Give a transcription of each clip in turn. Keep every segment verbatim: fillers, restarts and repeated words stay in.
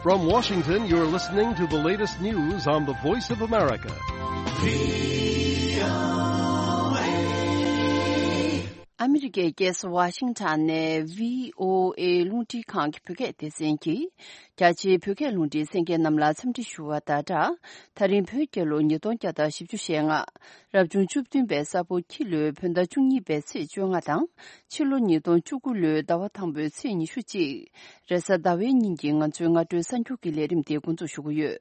From Washington, you're listening to the latest news on the Voice of America. ཨ་མི་རི་ཀའི་རྒྱལ་ས་ཝ་ཤིང་ཊོན་ནས་བྷི་ཨོ་ཨེ་རླུང་འཕྲིན་ཁང་གི་བོད་སྐད་སྡེ་ཚན་གྱིས། རྒྱ་ཆེའི་བོད་སྐད་རླུང་འཕྲིན་གསན་མཁན་རྣམས་ལ་འཚམས་འདྲི་ཞུ་བ་དང་སྦྲགས། ད་རིང་བོད་རྒྱལ་ལོ་ཉིས་སྟོང་བརྒྱ་དང་བཞི་བཅུ་ཞེ་ལྔ། རབ་བྱུང་བཅུ་བདུན་པའི་ས་ཕོ་ཁྱི་ལོའི་བོད་ཟླ་བཅུ་གཉིས་པའི་ཚེས་བཅོ་ལྔ་དང་། ཕྱི་ལོ་ཉིས་སྟོང་བཅུ་དགུ་ལོའི་ཟླ་བ་དང་པོའི་ཚེས་ཉི་ཤུ་གཅིག་རེས་གཟའ་ཟླ་བའི་ཉིན་གྱི་ང་ཚོའི་སྔ་དྲོའི་གསར་འགྱུར་གྱི་ལས་རིམ་དེ་འགོ་འཛུགས་ཞུ་གི་ཡོད།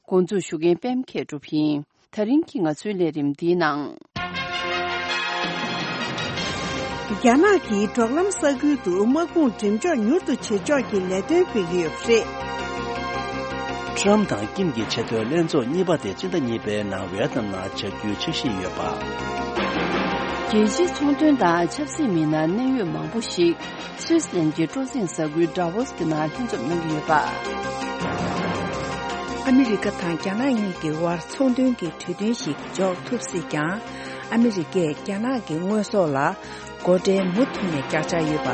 འགོ་འཛུགས་ཞུ་མཁན་པད་མ་མཁས་གྲུབ་ཡིན། ད་རིང་གི་ང་ཚོའི་ལས་རིམ་འདིའི་ནང་། རྒྱ་ནག་གིས་འབྲོག་ལམ་ས་ཁུལ་དུ་དམག་དཔུང་འགྲེམས་འཇོག་མྱུར་དུ་བྱེད་ཕྱོགས་ཀྱི་ལས་དོན་སྤེལ་གྱི་ཡོད་པ་རེད། ཊམ་དང་ཀིམ་གྱི་ཆེས་མཐོའི་ལྷན་ཚོགས་གཉིས་པ་དེ་སྤྱི་ཟླ་གཉིས་པའི་ནང་ཝེ་ཏི་ནམ་ནང་བྱ་རྒྱུའི་འཆར་གཞི་ཡོད་པ། རྒྱལ་སྤྱིའི་ཚོང་དོན་དང་ཆབ་སྲིད་མི་སྣ་གནད་ཡོད་མང་པོ་ཞིག་སུད་སི་གླིང་གི་སྤྲོ་གསེང་ས་ཁུལ་ཌ་ཝོ་སི་གི་ནང་ལྷན་འཛོམས་གནང་གི་ཡོད་པ། ཨ་མི་རི་ཀ་དང་རྒྱ་ནག་གཉིས་ཀྱི་དབར་ཚོང་དོན་གྱི་གྲོས་མཐུན་ཞིག་འཇོག་ཐུབ་སྲིད་ཀྱང་། ཨ་མི་རི་ཀས་རྒྱ་ནག་གི་དངོས་ཟོག་ལ་སྒོ་ཁྲལ་མུ་མཐུད་ནས་བཀག་འཇགས་ཡོད་པ།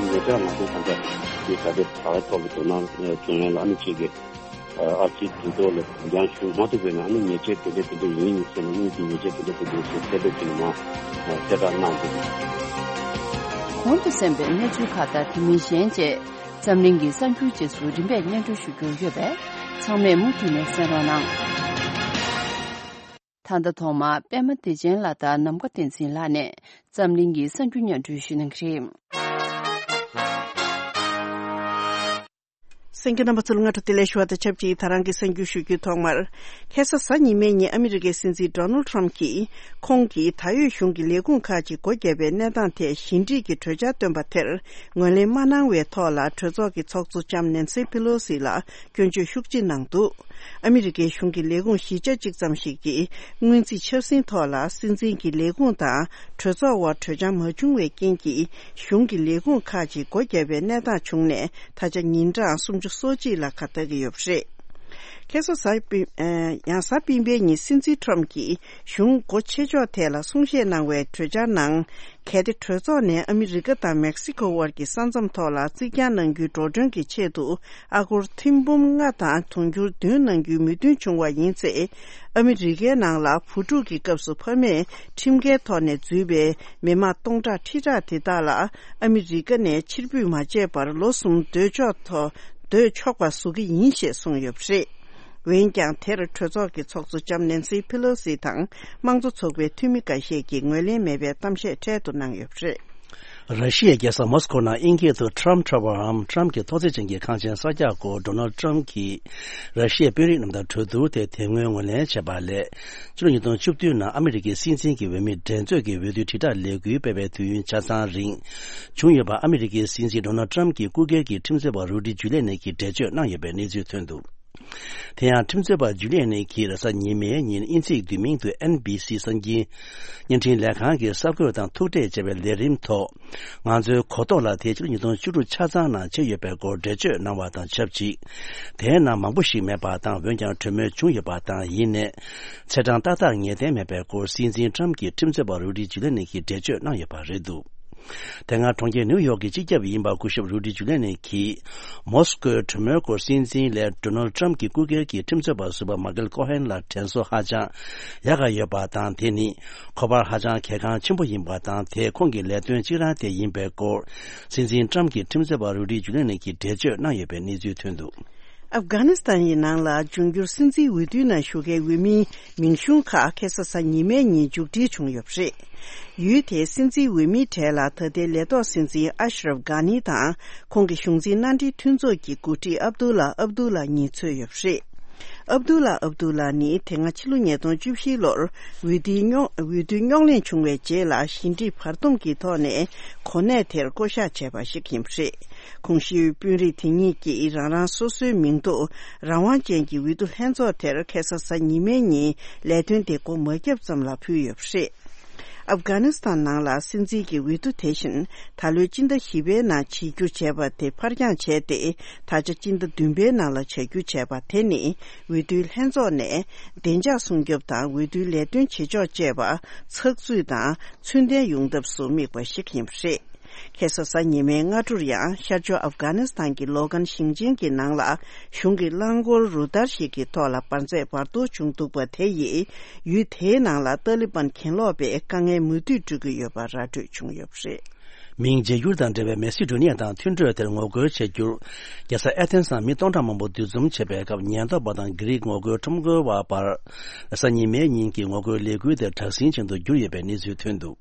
ཉེ་ཆར་ང་ཚོའི་ས་ཆ་དེ་ད་ལྟའི་ད་ལྟའི་ཐོག་གི་དོ་སྣང་བྱུང་མེད་ལ། ཨ་ནི་གཅིག་གི་ཨར་ཙི་དུས་ཐོག་ལ་འགྱངས་ཞུ་མ་ཐུབ་པའི་ནང་ཨ་ནི་ཉེས་ཆད་དེ་འདྲ་དེ་འདྲ་ཡིན་ཟེར་ནས། དངུལ་གྱི་ཉེས་ཆད་དེ་འདྲ་དེ་འདྲ་ཞེས་གསལ་བསྒྲགས་ཅིག་ནང་གསལ་བསྒྲགས་གནང་འདུག་གོང་དུ་གསན་པའི་གནས་ཚུལ་ཁག་དང་དེ་མིན་གཞན་བཅས་འཛམ་གླིང་གི་གསར་འགྱུར་རྗེས་སུ་རིམ་པས་སྙན་སྒྲོན་ཞུ་རྒྱུ་ཡོད་པས། ཚང་མས་མུ་མཐུད་ནས་གསན་རོགས་གནང་། ད་ལྟ་ཐོག་མར་པད་མ་བདེ་ཆེན་ལགས་དང་ནམ་མཁའ་བསྟན་འཛིན་ལགས་ནས་འཛམ་གླིང་གི་གསར་འགྱུར་སྙན་སྒྲོན་ཞུ་གནང་གི་རེད། གསན་མཁན་རྣམ་པ་ཚོ་ལ་སྔ་དྲོ་བདེ་ལེགས་ཞུ་བ་དང་ཆབས་ཅིག་ད་རང་གི་གསར་འགྱུར་ཞུ་རྒྱུའི་ཐོག་མར། ཁ་སང་གཟའ་ཉི་མའི་ཉིན་ཨ་མི་རི་ཀའི་སྲིད་འཛིན་ཌོ་ནལ་ཊམ་གྱིས་ཁོང་གིས་ད་ཡོད་གཞུང་གི་ལས་ཁུངས་ཁག་ཅིག་སྒོ་བརྒྱབ་པའི་གནས་སྟངས་ཐད་ཞི་འགྲིག་གི་གྲོས་འཆར་བཏོན་པ་དེར་ངོས་ལེན་མ་གནང་བའི་ཐོག་ལ། གྲོས་ཚོགས་ཀྱི་ཚོགས་གཙོ་ལྕམ་ནེན་སི་ཕི་ལོ་སི་ལ་སྐྱོན་བརྗོད་ཤུགས་ཆེ་གནང་འདུག་ཨ་མི་རི་ཀའི་གཞུང་གི་ལས་ཁུངས་བཞི་ཆ་གཅིག་ཙམ་ཞིག་གིས་སྔོན་རྩིས་ཆབ་སྲིད་ཐོག་ལ་སྲིད་འཛིན་གྱི་ལས་ཁུངས་དང་གྲོས་ཚོགས་དབར་གྲོས་འཆར་མ་བྱུང་བའི་རྐྱེན་གྱིས། གཞུང་གི་ལས་ཁུངས་ཁག་ཅིག་སྒོ་བརྒྱབ་པའི་གནས་སྟངས་བྱུང་ནས། ད་ཆ་ཉིན་གྲངས་སུམ་ཅུ་སོ་གཅིག་ལ་ཁ་གཏད་ཀྱི་ཡོད་པ་རེད། ཁ་སང་གཟའ་སྤེན། ཨ། ཡང་གཟའ་སྤེན་པའི་ཉིན་སྲིད་འཛིན་ཊམ་གྱིས་གཞུང་སྒོ་ཕྱེ་ཕྱོགས་ཐད་ལ་གསུང་བཤད་གནང་བའི་གྲོས་འཆར་ནང་། གལ་ཏེ་གྲོས་ཚོགས་ནས་ཨ་མི་རི་ཀ་དང་མེག་སི་ཀོ་དབར་གྱི་ས་མཚམས་ཐོག་ལ་རྩིག་གྱང་གནང་རྒྱུའི་འགྲོ་གྲོན་གྱི་ཆེད་དུ་ཨ་སྒོར་ཐེར་འབུམ་ལྔ་དང་དུང་ཕྱུར་བདུན་གནང་རྒྱུའི་མོས་མཐུན་བྱུང་བ་ཡིན་ཚེ། ཨ་མི་རི་ཀའི་ནང་ལ་བུ་ཕྲུག་གི་སྐབས་སུ་ཕ་མས་ཁྲིམས་འགལ་ཐོག་ནས་འཛུལ་བའི་མི་མང་སྟོང་ཕྲག་ཁྲི་ཕྲག་དེ་དག་ལ་ཨ་མི་རི་ཀ་ནས་ཕྱིར་འབུད་མ་བྱས་པར་ལོ་གསུམ་སྡོད་ཆོག་ཐོག་སྡོད་ཆོག་པ་བཟོ་གི་ཡིན་ཞེས་གསུངས་ཡོད་པ་རེད། འོན་ཀྱང་། དེར་གྲོས་ཚོགས་ཀྱི་ཚོགས་གཙོ་ལྕམ་ནེན་སི་ཕི་ལོ་སི་དང་དམངས་གཙོ་ཚོགས་པའི་འཐུས་མི་འགའ་ཤས་ཀྱིས་ངོས་ལེན་མེད་པའི་གཏམ་བཤད་འཕྲལ་དུ་གནང་ཡོད་པ་རེད། ར་ཤི་ཡའི་རྒྱལ་ས་མོ་སི་ཀོ་ནང་དབྱིན་སྐད་དུ་Trump Tower་འམ་ཊམ་གྱི་ཐོག་བརྩེགས་ཅན་གྱི་ཁང་ཆེན་གསར་རྒྱག་སྐོར་ཌོ་ནལ་ཊམ་གྱིས་ར་ཤི་ཡའི་དཔོན་རིགས་རྣམས་དང་གྲོས་བསྡུར་དེ་དེ་སྔོན་ངོས་ལེན་བྱས་པ་ལས། ཕྱི་ལོ་ཉིས་སྟོང་བཅུ་བདུན་ནང་ཨ་མི་རི་ཀའི་སྲིད་འཛིན་གྱི་འོས་མི་འགྲན་རྩོད་ཀྱི་འོས་བསྡུའི་དྲིལ་བསྒྲགས་ལས་འགུལ་སྤེལ་བའི་དུས་ཡུན་ཆ་ཚང་རིང་བྱུང་ཡོད་པ། ཨ་མི་རི་ཀའི་སྲིད་འཛིན་ཌོ་ནལ་ཊམ་གྱི་སྐུ་སྒེར་གྱི་ཁྲིམས་རྩོད་པ་རུ་ཌི་ཇུ་ལི་ནི་གིས་འགྲེལ་བརྗོད་གནང་ཡོད་པའི་གནས་ཚུལ་ཐོན་འདུག་དེ་ཡང་ཁྲིམས་རྩོད་པ་ཇུ་ལི་ནི་གིས་རེས་གཟའ་ཉི་མའི་ཉིན་དབྱིན་ཚིག་བསྡུས་མིང་དུ་ཨེན་བྷི་སི་གསར་འགྱུར་བརྙན་འཕྲིན་ལས་ཁང་གི་གསར་འགོད་དང་ཐུག་འཕྲད་བྱས་པའི་ལས་རིམ་ཐོག་ང་ཚོའི་གོ་རྟོགས་ལ་དེ་ཕྱི་ལོ་ཉིས་སྟོང་བཅུ་དྲུག་ཆ་ཚང་ནང་བྱས་ཡོད་པའི་སྐོར་འགྲེལ་བརྗོད་གནང་བ་དང་ཆབས་ཅིག་དེའི་ནང་མང་པོ་ཞིག་མེད་པ་དང་། འོན་ཀྱང་གྲོས་མོལ་བྱུང་ཡོད་པ་དང་། ཡིན་ནའི་ཚེས་གྲངས་ཏག་ཏག་ངེས་གཏན་མེད་པའི་སྐོར་སྲིད་འཛིན་ཊམ་གྱི་ཁྲིམས་རྩོད་པ་རུ་ཌི་ཇུ་ལི་ནི་གིས་འགྲེལ་བརྗོད་གནང་ཡོད་པ་རེད་འདུག་དེ་སྔ་གྲོང་ཁྱེར་ནིའུ་ཡོག་གི་སྤྱི་ཁྱབ་ཡིན་པ་སྐུ་ཞབས་རུ་ཌི་ཇུ་ལི་ནི་གིས་མོ་སི་ཀོའི་གྲོས་མོལ་སྐོར་སྲིད་འཛིན་ལས་ཌོ་ནལ་ཊམ་གྱི་སྐུ་སྒེར་གྱི་ཁྲིམས་རྩོད་པ་ཟུར་པ་མ་ཀལ་ཀོ་ཧན་ལ་དྲན་གསོ་ཧ་ཅང་ཡག་ག་ཡོད་པ་དང་། དེ་ནི་ཁོ་པར་ཧ་ཅང་གལ་འགངས་ཆེན་པོ་ཡིན་པ་དང་། དེ་ཁོང་གི་ལས་དོན་གཅིག་རང་དེ་ཡིན་པའི་སྐོར་སྲིད་འཛིན་ཊམ་གྱི་ཁྲིམས་རྩོད་པ་རུ་ཌི་ཇུ་ལི་ནི་གིས་འགྲེལ་བརྗོད་གནང་ཡོད་པའི་གནས་ཚུལ་ཐོན་འདུག་ཨབ་གྷ་ནི་སི་ཐན་ཡི་ནང་ལ་འབྱུང་འགྱུར་སྲིད་འཛིན་འོས་བསྡུའི་ནང་ཞུགས་མཁན་འོས་མིའི་མིང་གཞུང་ཁག་ཁ་སང་གཟའ་ཉི་མའི་ཉིན་མཇུག་སྒྲིལ་བྱུང་ཡོད་པ་རེད། ཡུལ་དེའི་སྲིད་འཛིན་འོས་མིའི་གྲས་ལ་ད་ལྟའི་ལས་ཐོག་སྲིད་འཛིན་ཨ་ཤ་རབ་གྷ་ནི་དང་། ཁོང་གི་གཞུང་འཛིན་མནའ་འབྲེལ་མཐུན་ཚོགས་ཀྱི་འགོ་ཁྲིད་ཨབ་དུ་ལ་ཨབ་དུ་ལ་གཉིས་ཚུད་ཡོད་པ་རེད། ཨབ་དུ་ལ་ཨབ་དུ་ལ་ནི་དེ་སྔ་ཕྱི་ལོ་ཉིས་སྟོང་བཅུ་བཞི་ལོར་འོས་བསྡུའི་རྙོག་འོས་བསྡུ་རྙོག་གླེང་བྱུང་བའི་རྗེས་ལ་ཞི་འགྲིག་བར་འདུམ་གྱི་ཐོག་ནས་གོ་གནས་དེར་བསྐོ་གཞག་བྱས་པ་ཞིག་ཡིན་པ་རེད། གོང་ཞུས་དཔོན་རིགས་དེ་གཉིས་ཀྱིས་རང་རང་སོ་སོའི་མིང་ཐོ་རང་དབང་ཅན་གྱི་འོས་བསྡུ་ལྷན་ཚོགས་དེར་ཁ་སང་གཟའ་ཉི་མའི་ཉིན་ལས་དོན་དེ་འགོ་མ་བརྒྱབ་ཙམ་ལ་ཕུལ་ཡོད་པ་རེད། ཨབ་གྷ་ནི་སི་ཐན་ནང་ལ་སྲིད་འཛིན་གྱི་འོས་བསྡུ་དེ་བཞིན་ད་ལོའི་སྤྱི་ཟླ་བཞི་པའི་ནང་བྱེད་རྒྱུ་བྱས་པ་དེ་ཕར་འགྱངས་བྱས་ཏེ། ད་ཆ་སྤྱི་ཟླ་བདུན་པའི་ནང་ལ་བྱ་རྒྱུ་བྱས་པ་དེ་ནི་འོས་བསྡུའི་ལྷན་ཚོགས་ནས་བདེ་འཇགས་སྲུང་སྐྱོབ་དང་འོས་བསྡུའི་ལས་དོན་བྱེད་ཕྱོགས་བཅས་པ་ཚགས་ཚུད་དང་ཚུལ་ལྡན་ཡོང་ཐབས་སུ་དམིགས་པ་ཞིག་ཡིན་པ་རེད། ཁ་སང་གཟའ་ཉི་མའི་སྔ་དྲོར་ཡང་ཤར་ཕྱོགས་ཨབ་གྷ་ནི་སི་ཐན་གྱི་ལོ་གན་ཞིང་ཆེན་གྱི་ནང་ལ་གཞུང་གི་རླངས་འཁོར་རུ་སྟར་ཞིག་གི་ཐོག་ལ་འབར་རྫས་འབར་གཏོར་བྱུང་འདུག་པ་དེ་ཡིས་ཡུལ་དེའི་ནང་ལ་ཏཱ་ལི་བན་གྱེན་ལོག་པས་དཀའ་ངལ་མུ་མཐུད་སྤྲོད་ཀྱི་ཡོད་པ་ར་སྤྲོད་བྱུང་ཡོད་པ་རེད། མིང་བརྗེ་བསྒྱུར་དང་འབྲེལ་བའི་མེ་སི་ཌོ་ནི་ཡ་དང་མཐུན་གྲོས་དེར་ངོ་རྒོལ་བྱ་རྒྱུར། རྒྱལ་ས་ཨེ་ཐེན་སར་མི་སྟོང་ཕྲག་མང་པོ་འདུ་འཛོམས་བྱས་པའི་སྐབས། ཉེན་རྟོག་པ་དང་གྷི་རིག་ངོ་རྒོལ་ཁྲོམ་སྐོར་བ་བར། གཟའ་ཉི་མའི་ཉིན་གྱི་ངོ་རྒོལ་ལས་འགུལ་དེ་དྲག་ཟིང་ཅན་དུ་གྱུར་ཡོད་པའི་གནས་ཚུལ་ཐོན་འདུག་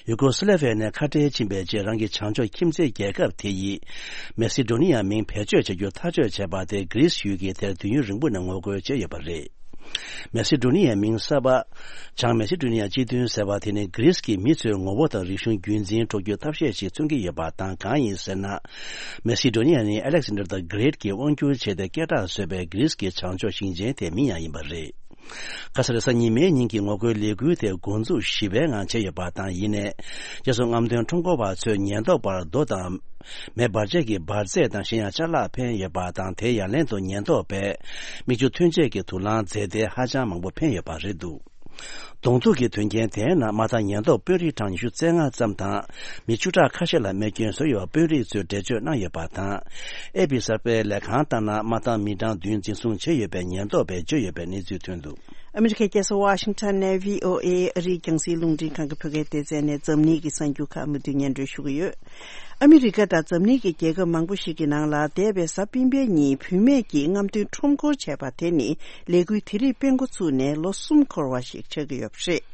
ཡུ་གོ་སི་ལེ་བྷི་ཡ་ནས་ཁ་བྲལ་ཕྱིན་པའི་རྗེས། རང་གི་བྱང་ཕྱོགས་ཁྱིམ་མཚེས་རྒྱལ་ཁབ་དེ་ཡིས་མེ་སི་ཌོ་ནི་ཡ་མིང་བེད་སྤྱོད་བྱ་རྒྱུ་ཐག་གཅོད་བྱས་པ་དེ། གྷི་རིས་ཡུལ་གྱིས་དེར་དུས་ཡུན་རིང་པོ་ནས་ངོ་རྒོལ་བྱས་ཡོད་པ་རེད། མེ་སི་ཌོ་ནི་ཡའི་མིང་གསར་པ། བྱང་མེ་སི་ཌོ་ནི་ཡ་སྤྱི་མཐུན་ཟེར་བ་དེ་ནི་གྷི་རིས་ཀྱི་མི་ཚོའི་ངོ་བོ་དང་རིག་གཞུང་རྒྱུན་འཛིན་འགྲོ་རྒྱུའི་ཐབས་ཤེས་ཤིག་མཚོན་གྱི་ཡོད་པ་དང་། གང་ཡིན་ཟེར་ན། མེ་སི་ཌོ་ནི་ཡ་ནི་ཨ་ལེག་སན་ཌར་ད་གྷི་རེ་ཊ་གིས་དབང་བསྒྱུར་བྱས་ཏེ་སྐད་གྲགས་བཟོས་པའི་གྷི་རིས་ཀྱི་བྱང་ཕྱོགས་ཞིང་ཆེན་དེའི་མིང་ཡང་ཡིན་པ་རེད། ཁ་སང་གཟའ་ཉི་མའི་ཉིན་གྱི་ངོ་རྒོལ་ལས་འགུལ་དེ་འགོ་འཛུགས་ཞི་བའི་ངང་བྱས་ཡོད་པ་དང་། ཡིན་ནའི། རྗེས་སུ་རྔམ་སྟོན་ཁྲོམ་སྐོར་བ་ཚོས་ཉེན་རྟོག་པར་རྡོ་དང་། མེ་འབར་བྱེད་ཀྱི་འབར་རྫས་དང་གཞན་ཡང་ཅ་ལག་འཕེན་ཡོད་པ་དང་། དེའི་ཡ་ལན་དུ་ཉེན་རྟོག་པས་མིག་ཆུ་ཐོན་ཆས་ཀྱི་དུག་རླངས་རྫས་དེ་ཧ་ཅང་མང་པོ་འཕེན་ཡོད་པ་རེད་འདུག་གདོང་ཐུག་གི་དོན་རྐྱེན་དེའི་ནང་མ་མཐའ་ཉེན་རྟོག་དཔོན་རིགས་གྲངས་ཉི་ཤུ་རྩ་ལྔ་ཙམ་དང་། མི་བཅུ་ཕྲག་ཁ་ཤས་ལ་རྨས་སྐྱོན་བཟོས་ཡོད་པ་དཔོན་རིགས་ཚོས་འགྲེལ་བརྗོད་གནང་ཡོད་པ་དང་། ཨེ་པི་གསར་པའི་ལས་ཁང་ལྟར་ན། མ་མཐའ་མི་གྲངས་བདུན་འཛིན་བཟུང་བྱས་ཡོད་པའི་ཉེན་རྟོག་པས་བརྗོད་ཡོད་པའི་གནས་ཚུལ་ཐོན་འདུག་ཨ་མི་རི་ཀའི་རྒྱལ་ས་ཝ་ཤིང་ཊོན་ནས་བྷི་ཨོ་ཨེ་ཨ་རིའི་རྒྱང་སྲིང་རླུང་འཕྲིན་ཁང་གི་བོད་སྐད་སྡེ་ཚན་ནས་འཛམ་གླིང་གི་གསར་འགྱུར་ཁག་མུ་མཐུད་སྙན་སྒྲོན་ཞུ་གི་ཡོད། ཨ་མི་རི་ཀ་དང་འཛམ་གླིང་གི་རྒྱལ་ཁབ་མང་པོ་ཞིག་གི་ནང་ལ་འདས་པའི་གཟའ་སྤེན་པའི་ཉིན་བུད་མེད་ཀྱིས་རྔམ་སྟོན་ཁྲོམ་སྐོར་བྱས་པ་དེ་ནི་ལས་འགུལ་དེ་རིགས་སྤེལ་འགོ་ཚུགས་ནས་ལོ་གསུམ་འཁོར་བ་ཞིག་ཆགས་ཀྱི་ཡོད་པ་རེད།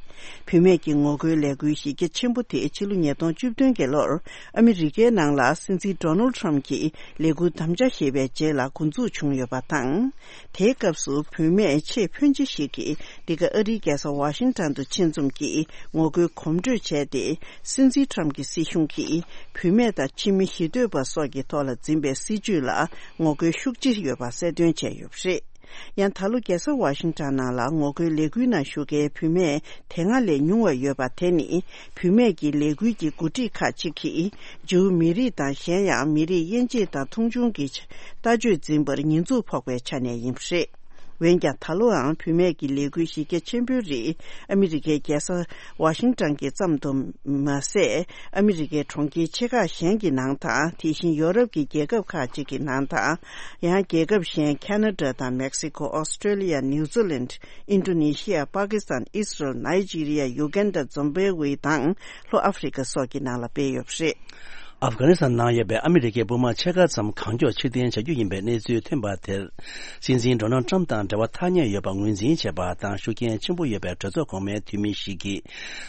བུད་མེད་ཀྱི་ངོ་རྒོལ་ལས་འགུལ་གཞི་རྒྱ་ཆེན་པོ་དེ་ཕྱི་ལོ་ཉིས་སྟོང་བཅུ་བདུན་གྱི་ལོར་ཨ་མི་རི་ཀའི་ནང་ལ་སྲིད་འཛིན་ཌོ་ནལ་ཌི་ཊརམ་གྱིས་ལས་འགུལ་དམ་བཅའ་བཞེས་པའི་རྗེས་ལ་འགོ་འཛུགས་བྱུང་ཡོད་པ་དང་། དེའི་སྐབས་སུ་བུད་མེད་ཆེས་ཕོན་ཆེ་ཞིག་གིས་འདི་ག་ཨ་རིའི་རྒྱལ་ས་ཝ་ཤིང་ཊོན་དུ་ཆེད་འཛོམས་ཀྱིས་ངོ་རྒོལ་གོམ་བགྲོད་བྱས་ཏེ། སྲིད་འཛིན་ཊརམ་གྱི་སྲིད་གཞུང་གིས་བུད་མེད་དང་ཕྱི་མི་ཞི་གཏོད་པ་སོགས་ཀྱི་ཐོག་ལ་འཛིན་པའི་སྲིད་བྱུས་ལ་ངོ་རྒོལ་ཤུགས་ཆེ་ཡོད་པ་གསལ་སྟོན་བྱས་ཡོད་པ་རེད། ཡང་ད་ལོ་རྒྱལ་ས་ཝ་ཤིང་ཊོན་ནང་ལ་ངོ་རྒོལ་ལས་འགུལ་ནང་ཞུགས་མཁན་བུད་མེད་དེ་སྔ་ལས་ཉུང་བ་ཡོད་པ་དེ་ནི། བུད་མེད་ཀྱི་ལས་འགུལ་གྱི་འགོ་ཁྲིད་ཁག་ཅིག་གིས་ཇིའུ་མི་རིགས་དང་གཞན་ཡང་མི་རིགས་དབྱེ་འབྱེད་དང་མཐོང་ཆུང་གི་ལྟ་སྤྱོད་འཛིན་པར་ཉེས་འཛུགས་ཕོག་པའི་ཆ་ནས་ཡིན་པ་རེད། འོན་ཀྱང་ད་ལོའང་བུད་མེད་ཀྱི་ལས་འགུལ་གཞི་རྒྱ་ཆེན་པོའི་རིགས་ཨ་མི་རི་ཀའི་རྒྱལ་ས་ཝ་ཤིང་ཊོན་གྱི་ཙམ་དུ་མ་ཟད། ཨ་མི་རི་ཀའི་གྲོང་ཁྱེར་ཆེ་ཁག་གཞན་གྱི་ནང་དང་། དེ་བཞིན་ཡོ་རོབ་ཀྱི་རྒྱལ་ཁབ་ཁག་ཅིག་གི་ནང་དང་། ཡང་རྒྱལ་ཁབ་གཞན་ཁ་ན་ཌ་དང་མེག་སི་ཁོ། ཨོ་སི་ཀྲེ་ལི་ཡ། ནིའུ་ཛི་ལན། ཨིན་ཌོ་ནེ་ཤི་ཡ། པ་ཀི་སི་ཐན། ཨི་སི་རལ། ནའི་ཇི་རི་ཡ། ཡུ་གན་ཌ། ཛིམ་བྷེ་ཝེ་དང་ལྷོ་ཨ་ཧྥི་རི་ཀ་སོགས་ཀྱི་ནང་ལ་སྤེལ་ཡོད་པ་རེད། ཨབ་གྷ་ནི་སི་ཐན་ནང་ཡོད་པའི་ཨ་མི་རི་ཀའི་དཔུང་དམག་ཕྱེད་ཀ་ཙམ་གང་མགྱོགས་ཕྱིར་འཐེན་བྱ་རྒྱུ་ཡིན་པའི་གནས་ཚུལ་ཐོན་པ་དེར། སྲིད་འཛིན་ཌོ་ནལ་ཌི་ཊརམ་དང་འབྲེལ་བ་ཐག་ཉེ་ཡོད་པ་ངོས་འཛིན་བྱས་པ་དང་། ཤུགས་རྐྱེན་ཆེན་པོ་ཡོད་པའི་གྲོས་ཚོགས་གོང་མའི་འཐུས་མི་ཞིག་གིས་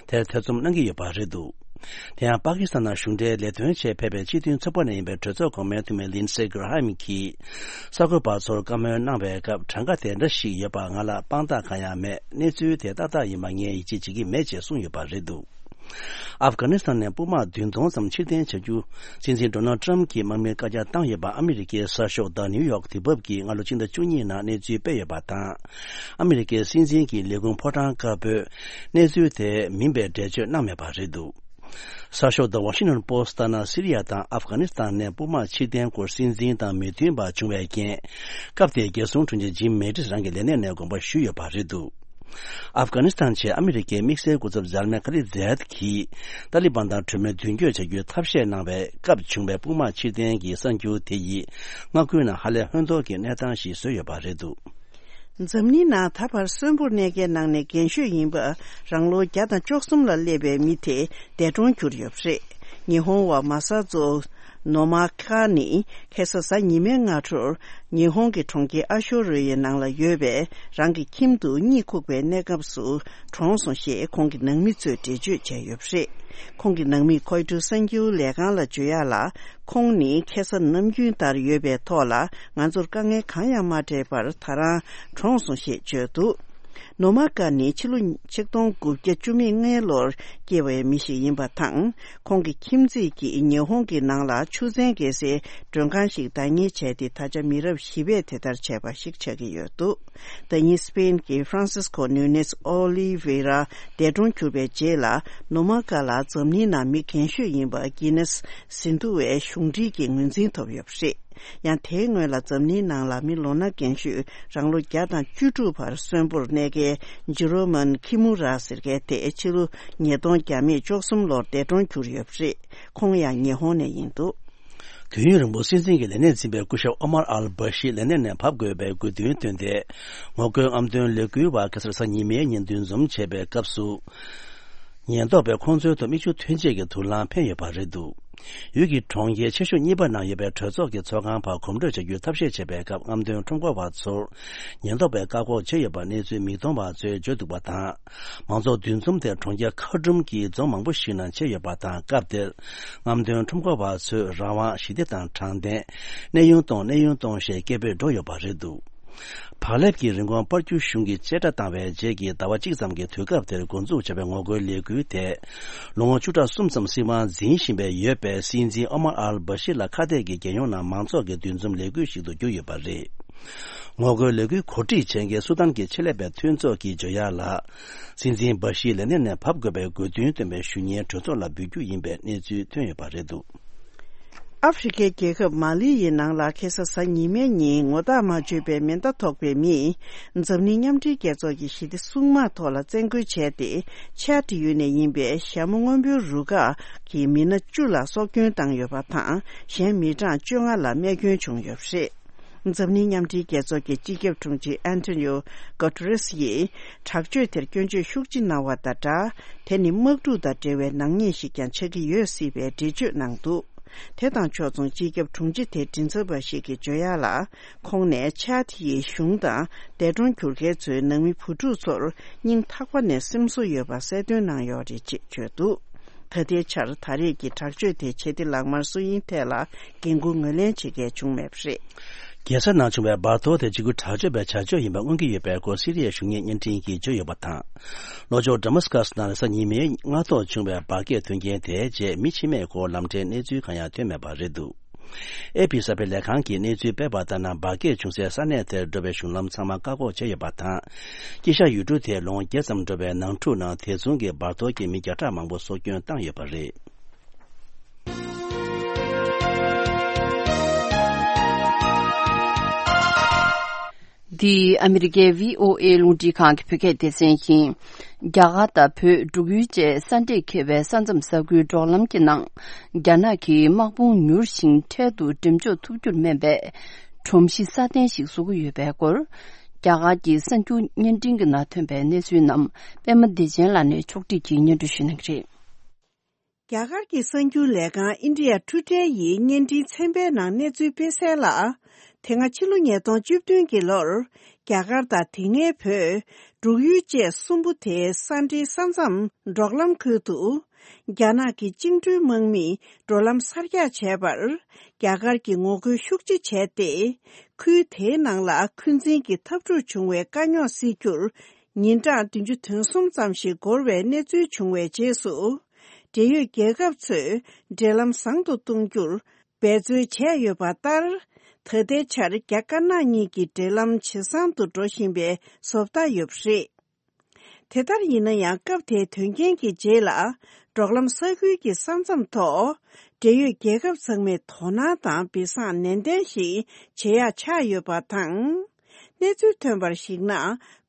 དེར་ཐེ་ཚོམ་གནང་གི་ཡོད་པ་རེད་འདུག་དེ་ཡང་པ་ཀི་སི་ཐན་ནང་གཞུང་འབྲེལ་ལས་དོན་ཆེད་ཕེབས་པའི་སྤྱི་མཐུན་ཚོགས་པ་ནས་ཡིན་པའི་གྲོས་ཚོགས་གོང་མའི་འཐུས་མི་ལིན་སེ་གྷི་ར་ཧམ་གྱིས། གསར་འགོད་པ་ཚོར་བཀའ་མོལ་གནང་བའི་སྐབས། གྲངས་ཀ་དེ་འདྲ་ཞིག་ཡོད་པ་ང་ལ་དཔང་རྟགས་གང་ཡང་མེད། གནས་ཚུལ་དེ་ཏག་ཏག་ཡིན་པ་ངས་ཡིད་ཆེས་བྱེད་ཀྱི་མེད་ཅེས་གསུངས་ཡོད་པ་རེད་འདུག་ཨབ་གྷ་ནི་སི་ཐན་ནས་དཔུང་དམག་བདུན་སྟོང་ཙམ་ཕྱིར་འཐེན་བྱ་རྒྱུ། སྲིད་འཛིན་ཌོ་ནལ་ཌི་ཊརམ་གྱིས་དམག་མིར་བཀའ་རྒྱ་བཏང་ཡོད་པ་ཨ་མི་རི་ཀའི་གསར་ཤོག་The New York དེ་བབ་ཀྱིས་སྔ་ལོ་ཕྱི་ཟླ་བཅུ་གཉིས་ནང་གནས་ཚུལ་སྤེལ་ཡོད་པ་དང་། ཨ་མི་རི་ཀའི་སྲིད་འཛིན་གྱི་ལས་ཁུངས་ཕོ་བྲང་དཀར་པོས་གནས་ཚུལ་དེ་མིན་པའི་འགྲེལ་བརྗོད་གནང་མེད་པ་རེད་འདུག་གསར་ཤོག་The Washington Post ལྟར་ན། སི་རི་ཡ་དང་ཨབ་གྷ་ནི་སི་ཐན་ནས་དཔུང་དམག་ཕྱིར་འཐེན་སྐོར་སྲིད་འཛིན་དང་མོས་མཐུན་པ་བྱུང་བའི་རྐྱེན། སྐབས་དེའི་རྒྱལ་སྲུང་དྲུང་ཆེ་ཇིམ་མེ་ཏིས་རང་གི་ལས་གནས་ནས་དགོངས་པ་ཞུས་ཡོད་པ་རེད་འདུག་ཨབ་གྷ་ནི་སི་ཐན་ཆེད་ཨ་མི་རི་ཀའི་དམིགས་བསལ་སྐུ་ཚབ་ཛལ་མེ་ཁ་ལི་ཛད་ཀྱིས། ཏཱ་ལི་བན་དང་གྲོས་མོལ་མདུན་སྐྱོད་བྱ་རྒྱུའི་ཐབས་ཤེས་གནང་བའི་སྐབས་བྱུང་བའི་དཔུང་དམག་ཕྱིར་འཐེན་གྱི་གསར་འགྱུར་དེ་ཡིས། མངའ་ཁུལ་ནང་ཧ་ལས་ཧོན་ཐོར་གྱི་གནས་སྟངས་ཤིག་བཟོས་ཡོད་པ་རེད་འདུག་འཛམ་གླིང་ནང་ད་བར་གསོན་པོར་གནས་མཁན་ནང་ནས་རྒན་ཤོས་ཡིན་པ། རང་ལོ་བརྒྱ་དང་བཅུ་གསུམ་ལ་སླེབས་པའི་མི་དེ་འདས་གྲོངས་གྱུར་ཡོད་པ་རེད། ཉི་ཧོང་བ་མ་ས་ཛོ་ནོ་མ་ཀ་ནི་ཁ་སང་གཟའ་ཉི་མའི་སྔ་དྲོར། ཉི་ཧོང་གི་གྲོང་ཁྱེར་ཨ་ཤོ་རི་ཡའི་ནང་ལ་ཡོད་པའི་རང་གི་ཁྱིམ་དུ་གཉིད་ཁུག་པའི་གནས་སྐབས་སུ་གྲོངས་སོང་ཞེས་ཁོང་གི་ནང་མི་ཚོས་འགྲེལ་བརྗོད་བྱས་ཡོད་པ་རེད། ཁོང་གི་ནང་མིས་ཁོའི་ཊར་གསར་འགྱུར་ལས་ཁང་ལ་བརྗོད་ཡག་ལ། ཁོང་ནི་ཁ་སང་ནམ་རྒྱུན་ལྟར་ཡོད་པའི་ཐོག་ལ་ང་ཚོར་དཀའ་ངལ་གང་ཡང་མ་སྤྲད་པར་ད་རང་གྲོངས་སོང་ཞེས་བརྗོད་འདུག་ནོ་མ་ཀ་ནི་ཕྱི་ལོ་ཆིག་སྟོང་དགུ་བརྒྱ་བཅུ་མེད་ལྔའི་ལོར་སྐྱེས་པའི་མི་ཞིག་ཡིན་པ་དང་། ཁོང་གི་ཁྱིམ་མཚེས་ཀྱིས་ཉི་ཧོང་གི་ནང་ལ་ཆུ་ཚན་བརྒལ་སའི་མགྲོན་ཁང་ཞིག་བདག་གཉེར་བྱས་ཏེ། ད་ཆ་མི་རབས་བཞི་པས་དེ་ལྟར་བྱས་པ་ཞིག་ཆགས་ཀྱི་ཡོད་འདུག་ཟླ་ཉིན་སི་པེན་གྱི་ཧྥ་རན་སིས་ཀོ་ནུ་ནེས་ཨོ་ལི་ཝེ་ར་འདས་གྲོངས་གྱུར་པའི་རྗེས་ལ། ནོ་མ་ཀ་ལ་འཛམ་གླིང་ནང་མི་རྒན་ཤོས་ཡིན་པ་གྷི་ནེས་ཟིན་ཐོ་བའི་གཞུང་འབྲེལ་གྱི་ངོས་འཛིན་ཐོབ་ཡོད་པ་རེད། ཡང་དེའི་སྔོན་ལ་འཛམ་གླིང་ནང་ལ་མི་ལོ་ན་རྒན་ཤོས་རང་ལོ་བརྒྱ་དང་བཅུ་དྲུག་བར་གསོན་པོར་གནས་མཁན། ཇི་རོ་མན་ཁི་མུ་ར་ཟེར་མཁན་དེ་ཕྱི་ལོ་ཉིས་སྟོང་བརྒྱ་མེད་བཅུ་གསུམ་ལོར་འདས་གྲོངས་གྱུར་ཡོད་པ་རེད། ཁོང་ཡང་ཉི་ཧོང་ནས་ཡིན་འདུག། དུས་ཡུན་རིང་པོ་སྲིད་འཛིན་གྱི་ལས་གནས་འཛིན་པའི་སྐུ་ཞབས་ཨོ་མར་ཨལ་བྷ་ཤི་ལས་གནས་ནས་བབས་དགོས་པའི་དགོས་འདུན་བཏོན་ཏེ། ངོ་རྒོལ་རྔམ་སྟོན་ལས་འགུལ་བ་ཁ་སང་གཟའ་ཉི་མའི་ཉིན་འདུ་འཛོམས་བྱས་པའི་སྐབས་སུ། ཉེན་རྟོག་པས་ཁོང་ཚོའི་ཐོག་མིག་ཆུ་ཐོན་ཆེད་ཀྱི་དུག་རླངས་འཕེན་ཡོད་པ་རེད་འདུག། ཡུལ་གྱི་གྲོང་ཁྱེར་ཆེ་ཤོས་གཉིས་པ་ནང་ཡོད་པའི་གྲོས་ཚོགས་ཀྱི་ཚོགས་ཁང་བར་གོམ་བགྲོད་བྱ་རྒྱུའི་ཐབས་ཤེས་བྱེད་པའི་སྐབས། རྔམ་སྟོན་ཁྲོམ་སྐོར་བ་ཚོར་ཉེན་རྟོག་པས་བཀག་འགོག་བྱས་ཡོད་པ་གནས་ཚུལ་མིག་མཐོང་བ་ཚོས་བརྗོད་འདུག་པ་དང་། མང་ཚོགས་འདུ་འཛོམས་དེ་གྲོང་ཁྱེར་ཁ་ཀྲུམ་གྱི་རྫོང་མང་པོ་ཞིག་ནང་བྱས་ཡོད་པ་དང་། སྐབས་དེར་རྔམ་སྟོན་ཁྲོམ་སྐོར་བ་ཚོས་རང་དབང་། ཞི་བདེ་དང་དྲང་བདེན། གནས་དབྱུང་གཏོང་། གནས་དབྱུང་གཏོང་ཞེས་སྐད་འབོད་འགྲོ་ཡོད་པ་རེད་འདུག། བག་ལེབ་ཀྱི་རིན་གོང་སྤར་རྒྱུ་གཞུང་གིས་བཅད་ཁྲ་བཏང་བའི་རྗེས་ཀྱི་ཟླ་བ་གཅིག་ཙམ་གྱི་དུས་སྐབས་དེར་འགོ་འཛུགས་བྱས་པའི་ངོ་རྒོལ་ལས་འགུལ་དེ། ལོ་ངོ་བཅུ་ཕྲག་གསུམ་ཙམ་སྲིད་དབང་འཛིན་བཞིན་པའི་ཡོད་པའི་སྲིད་འཛིན་ཨོ་མར་ཨལ་བྷ་ཤི་ལ་ཁ་གཏད་ཀྱི་རྒྱལ་ཡོངས་ནང་མང་ཚོགས་ཀྱི་འདུ་འཛོམས་ལས་འགུལ་ཞིག་ཏུ་གྱུར་ཡོད་པ་རེད། ངོ་རྒོལ་ལས་འགུལ་གོ་སྒྲིག་བྱེད་མཁན་སུ་དཱན་གྱི་ཆེད་ལས་པའི་མཐུན་ཚོགས་ཀྱིས་བརྗོད་ཡག་ལ། སྲིད་འཛིན་བྷ་ཤི་ལས་གནས་ནས་བབས་དགོས་པའི་དགོས་འདུན་བཏོན་པའི་ཞུ་སྙན་གྲོས་ཚོགས་ལ་འབུལ་རྒྱུ་ཡིན་པའི་གནས་ཚུལ་ཐོན་ཡོད་པ་རེད་འདུག། ཨ་ཧྥེ་རི་ཁའི་རྒྱལ་ཁབ་མ་ལི་ཡི་ནང་ལ་ཁ་སང་གཟའ་ཉི་མའི་ཉིན་ངོ་རྟགས་མ་བརྗོད་པའི་མེ་མདའ་ཐོགས་པའི་མིས་འཛམ་གླིང་མཉམ་འབྲེལ་རྒྱལ་ཚོགས་ཀྱི་ཞི་བདེ་སྲུང་དམག་ཐོག་ལ་བཙན་རྒོལ་བྱས་ཏེ། ཆ་ཏི་ཡུལ་ནས་ཡིན་པའི་ཞྭ་མོ་སྔོན་པོའི་རུ་ཁག་གི་མི་སྣ་བཅུ་ལ་སྲོག་སྐྱོན་བཏང་ཡོད་པ་དང་། གཞན་མི་གྲངས་བཅོ་ལྔ་ལ་རྨས་སྐྱོན་བྱུང་ཡོད་པ་རེད། འཛམ་གླིང་མཉམ་འབྲེལ་རྒྱལ་ཚོགས་ཀྱི་སྤྱི་ཁྱབ་དྲུང་ཆེ་ཨན་ཐོ་ནིའོ་གོ་ཏུ་རེ་སི་ཡིས་དྲག་སྤྱོད་དེར་སྐྱོན་བརྗོད་ཤུགས་ཆེ་གནང་བ་དང་སྦྲགས། དེ་ནི་དམག་འཁྲུག་དང་འབྲེལ་བའི་ནག་ཉེས་ཤིག་ཀྱང་ཆགས་ཀྱི་ཡོད་སྲིད་པའི་འགྲེལ་བརྗོད་གནང་འདུག། དེ་དང་ཕྱོགས་མཚུངས་སྤྱི་ཁྱབ་དྲུང་ཆེ་དེའི་མགྲིན་ཚབ་པ་ཞིག་གིས་བརྗོད་ཡག་ལ། ཁོང་ནས་ཆཱ་ཏི་ཡི་གཞུང་དང་འདས་གྲོངས་གྱུར་མཁན་ཚོའི་ནང་མི་བུ་ཕྲུག་ཚོར་སྙིང་ཐག་པ་ནས་སེམས་གསོ་ཡོད་པ་གསལ་སྟོན་གནང་ཡོད་རེད་ཅེས་བརྗོད་འདུག། ད་ལྟའི་ཆར་ད་རེས་ཀྱི་དྲག་སྤྱོད་དེ་ཆེ་མཐོའི་ལག་དམར་སུ་ཡིན་ཐད་ལ་འགན་འཁུར་ངོས་ལེན་བྱེད་མཁན་བྱུང་མེད་པ་རེད། རྒྱལ་ས་ནང་བྱུང་བའི་འབར་གཏོར་དེ་འཇིགས་སྐུལ་དྲག་སྤྱོད་པའི་བྱ་སྤྱོད་ཡིན་པ་མངོན་གྱི་ཡོད་པའི་སྐོར་སི་རི་ཡའི་གཞུང་གཉེར་བརྙན་འཕྲིན་གྱིས་བརྗོད་ཡོད་པ་དང་། ལྷོ་ཕྱོགས་ཌ་མཱ་སི་ཀ་སི་ནང་རེས་གཟའ་ཉི་མའི་སྔ་ཐོག་བྱུང་བའི་འབར་གས་དོན་རྐྱེན་དེའི་རྗེས་མི་འཆི་རྨས་སྐོར་ལམ་འཕྲལ་གནས་ཚུལ་གང་ཡང་ཐོན་མེད་པ་རེད་འདུག། ཨེ་ཕི་གསར་སྤེལ་ལས་ཁང་གིས་གནས་ཚུལ་སྤེལ་བ་ལྟར་ན། འབར་གས་བྱུང་སའི་ས་གནས་དེར་འགྲོ་བའི་གཞུང་ལམ་ཚང་མ་བཀག་འགོག་བྱས་ཡོད་པ་དང་། དཀྱིལ་ཤར་ཡུལ་གྲུ་དེའི་ལོ་ངོ་བརྒྱད་ཙམ་འགྲོ་བའི་ནང་འཁྲུག་ནང་དེ་མཚུངས་ཀྱི་འབར་གཏོར་གྱིས་མི་བརྒྱ་ཕྲག་མང་པོ་སྲོག་སྐྱོན་བཏང་ཡོད་པ་རེད། འདི་ཨ་མི་རི་ཀའི་བྷི་ཨོ་ཨེ་རླུང་འཕྲིན་ཁང་གི་བོད་སྐད་སྡེ་ཚན་ཡིན། རྒྱ་གར་དང་བོད་འབྲུག་ཡུལ་བཅས་ས་འདྲེས་ཁེལ་བའི་ས་མཚམས་ས་ཁུལ་འབྲོག་ལམ་གྱི་ནང་། རྒྱ་ནག་གི་དམག་དཔུང་མྱུར་ཞིང་འཕྲལ་དུ་འགྲེམས་འཇོག་ཐུབ་རྒྱུར་སྨན་པའི་སྒྲོམ་གཞི་སྲ་བརྟན་ཞིག་བཟོ་གི་ཡོད་པའི་སྐོར། རྒྱ་གར་གྱི་གསར་འགྱུར་བརྙན་འཕྲིན་གྱི་ནང་ཐོན་པའི་གནས་ཚུལ་རྣམས་པད་མ་བདེ་ཆེན་ལགས་ནས་ཕྱོགས་སྒྲིག་གིས་སྙན་སྒྲོན་ཞུ་གནང་གི་རེད། རྒྱ་གར་གྱི་གསར་འགྱུར་ལས་ཁང་ཨིན་ཌི་ཡ་ཊུ་ཌེ་ཡིས་བརྙན་འཕྲིན་ཚན་པའི་ནང་གནས་ཚུལ་སྤེལ་གསལ་ལ། དེ་སྔ་ཕྱི་ལོ་ཉིས་སྟོང་བཅུ་བདུན་གྱི་ལོར། རྒྱ་གར་དང་དེ་སྔའི་བོད། འབྲུག་ཡུལ་བཅས་གསུམ་པོ་དེའི་ས་འབྲེལ་ས་མཚམས་འབྲོག་ལམ་ཁུལ་དུ། རྒྱ་ནག་གི་བཅིངས་འགྲོལ་དམག་མིས་འགྲོ་ལམ་གསར་རྒྱག་བྱས་པར། རྒྱ་གར་གྱིས་ངོ་རྒོལ་ཤུགས་ཆེ་བྱས་ཏེ། ཁུལ་དེའི་ནང་ལ་འཁོན་འཛིན་གྱི་འཐབ་འཁྲུག་བྱུང་བའི་དཀའ་རྙོག་སེལ་རྒྱུར། ཉིན་གྲངས་བདུན་ཅུ་དོན་གསུམ་ཙམ་ཞིག་འགོར་བའི་གནས་ཚུལ་བྱུང་བའི་རྗེས་སུ། འབྲེལ་ཡོད་རྒྱལ་ཁབ་ཚོས་འབྲེལ་ལམ་བཟང་དུ་གཏོང་རྒྱུར་འབད་བརྩོན་བྱས་ཡོད་པ་ལྟར། ད་ལྟའི་ཆར་རྒྱ་དཀར་ནག་གཉིས་ཀྱི་འབྲེལ་ལམ་ཇེ་བཟང་དུ་འགྲོ་བཞིན་པའི་བཟོ་ལྟ་ཡོད་པ་རེད། དེ་ལྟར་ཡིན་ན་ཡང་། སྐབས་དེའི་དོན་རྐྱེན་གྱི་རྗེས་ལ། འབྲོག་ལམ་ས་ཁུལ་གྱི་ས་མཚམས་ཐོག་འབྲེལ་ཡོད་རྒྱལ་ཁབ་ཚང་མས་དོ་སྣང་དང་སྦས་གསང་ནན་ཏན་ཞིག་བྱེད་ཡག་ཆགས་ཡོད་པ་དང་། གནས་ཚུལ་ཐོན་པར་གཞིགས་ན།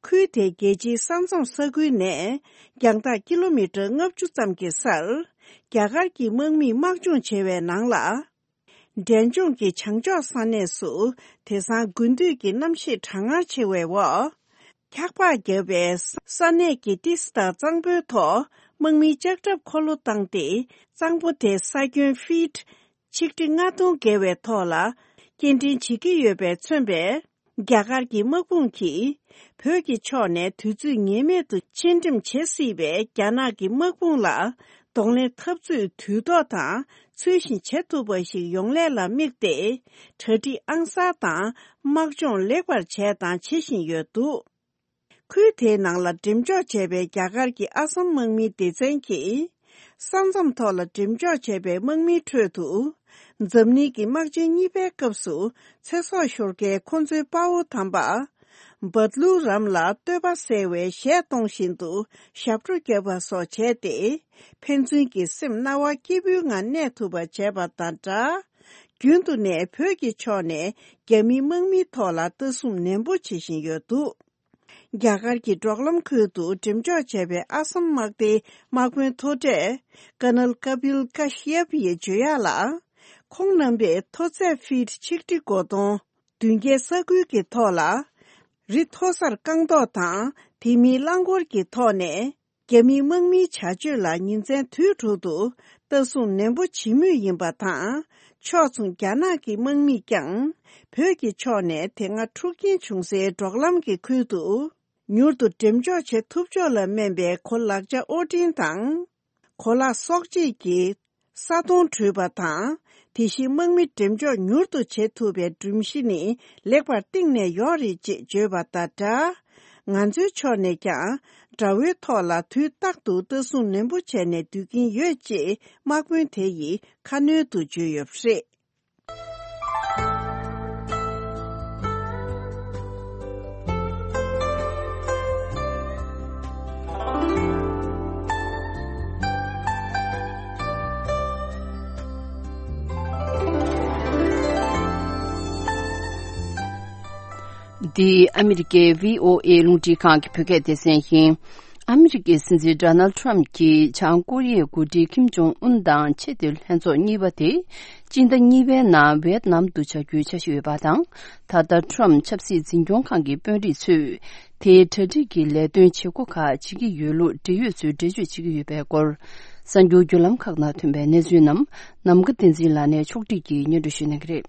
ཁུལ་དེའི་རྒྱལ་སྤྱིའི་ས་མཚམས་ས་ཁུལ་ནས། རྒྱང་ཐག་ཀི་ལོ་མི་ཊར་ལྔ་བཅུ་ཙམ་གྱི་སར། རྒྱ་གར་གྱི་དམག་མིས་དམག་སྦྱོང་བྱེད་པའི་ནང་ལ། འབྲས་ལྗོངས་ཀྱི་བྱང་ཕྱོགས་ས་གནས་སུ། དེང་སང་དགུན་དུས་ཀྱི་གནམ་གཤིས་གྲང་ངར་ཆེ་བའི་འོག། འཁྱག་པ་བརྒྱབ་པའི་ས་གནས་ཀྱི་ཏི་སེ་དང་གཙང་པོའི་ཐོག་དམག་མིའི་ལྕགས་ཁྲབ་འཁོར་ལོ་བཏང་སྟེ། གཙང་པོ་དེ་ས་ཁྱོན་ཕིཊ་ཆིག་ཁྲི་ལྔ་སྟོང་བརྒལ་བའི་ཐོག་ལ་སྐྱེལ་འདྲེན་བྱེད་ཀྱི་ཡོད་པས་མཚོན་པའི། རྒྱ་གར་གྱི་དམག་དཔུང་གིས། བོད་ཀྱི་ཕྱོགས་ནས་དུས་ཚོད་ངེས་མེད་དུ་ཕྱིར་འགྲེམས་བྱེད་སྲིད་པའི་རྒྱ་ནག་གི་དམག་དཔུང་ལ། གདོང་ལེན་འཐབ་རྩོད་དུས་ཐོག་དང་ཚུལ་བཞིན་བྱེད་ཐུབ་པ་ཞིག་ཡོང་སླད་ལ་དམིགས་ཏེ། གྲ་སྒྲིག་ཨང་གསར་དང་དམག་སྦྱོང་ལེགས་པར་བྱས་དང་བྱེད་བཞིན་ཡོད་འདུག། ཁུལ་དེའི་ནང་ལ་འགྲེམས་འཇོག་བྱས་པའི་རྒྱ་གར་གྱི་ཨ་སམ་དམག་མིའི་སྡེ་ཚན་གྱིས། ས་མཚམས་ཐོག་ལ་འགྲེམས་འཇོག་བྱས་པའི་དམག་མིའི་ཁྲོད་དུ། འཛམ་གླིང་གི་དམག་ཆེན་གཉིས་པའི་སྐབས་སུ། ཚེ་སྲོག་ཤོར་མཁན་ཁོ་ཚོའི་དཔའ་བོ་དམ་པ། བཱ་ཏི་ལུ་རམ་ལ་བསྟོད་པ་གསལ་བའི་གཞས་གཏོང་བཞིན་དུ་ཞབས་བྲོ་བརྒྱབ་པ་སོགས་བྱས་ཏེ། ཕན་ཚུན་གྱི་སེམས་སྣང་བ་སྐྱིད་པོའི་ངང་གནས་ཐུབ་པ་བྱས་པ་དང་སྦྲགས། རྒྱུན་དུ་ནས་བོད་ཀྱི་ཕྱོགས་ནས་རྒྱ་མིའི་དམག་མིའི་ཐོག་ལ་ལྟ་སྲུང་ནན་པོ་བྱེད་བཞིན་ཡོད་འདུག། རྒྱ་གར་གྱི་འབྲོག་ལམ་ཁུལ་དུ་འགྲེམས་འཇོག་བྱས་པའི་ཨ་སམ་དམག་སྡེའི་དམག་དཔོན་མཐོ་གྲས་ཀར་ནལ་ཀ་པིལ་ཀ་ཤི་ཡབ་ཡིས་བརྗོད་ཡག་ལ། ཁོང་རྣམ་པས་མཐོ་ཚད་ཕིཊ་ཆིག་ཁྲི་གོ་སྟོང་། མདུན་བསྐྱེད་ས་ཁུལ་གྱི་ཐོག་ལ། རི་མཐོ་སར་རྐང་ཐོག་དང་དེ་མིན་རླངས་འཁོར་གྱི་ཐོག་ནས། རྒྱ་མིའི་དམག་མིའི་བྱ་སྤྱོད་ལ་ཉིན་མཚན་དུས་དྲུག་ཏུ་ལྟ་སྲུང་ནན་པོ་བྱེད་མུས་ཡིན་པ་དང་། ཕྱོགས་མཚུངས་རྒྱ་ནག་གི་དམག་མིས་ཀྱང་བོད་ཀྱི་ཕྱོགས་ནས་དེ་སྔ་འཁྲུག་རྐྱེན་བྱུང་སའི་འབྲོག་ལམ་གྱི་ཁུལ་དུ་མྱུར་དུ་འགྲེམས་འཇོག་བྱེད་ཐུབ་ཕྱོགས་ལ་སྨན་པའི་གོ་ལག་ཆ་དབོར་འདྲེན་དང་། གོ་ལག་གསོག་བྱེད་ཀྱི་ས་དོང་བྲུས་པ་དང་། དེ་བཞིན་དམག་མི་འགྲེམས་འཇོག་མྱུར་དུ་བྱེད་ཐུབ་པའི་སྒྲོམ་གཞི་ནི་ལེགས་པར་བཏིང་ནས་ཡོད་རེད་ཅེས་བརྗོད་པ་དང་སྦྲགས། ང་ཚོའི་ཕྱོགས་ནས་ཀྱང་དགྲ་བོའི་ཐོག་ལ་དུས་རྟག་ཏུ་ལྟ་སྲུང་ནན་པོ་བྱས་ནས་སྡོད་ཀྱིན་ཡོད་ཅེས་དམག་དཔོན་དེ་ཡིས་ཁ་སྣོན་དུ་བརྗོད་ཡོད་པ་རེད། འདི་ཨ་མི་རི་ཀའི་བྷི་ཨོ་ཨེ་རླུང་འཕྲིན་ཁང་གི་བོད་སྐད་སྡེ་ཚན་ཡིན། ཨ་མི་རི་ཀའི་སྲིད་འཛིན་ཌོ་ནལ་ཊམ་གྱིས་བྱང་ཀོ་རི་ཡའི་འགོ་ཁྲིད་ཀིམ་ཇོང་ཨུན་དང་ཆེས་མཐོའི་ལྷན་ཚོགས་གཉིས་པ་དེ། སྤྱི་ཟླ་གཉིས་པའི་ནང་ཝེད་ནམ་དུ་བྱ་རྒྱུའི་འཆར་གཞི་ཡོད་པ་དང་། ད་ལྟ་ཊམ་ཆབ་སྲིད་འཛིན་སྐྱོང་ཁང་གི་དཔོན་རིགས་ཚོས། དེའི་གྲ་སྒྲིག་གི་ལས་དོན་བྱེད་སྒོ་ཁག་བྱེད་ཀྱི་ཡོད་ལུགས་འབྲེལ་ཡོད་ཚོས་འགྲེལ་བརྗོད་བྱེད་ཀྱི་ཡོད་པའི་སྐོར། གསར་འགྱུར་བརྒྱུད་ལམ་ཁག་ནང་ཐོན་པའི་གནས་ཚུལ་རྣམས་ནམ་མཁའ་བསྟན་འཛིན་ལགས་ནས་ཕྱོགས་སྒྲིག་གིས་སྙན་སྒྲོན་ཞུ་གནང་གི་རེད།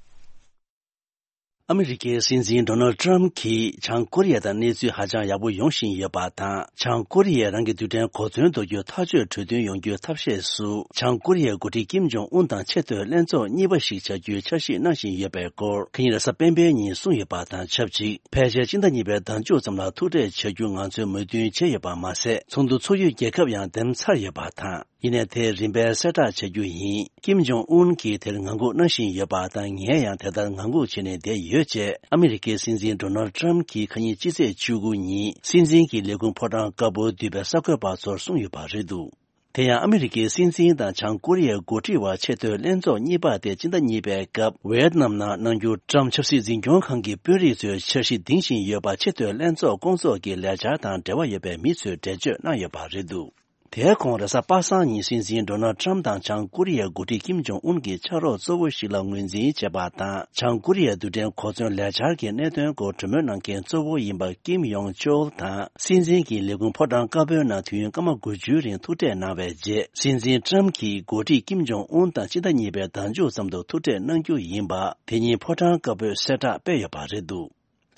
ཨ་མི་རི་ཀའི་སྲིད་འཛིན་ཌོ་ནལ་ཊམ་གྱིས་བྱང་ཀོ་རི་ཡ་དང་གནས་ཚུལ་ཧ་ཅང་ཡག་པོ་ཡོང་བཞིན་ཡོད་པ་དང་། བྱང་ཀོ་རི་ཡས་རང་གི་རྡུལ་ཕྲན་གོ་མཚོན་གཏོང་རྒྱུའི་ཐག་གཅོད་གྲོས་མཐུན་ཡོང་རྒྱུའི་ཐབས་ཤེས་སུ། བྱང་ཀོ་རི་ཡའི་འགོ་ཁྲིད་ཀིམ་ཇོང་ཨུན་དང་ཆེས་མཐོའི་ལྷན་ཚོགས་གཉིས་པ་ཞིག་བྱ་རྒྱུའི་འཆར་གཞི་གནང་བཞིན་ཡོད་པའི་སྐོར། ཁ་ཉིན་རེས་གཟའ་སྤེན་པའི་ཉིན་གསུངས་ཡོད་པ་དང་ཆབས་ཅིག་ཕལ་ཆེར་སྤྱི་ཟླ་གཉིས་པའི་ཟླ་མཇུག་ཙམ་ལ་ཐུག་འཕྲད་བྱ་རྒྱུ་ང་ཚོས་མོས་མཐུན་བྱས་ཡོད་པ་མ་ཟད། ཚོགས་འདུ་ཚོགས་ཡུལ་རྒྱལ་ཁབ་ཡང་འདེམས་ཚར་ཡོད་པ་དང་། ཡིན་ནའི་དེ་རིམ་པས་གསལ་བསྒྲགས་བྱ་རྒྱུ་ཡིན། ཀིམ་ཇོང་ཨུན་གྱིས་དེར་ངང་སྒུག་གནང་བཞིན་ཡོད་པ་དང་། ངས་ཡང་དེ་ལྟར་ངང་སྒུག་བྱས་ནས་བསྡད་ཡོད་ཅེས་ཨ་མི་རི་ཀའི་སྲིད་འཛིན་ཌོ་ནལ་ཊམ་གྱིས་ཁ་ཉིན་སྤྱི་ཚེས་བཅུ་དགུ་ཉིན་སྲིད་འཛིན་གྱི་ལས་ཁུངས་ཕོ་བྲང་དཀར་པོར་འདུས་པའི་གསར་འགོད་པ་ཚོར་གསུངས་ཡོད་པ་རེད་འདུག་དེ་ཡང་ཨ་མི་རི་ཀའི་སྲིད་འཛིན་དང་བྱང་ཀོ་རི་ཡའི་འགོ་ཁྲིད་བར་ཆེས་མཐོའི་ལྷན་ཚོགས་གཉིས་པ་དེ་སྤྱི་ཟླ་གཉིས་པའི་སྐབས་ཝེད་ནམ་ནང་གནང་རྒྱུར་ཊམ་ཆབ་སྲིད་འཛིན་སྐྱོང་ཁང་གི་དཔོན་རིགས་ཚོས་འཆར་གཞི་འདིང་བཞིན་ཡོད་པ་ཆེས་མཐོའི་ལྷན་ཚོགས་སྐོང་ཚོགས་ཀྱི་ལས་འཆར་དང་འབྲེལ་བ་ཡོད་པའི་མི་ཚོས་འགྲེལ་བརྗོད་གནང་ཡོད་པ་རེད་འདུག་དེའི་གོང་རེས་གཟའ་པ་སངས་ཉིན་སྲིད་འཛིན་ཌོ་ནལ་ཊམ་དང་བྱང་ཀོ་རི་ཡའི་འགོ་ཁྲིད་ཀིམ་ཇོང་ཨུན་གྱིས་ཕྱག་རོགས་གཙོ་བོ་ཞིག་ལ་ངོས་འཛིན་བྱས་པ་དང་། བྱང་ཀོ་རི་ཡའི་རྡུལ་ཕྲན་གོ་མཚོན་ལས་འཆར་གྱི་གནད་དོན་སྐོར་གྲོས་མོལ་གནང་མཁན་གཙོ་བོ་ཡིན་པ་ཀིམ་ཡོང་ཅོལ་དང་སྲིད་འཛིན་གྱི་ལས་ཁུངས་ཕོ་བྲང་དཀར་པོའི་ནང་དུས་ཡུན་སྐར་མ་དགུ་བཅུའི་རིང་ཐུག་འཕྲད་གནང་བའི་རྗེས། སྲིད་འཛིན་ཊམ་གྱིས་འགོ་ཁྲིད་ཀིམ་ཇོང་ཨུན་དང་སྤྱི་ཟླ་གཉིས་པའི་ཟླ་མཇུག་ཙམ་དུ་ཐུག་འཕྲད་གནང་རྒྱུ་ཡིན་པ་དེ་ཉིན་ཕོ་བྲང་དཀར་པོས་གསལ་བསྒྲགས་སྤེལ་ཡོད་པ་རེད་འདུག་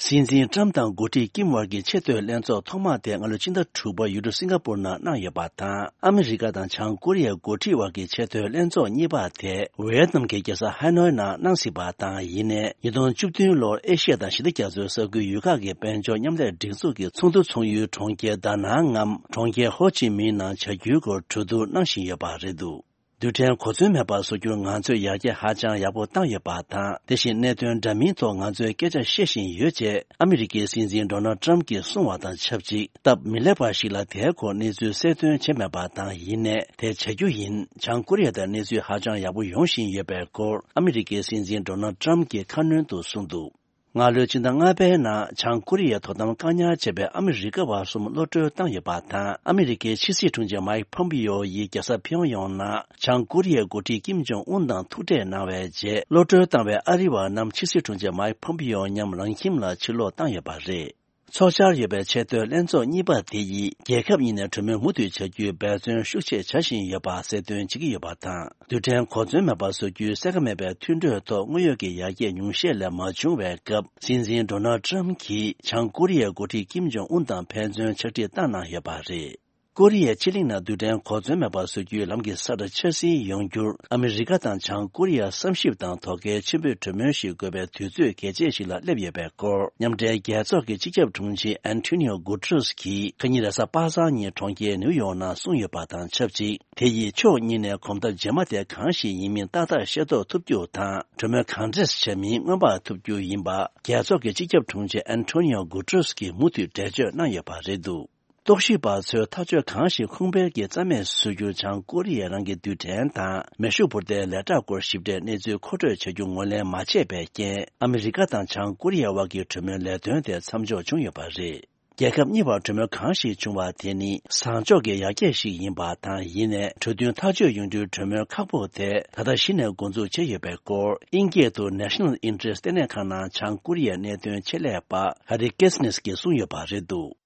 སྲིད་འཛིན་ཊམ་དང་འགོ་ཁྲིད་ཀིམ་དབར་གྱི་ཆེས་མཐོའི་ལྷན་ཚོགས་ཐོག་མ་དེ་སྔ་ལོའི་ཕྱི་ཟླ་དྲུག་པར་ཡུལ་གྲུ་སིང་ག་པུར་ནང་གནང་ཡོད་པ་དང་། ཨ་མི་རི་ཀ་དང་བྱང་ཀོ་རི་ཡའི་འགོ་ཁྲིད་དབར་གྱི་ཆེས་མཐོའི་ལྷན་ཚོགས་གཉིས་པ་དེ་ཝེ་ཡེད་ནམ་གྱི་རྒྱལ་ས་ཧ་ནོའི་ནང་གནང་སྲིད་པ་དང་། ཡིན་ནའི་ཉིས་སྟོང་བཅུ་བདུན་ལོར་ཨེ་ཤི་ཡ་དང་ཞི་བདེ་རྒྱ་མཚོའི་ས་ཁུལ་ཡུལ་ཁག་གི་དཔལ་འབྱོར་མཉམ་ལས་སྒྲིག་འཛུགས་ཀྱི་ཚོགས་འདུ་ཚོགས་ཡུལ་གྲོང་ཁྱེར་ད་ནང་ངམ་གྲོང་ཁྱེར་ཧོ་ཅི་མིན་ནང་བྱ་རྒྱུའི་སྐོར་གྲོས་བསྡུར་གནང་བཞིན་ཡོད་པ་རེད་འདུག་རྡུལ་ཕྲན་གོ་མཚོན་མེད་པ་བཟོ་རྒྱུར་ང་ཚོས་ཡར་རྒྱས་ཧ་ཅང་ཡག་པོ་བཏང་ཡོད་པ་དང་། དེ་བཞིན་གནད་དོན་འདྲ་མིན་ཐོག་ང་ཚོས་སྐད་ཆ་བཤད་བཞིན་ཡོད་ཅེས་ཨ་མི་རི་ཀའི་སྲིད་འཛིན་ཌོ་ནལ་ཊམ་གྱིས་གསུངས་བ་དང་ཆབས་ཅིག་སྟབས་མི་ལེགས་པ་ཞིག་ལ་དེའི་སྐོར་གནས་ཚུལ་གསལ་སྟོན་བྱས་མེད་པ་དང་། ཡིན་ནའི་དེ་བྱ་རྒྱུ་ཡིན། བྱང་ཀོ་རི་ཡ་དང་གནས་ཚུལ་ཧ་ཅང་ཡག་པོ་ཡོང་བཞིན་ཡོད་པའི་སྐོར་ཨ་མི་རི་ཀའི་སྲིད་འཛིན་ཌོ་ནལ་ཊམ་གྱིས་ཁ་སྣོན་དུ་གསུངས་འདུག་སྔ་ལོའི་ཕྱི་ཟླ་ལྔ་པའི་ནང་བྱང་ཀོ་རི་ཡའི་དོ་དམ་བཀག་ཉར་བྱས་པའི་ཨ་མི་རི་ཀ་བ་གསུམ་གློད་གྲོལ་བཏང་ཡོད་པ་དང་། ཨ་མི་རི་ཀའི་ཕྱི་སྲིད་དྲུང་ཆེ་མཱིག་ཕོམ་པིའོ་ཡིས་རྒྱལ་ས་ཕིའོ་ཡོང་ནང་བྱང་ཀོ་རི་ཡའི་འགོ་ཁྲིད་ཀིམ་ཇོང་ཨུན་དང་ཐུག་འཕྲད་གནང་བའི་རྗེས། གློད་གྲོལ་བཏང་བའི་ཨ་རི་བ་རྣམས་ཕྱི་སྲིད་དྲུང་ཆེ་མཱིག་ཕོམ་པིའོ་མཉམ་རང་ཁྱིམ་ལ་ཕྱིར་ལོག་བཏང་ཡོད་པ་རེད། ཚོགས་བཅར་ཡོད་པའི་ཆེས་མཐོའི་ལྷན་ཚོགས་གཉིས་པ་དེ་ཡིས་རྒྱལ་ཁབ་གཉིས་ནས་གྲོས་མོལ་མུ་མཐུད་བྱ་རྒྱུའི་འབད་བརྩོན་ཤུགས་ཆེ་བྱ་བཞིན་ཡོད་པ་གསལ་སྟོན་བྱེད་ཀྱི་ཡོད་པ་དང་། རྡུལ་ཕྲན་གོ་མཚོན་མེད་པ་བཟོ་རྒྱུའི་གསལ་ཁ་མེད་པའི་མཐུན་གྲོས་ཐོག་དངོས་ཡོད་ཀྱི་ཡར་རྒྱས་ཉུང་ཤས་ལས་མ་བྱུང་བའི་སྐབས། སྲིད་འཛིན་ཌོ་ནལ་ཊམ་གྱིས་བྱང་ཀོ་རི་ཡའི་འགོ་ཁྲིད་ཀིམ་ཇོང་ཨུན་དང་ཕན་ཚུན་ཕྱག་བྲིས་བཏང་གནང་ཡོད་པ་རེད། ཀོ་རི་ཡའི་ཕྱེད་གླིང་ནང་རྡུལ་ཕྲན་གོ་མཚོན་མེད་པ་བཟོ་རྒྱུའི་ལམ་གྱི་ས་བཀྲ་འཆར་ཟིན་ཡོང་རྒྱུར། ཨ་མི་རི་ཀ་དང་བྱང་ཀོ་རི་ཡ་བསམ་ཞིབ་དང་དོ་གལ་ཆེན་པོའི་གྲོས་མོལ་ཞིག་དགོས་པའི་དུས་ཚོད་གལ་ཆེ་ཞིག་ལ་སླེབས་ཡོད་པའི་སྐོར། མཉམ་འབྲེལ་རྒྱལ་ཚོགས་ཀྱི་སྤྱི་ཁྱབ་དྲུང་ཆེ་ཨན་ཐོ་ནིའོ་གུ་ཏྲེས་ཀྱིས་ཁ་ཉིན་རེས་གཟའ་པ་སངས་ཉིན་གྲོང་ཁྱེར་ནིའུ་ཡོག་ནང་གསུངས་ཡོད་པ་དང་ཆབས་ཅིག་དེ་ཡིས་ཕྱོགས་གཉིས་ནས་གོམ་སྟབས་རྗེས་མ་དེ་གང་ཞིག་ཡིན་མིན་ཏག་ཏག་ཤེས་རྟོགས་ཐུབ་རྒྱུ་དང་། གྲོས་མོལ་གང་འདྲས་བྱས་མིན་སྔོན་དཔག་ཐུབ་རྒྱུ་ཡིན་པ། རྒྱལ་ཚོགས་ཀྱི་སྤྱི་ཁྱབ་དྲུང་ཆེ་ཨན་ཐོ་ནིའོ་གུ་ཏྲེས་ཀྱིས་མུ་མཐུད་འགྲེལ་བརྗོད་གནང་ཡོད་པ་རེད་འདུག་རྟོག་ཞིབ་པ་ཚོས་ཐག་གཅོད་གང་ཞིག་ཁུངས་སྤེལ་གྱིས་རྩ་མེད་བཟོ་རྒྱུར་བྱང་ཀོ་རི་ཡས་རང་གི་རྡུལ་ཕྲན་དང་མེ་ཤུགས་འཕུར་མདེལ་ལས་གྲྭ་སྐོར་ཞིབ་ཕྲའི་གནས་ཚུལ་མཁོ་སྤྲོད་བྱ་རྒྱུ་ངོས་ལེན་མ་བྱས་པའི་རྐྱེན། ཨ་མི་རི་ཀ་དང་བྱང་ཀོ་རི་ཡའི་དབར་གྱི་གྲོས་མོལ་ལས་དོན་དེ་མཚམས་འཇོག་བྱུང་ཡོད་པ་རེད། རྒྱལ་ཁབ་གཉིས་བར་གྲོས་མོལ་གང་ཞིག་བྱུང་བ་དེ་ནི་བཟང་ཕྱོགས་ཀྱི་ཡར་རྒྱས་ཤིག་ཡིན་པ་དང་། ཡིན་ནའི་གྲོས་མཐུན་ཐག་གཅོད་ཡོང་རྒྱུའི་གྲོས་མོལ་ཁག་པོ་དེ་ད་ལྟ་གཞི་ནས་འགོ་འཛུགས་བྱས་ཡོད་པའི་སྐོར། དབྱིན་སྐད་དུ་National Interest ལྟེ་གནས་ཁང་ནང་བྱང་ཀོ་རི་ཡའི་གནད་དོན་ཆེད་ལས་པ་ཧ་རི་ཀེ་སི་ནེས་ཀྱིས་གསུངས་ཡོད་པ་རེད་འདུག།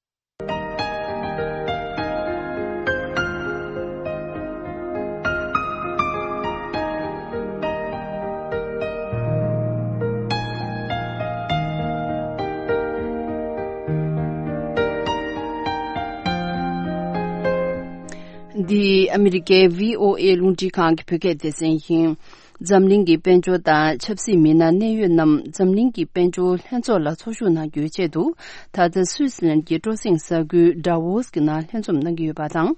འདི་ཨ་མི་རི་ཀའི་བྷི་ཨོ་ཨེ་རླུང་འཕྲིན་ཁང་གི་བོད་སྐད་སྡེ་ཚན་ཡིན། འཛམ་གླིང་གི་དཔལ་འབྱོར་དང་ཆབ་སྲིད་མི་སྣ་གནད་ཡོད་རྣམས་འཛམ་གླིང་གི་དཔལ་འབྱོར་ལྷན་ཚོགས་ལ་ཚོགས་ཞུགས་གནང་རྒྱུའི་ཆེད་དུ། ད་ལྟ་སུད་སི་ལན་གྱི་སྤྲོ་གསེང་ས་ཁུལ་ཌ་ཝོ་སི་གི་ནང་ལྷན་འཛོམས་གནང་གི་ཡོད་པ་དང་།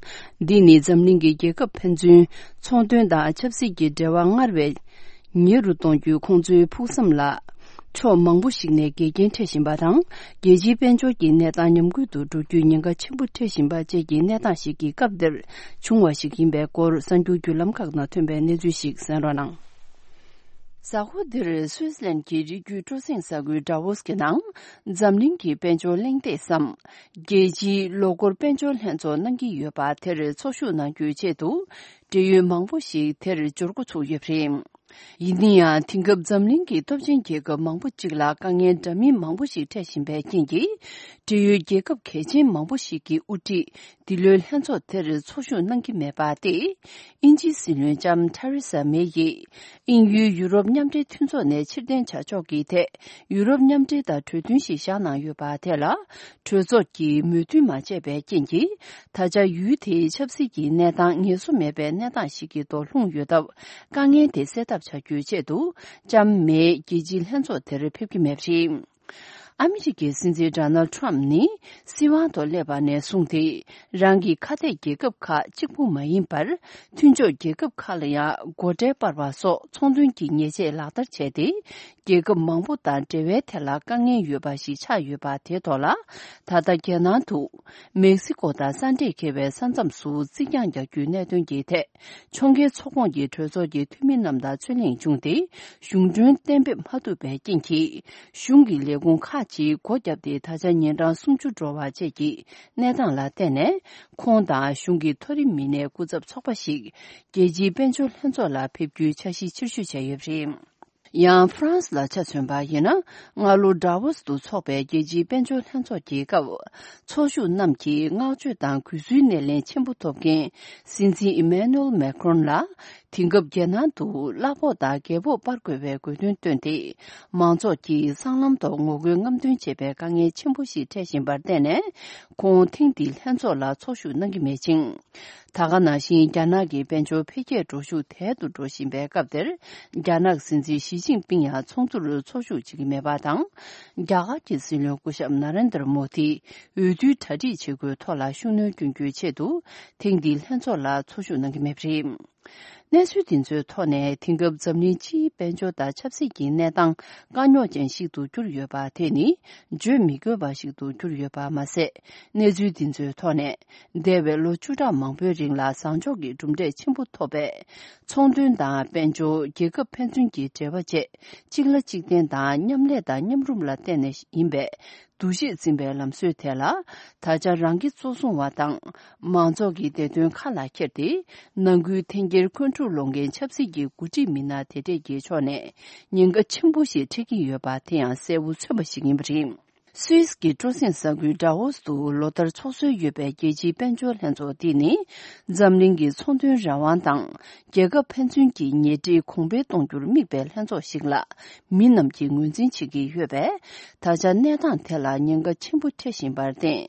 འདི་ནི་འཛམ་གླིང་གི་རྒྱལ་ཁབ་ཕན་ཚུན་ཚོང་དོན་དང་ཆབ་སྲིད་ཀྱི་འབྲེལ་བ་སྔར་བས་ཉེ་རུ་གཏོང་རྒྱུའི་ཁོང་ཚོའི་ཕུགས་བསམ་ལ། ཕྱོགས་མང་པོ་ཞིག་ནས་འགལ་རྐྱེན་འཕྲད་བཞིན་པ་དང་། རྒྱལ་སྤྱིའི་དཔལ་འབྱོར་གྱི་གནས་སྟངས་ཉམས་རྒུད་དུ་འགྲོ་རྒྱུའི་ཉེན་ཁ་ཆེན་པོ་འཕྲད་བཞིན་པ་བཅས་ཀྱི་གནས་སྟངས་ཤིག་གི་སྐབས་འདིར་བྱུང་བ་ཞིག་ཡིན་པའི་སྐོར། གསར་འགྱུར་བརྒྱུད་ལམ་ཁག་ནང་ཐོན་པའི་གནས་ཚུལ་ཞིག་གསན་རོགས་གནང་། གཟའ་འཁོར་འདིར་སུད་སི་ལན་གྱི་རི་རྒྱུད་སྤྲོ་གསེང་ས་ཁུལ་ཌ་ཝོ་སི་གི་ནང་། འཛམ་གླིང་གི་དཔལ་འབྱོར་གླེང་སྟེགས་སམ། རྒྱལ་སྤྱིའི་ལོ་འཁོར་དཔལ་འབྱོར་ལྷན་ཚོགས་གནང་གི་ཡོད་པ་དེར་ཚོགས་ཞུགས་གནང་རྒྱུའི་ཆེད་དུ། འབྲེལ་ཡོད་མང་པོ་ཞིག་དེར་འབྱོར་འགོ་ཚུགས་ཡོད་པ་རེད། ཡིན་ན་ཡང་། དེང་སྐབས་འཛམ་གླིང་གི་སྟོབས་ཆེན་རྒྱལ་ཁབ་མང་པོ་གཅིག་ལ་དཀའ་ངལ་འདྲ་མིན་མང་པོ་ཞིག་འཕྲད་བཞིན་པའི་རྐྱེན་གྱིས། འབྲེལ་ཡོད་རྒྱལ་ཁབ་གལ་ཆེན་མང་པོ་ཞིག་གིས་དབུ་ཁྲིད་འདི་ལོའི་ལྷན་ཚོགས་དེར་ཚོགས་ཞུགས་གནང་གི་མེད་པ་སྟེ། དབྱིན་ཇིའི་སྲིད་བློན་ལྕམ་ཐ་རི་ས་མེ་ཡིས། དབྱིན་ཡུལ་ཡུ་རོབ་མཉམ་འབྲེལ་མཐུན་ཚོགས་ནས་ཕྱིར་འཐེན་བྱ་ཕྱོགས་ཀྱི་ཐད། ཡུ་རོབ་མཉམ་འབྲེལ་དང་གྲོས་མཐུན་ཞིག་བཞག་གནང་ཡོད་པ་དེ་ལ། གྲོས་ཚོགས་ཀྱིས་མོས་མཐུན་མ་བྱས་པའི་རྐྱེན་གྱིས། ད་ཆ་ཡུལ་དེའི་ཆབ་སྲིད་ཀྱི་གནས་སྟངས་ངེས་སུ་མེད་པའི་གནས་སྟངས་ཤིག་གི་ཐོག་ལྷུང་ཡོད་སྟབས། དཀའ་ངལ་དེ་སེལ་ཐབས་བྱ་རྒྱུའི་ཆེད་དུ། ལྕམ་མེ་རྒྱལ་སྤྱིའི་ལྷན་ཚོགས་དེར་ཕེབས་ཀྱི་མེད་པ་རེད། ཨ་མི་རི་ཀའི་སྲིད་འཛིན་ཌོ་ནལ་ཌི་ཊརམ་ཕི་ནི་སྲིད་དབང་ཐོག་སླེབས་པ་ནས་བཟུང་སྟེ། རང་གི་ཁ་གཏད་རྒྱལ་ཁབ་ཁག་གཅིག་པུ་མ་ཡིན་པར། མཐུན་ཕྱོགས་རྒྱལ་ཁབ་ཁག་ལ་ཡང་སྒོ་ཁྲལ་སྤར་བ་སོགས་ཚོང་དོན་གྱི་ཉེས་ཆད་ལག་བསྟར་བྱས་ཏེ། རྒྱལ་ཁབ་མང་པོ་དང་འབྲེལ་བའི་ཐད་ལ་དཀའ་ངལ་ཡོད་པ་ཞིག་ཆགས་ཡོད་པ་དེའི་ཐོག་ལ། ད་ལྟ་རྒྱལ་ནང་དུ་མེག་སི་ཀོ་དང་ས་འདྲེས་འཁེལ་བའི་ས་མཚམས་སུ་རྩིག་གྱང་རྒྱག་རྒྱུའི་གནད་དོན་གྱི་ཐད། ཕྱོགས་འགལ་ཚོགས་ཁོངས་ཀྱི་གྲོས་ཚོགས་ཀྱི་འཐུས་མི་རྣམས་དང་རྩོད་གླེང་བྱུང་སྟེ། གཞུང་གྲོན་གཏན་འབེབས་མ་ཐུབ་པའི་རྐྱེན་གྱིས། གཞུང་གི་ལས་ཁུངས་ཁག་ཅིག་སྒོ་བརྒྱབ་སྟེ། ད་ཆ་ཉིན་གྲངས་སུམ་ཅུ་འགྲོ་བ་བཅས་ཀྱི་གནས་སྟངས་ལ་བརྟེན་ནས། ཁོང་དང་གཞུང་གི་མཐོ་རིམ་མི་སྣའི་སྐུ་ཚབ་ཚོགས་པ་ཞིག་རྒྱལ་སྤྱིའི་དཔལ་འབྱོར་ལྷན་ཚོགས་ལ་ཕེབས་རྒྱུའི་འཆར་གཞི་ཕྱིར་བཤོལ་བྱས་ཡོད་པ་རེད། ཡང་ཧྥ་རན་སི་ལ་ཆ་མཚོན་པ་ཡིན་ན། སྔ་ལོ་ཌ་ཝོ་སི་ཏུ་འཚོགས་པའི་རྒྱལ་སྤྱིའི་དཔལ་འབྱོར་ལྷན་ཚོགས་ཀྱི་སྐབས། ཚོགས་ཞུགས་རྣམས་ཀྱིས་བསྔགས་བརྗོད་དང་གུས་བསུའི་སྣེ་ལེན་ཆེན་པོ་ཐོབ་མཁན་སྲིད་འཛིན་ཨི་མེ་ནུ་ཨེལ་མེ་ཁྲོན་ལ། དེང་སྐབས་རྒྱལ་ནང་དུ་གླ་ཕོགས་དང་རྒྱལ་ཕོགས་སྤར་དགོས་པའི་དགོས་འདུན་བཏོན་ཏེ། མང་ཚོགས་ཀྱིས་སྲང་ལམ་ཐོག་ངོ་རྒོལ་རྔམ་སྟོན་བྱེད་པའི་དཀའ་ངལ་ཆེན་པོ་ཞིག་འཕྲད་བཞིན་པར་བརྟེན་ནས། ཁོང་ཐེངས་འདིའི་ལྷན་ཚོགས་ལ་ཚོགས་ཞུགས་གནང་གི་མེད་ཅིང་། ད་ག་ནང་བཞིན། རྒྱ་ནག་གི་དཔལ་འབྱོར་འཕེལ་རྒྱས་འགྲོ་ཤུགས་དལ་དུ་འགྲོ་བཞིན་པའི་སྐབས་དེར། རྒྱ་ནག་སྲིད་འཛིན་ཞི་ཅིན་ཕིང་ཡང་ཚོགས་འདུར་ཚོགས་ཞུགས་བྱེད་ཀྱི་མེད་པ་དང་། རྒྱ་གར་གྱི་སྲིད་བློན་སྐུ་ཞབས་ན་རེན་དར་མོ་དི་འོས་བསྡུའི་གྲ་སྒྲིག་བྱེད་སྒོའི་ཐོག་ལ་ཤུགས་སྣོན་སྐྱོན་རྒྱུའི་ཆེད་དུ། ཐེངས་འདིའི་ལྷན་ཚོགས་ལ་ཚོགས་ཞུགས་གནང་གི་མེད་པ་རེད། གནས་ཚུལ་འདི་ཚོའི་ཐོག་ནས། དེང་སྐབས་འཛམ་གླིང་སྤྱིའི་དཔལ་འབྱོར་དང་ཆབ་སྲིད་ཀྱི་གནས་སྟངས་དཀའ་རྙོག་ཅན་ཞིག་ཏུ་གྱུར་ཡོད་པ་དེ་ནི། བརྗོད་མི་དགོས་པ་ཞིག་ཏུ་གྱུར་ཡོད་པ་མ་ཟད། གནས་ཚུལ་འདི་ཚོའི་ཐོག་ནས། འདས་པའི་ལོ་བཅུ་ཕྲག་མང་པོའི་རིང་ལ་བཟང་ཕྱོགས་ཀྱི་གྲུབ་འབྲས་ཆེན་པོ་ཐོབ་པས། ཚོང་དོན་དང་དཔལ་འབྱོར། རྒྱལ་ཁབ་ཕན་ཚུན་གྱི་འབྲེལ་བ་བཅས་གཅིག་ལ་གཅིག་བརྟེན་དང་མཉམ་ལས་དང་མཉམ་རུབ་ལ་བརྟེན་ནས་ཡིན་པས། འདུ་ཤེས་འཛིན་པའི་ལམ་སྲོལ་དེ་ལ། ད་ཆ་རང་གི་གཙོ་བཟུང་བ་དང་། མང་ཚོགས་ཀྱི་བདེ་དོན་ཁ་ལ་འཁྱེར་ཏེ། ནང་ཁུལ་འཐེན་འཁྱེར་འཁོན་འཁྲུག་སློང་མཁན་ཆབ་སྲིད་ཀྱི་འགོ་ཁྲིད་མི་སྣ་དེ་འདྲས་ཀྱི་ཕྱོགས་ནས་ཉེན་ཁ་ཆེན་པོ་ཞིག་འཕྲད་ཀྱི་ཡོད་པ་དེ་ཡང་གསལ་བོ་མཚོན་པ་ཞིག་ཡིན་པ་རེད། སུད་སི་གི་སྤྲོ་གསེང་ས་ཁུལ་ཌ་ཝོ་སི་ཏུ་ལོ་ལྟར་ཚོགས་སྲོལ་ཡོད་པའི་རྒྱལ་སྤྱིའི་དཔལ་འབྱོར་ལྷན་ཚོགས་འདི་ནི། འཛམ་གླིང་གི་ཚོང་དོན་རང་དབང་དང་། རྒྱལ་ཁབ་ཕན་ཚུན་གྱི་ཉེ་འཁྲིས་གོང་འཕེལ་གཏོང་རྒྱུར་དམིགས་པའི་ལྷན་ཚོགས་ཤིག་ལ། མི་རྣམས་ཀྱིས་ངོས་འཛིན་བྱེད་ཀྱི་ཡོད་པས། ད་ཆ་གནས་སྟངས་དེ་ལ་ཉེན་ཁ་ཆེན་པོ་འཕྲད་བཞིན་པར་བརྟེན།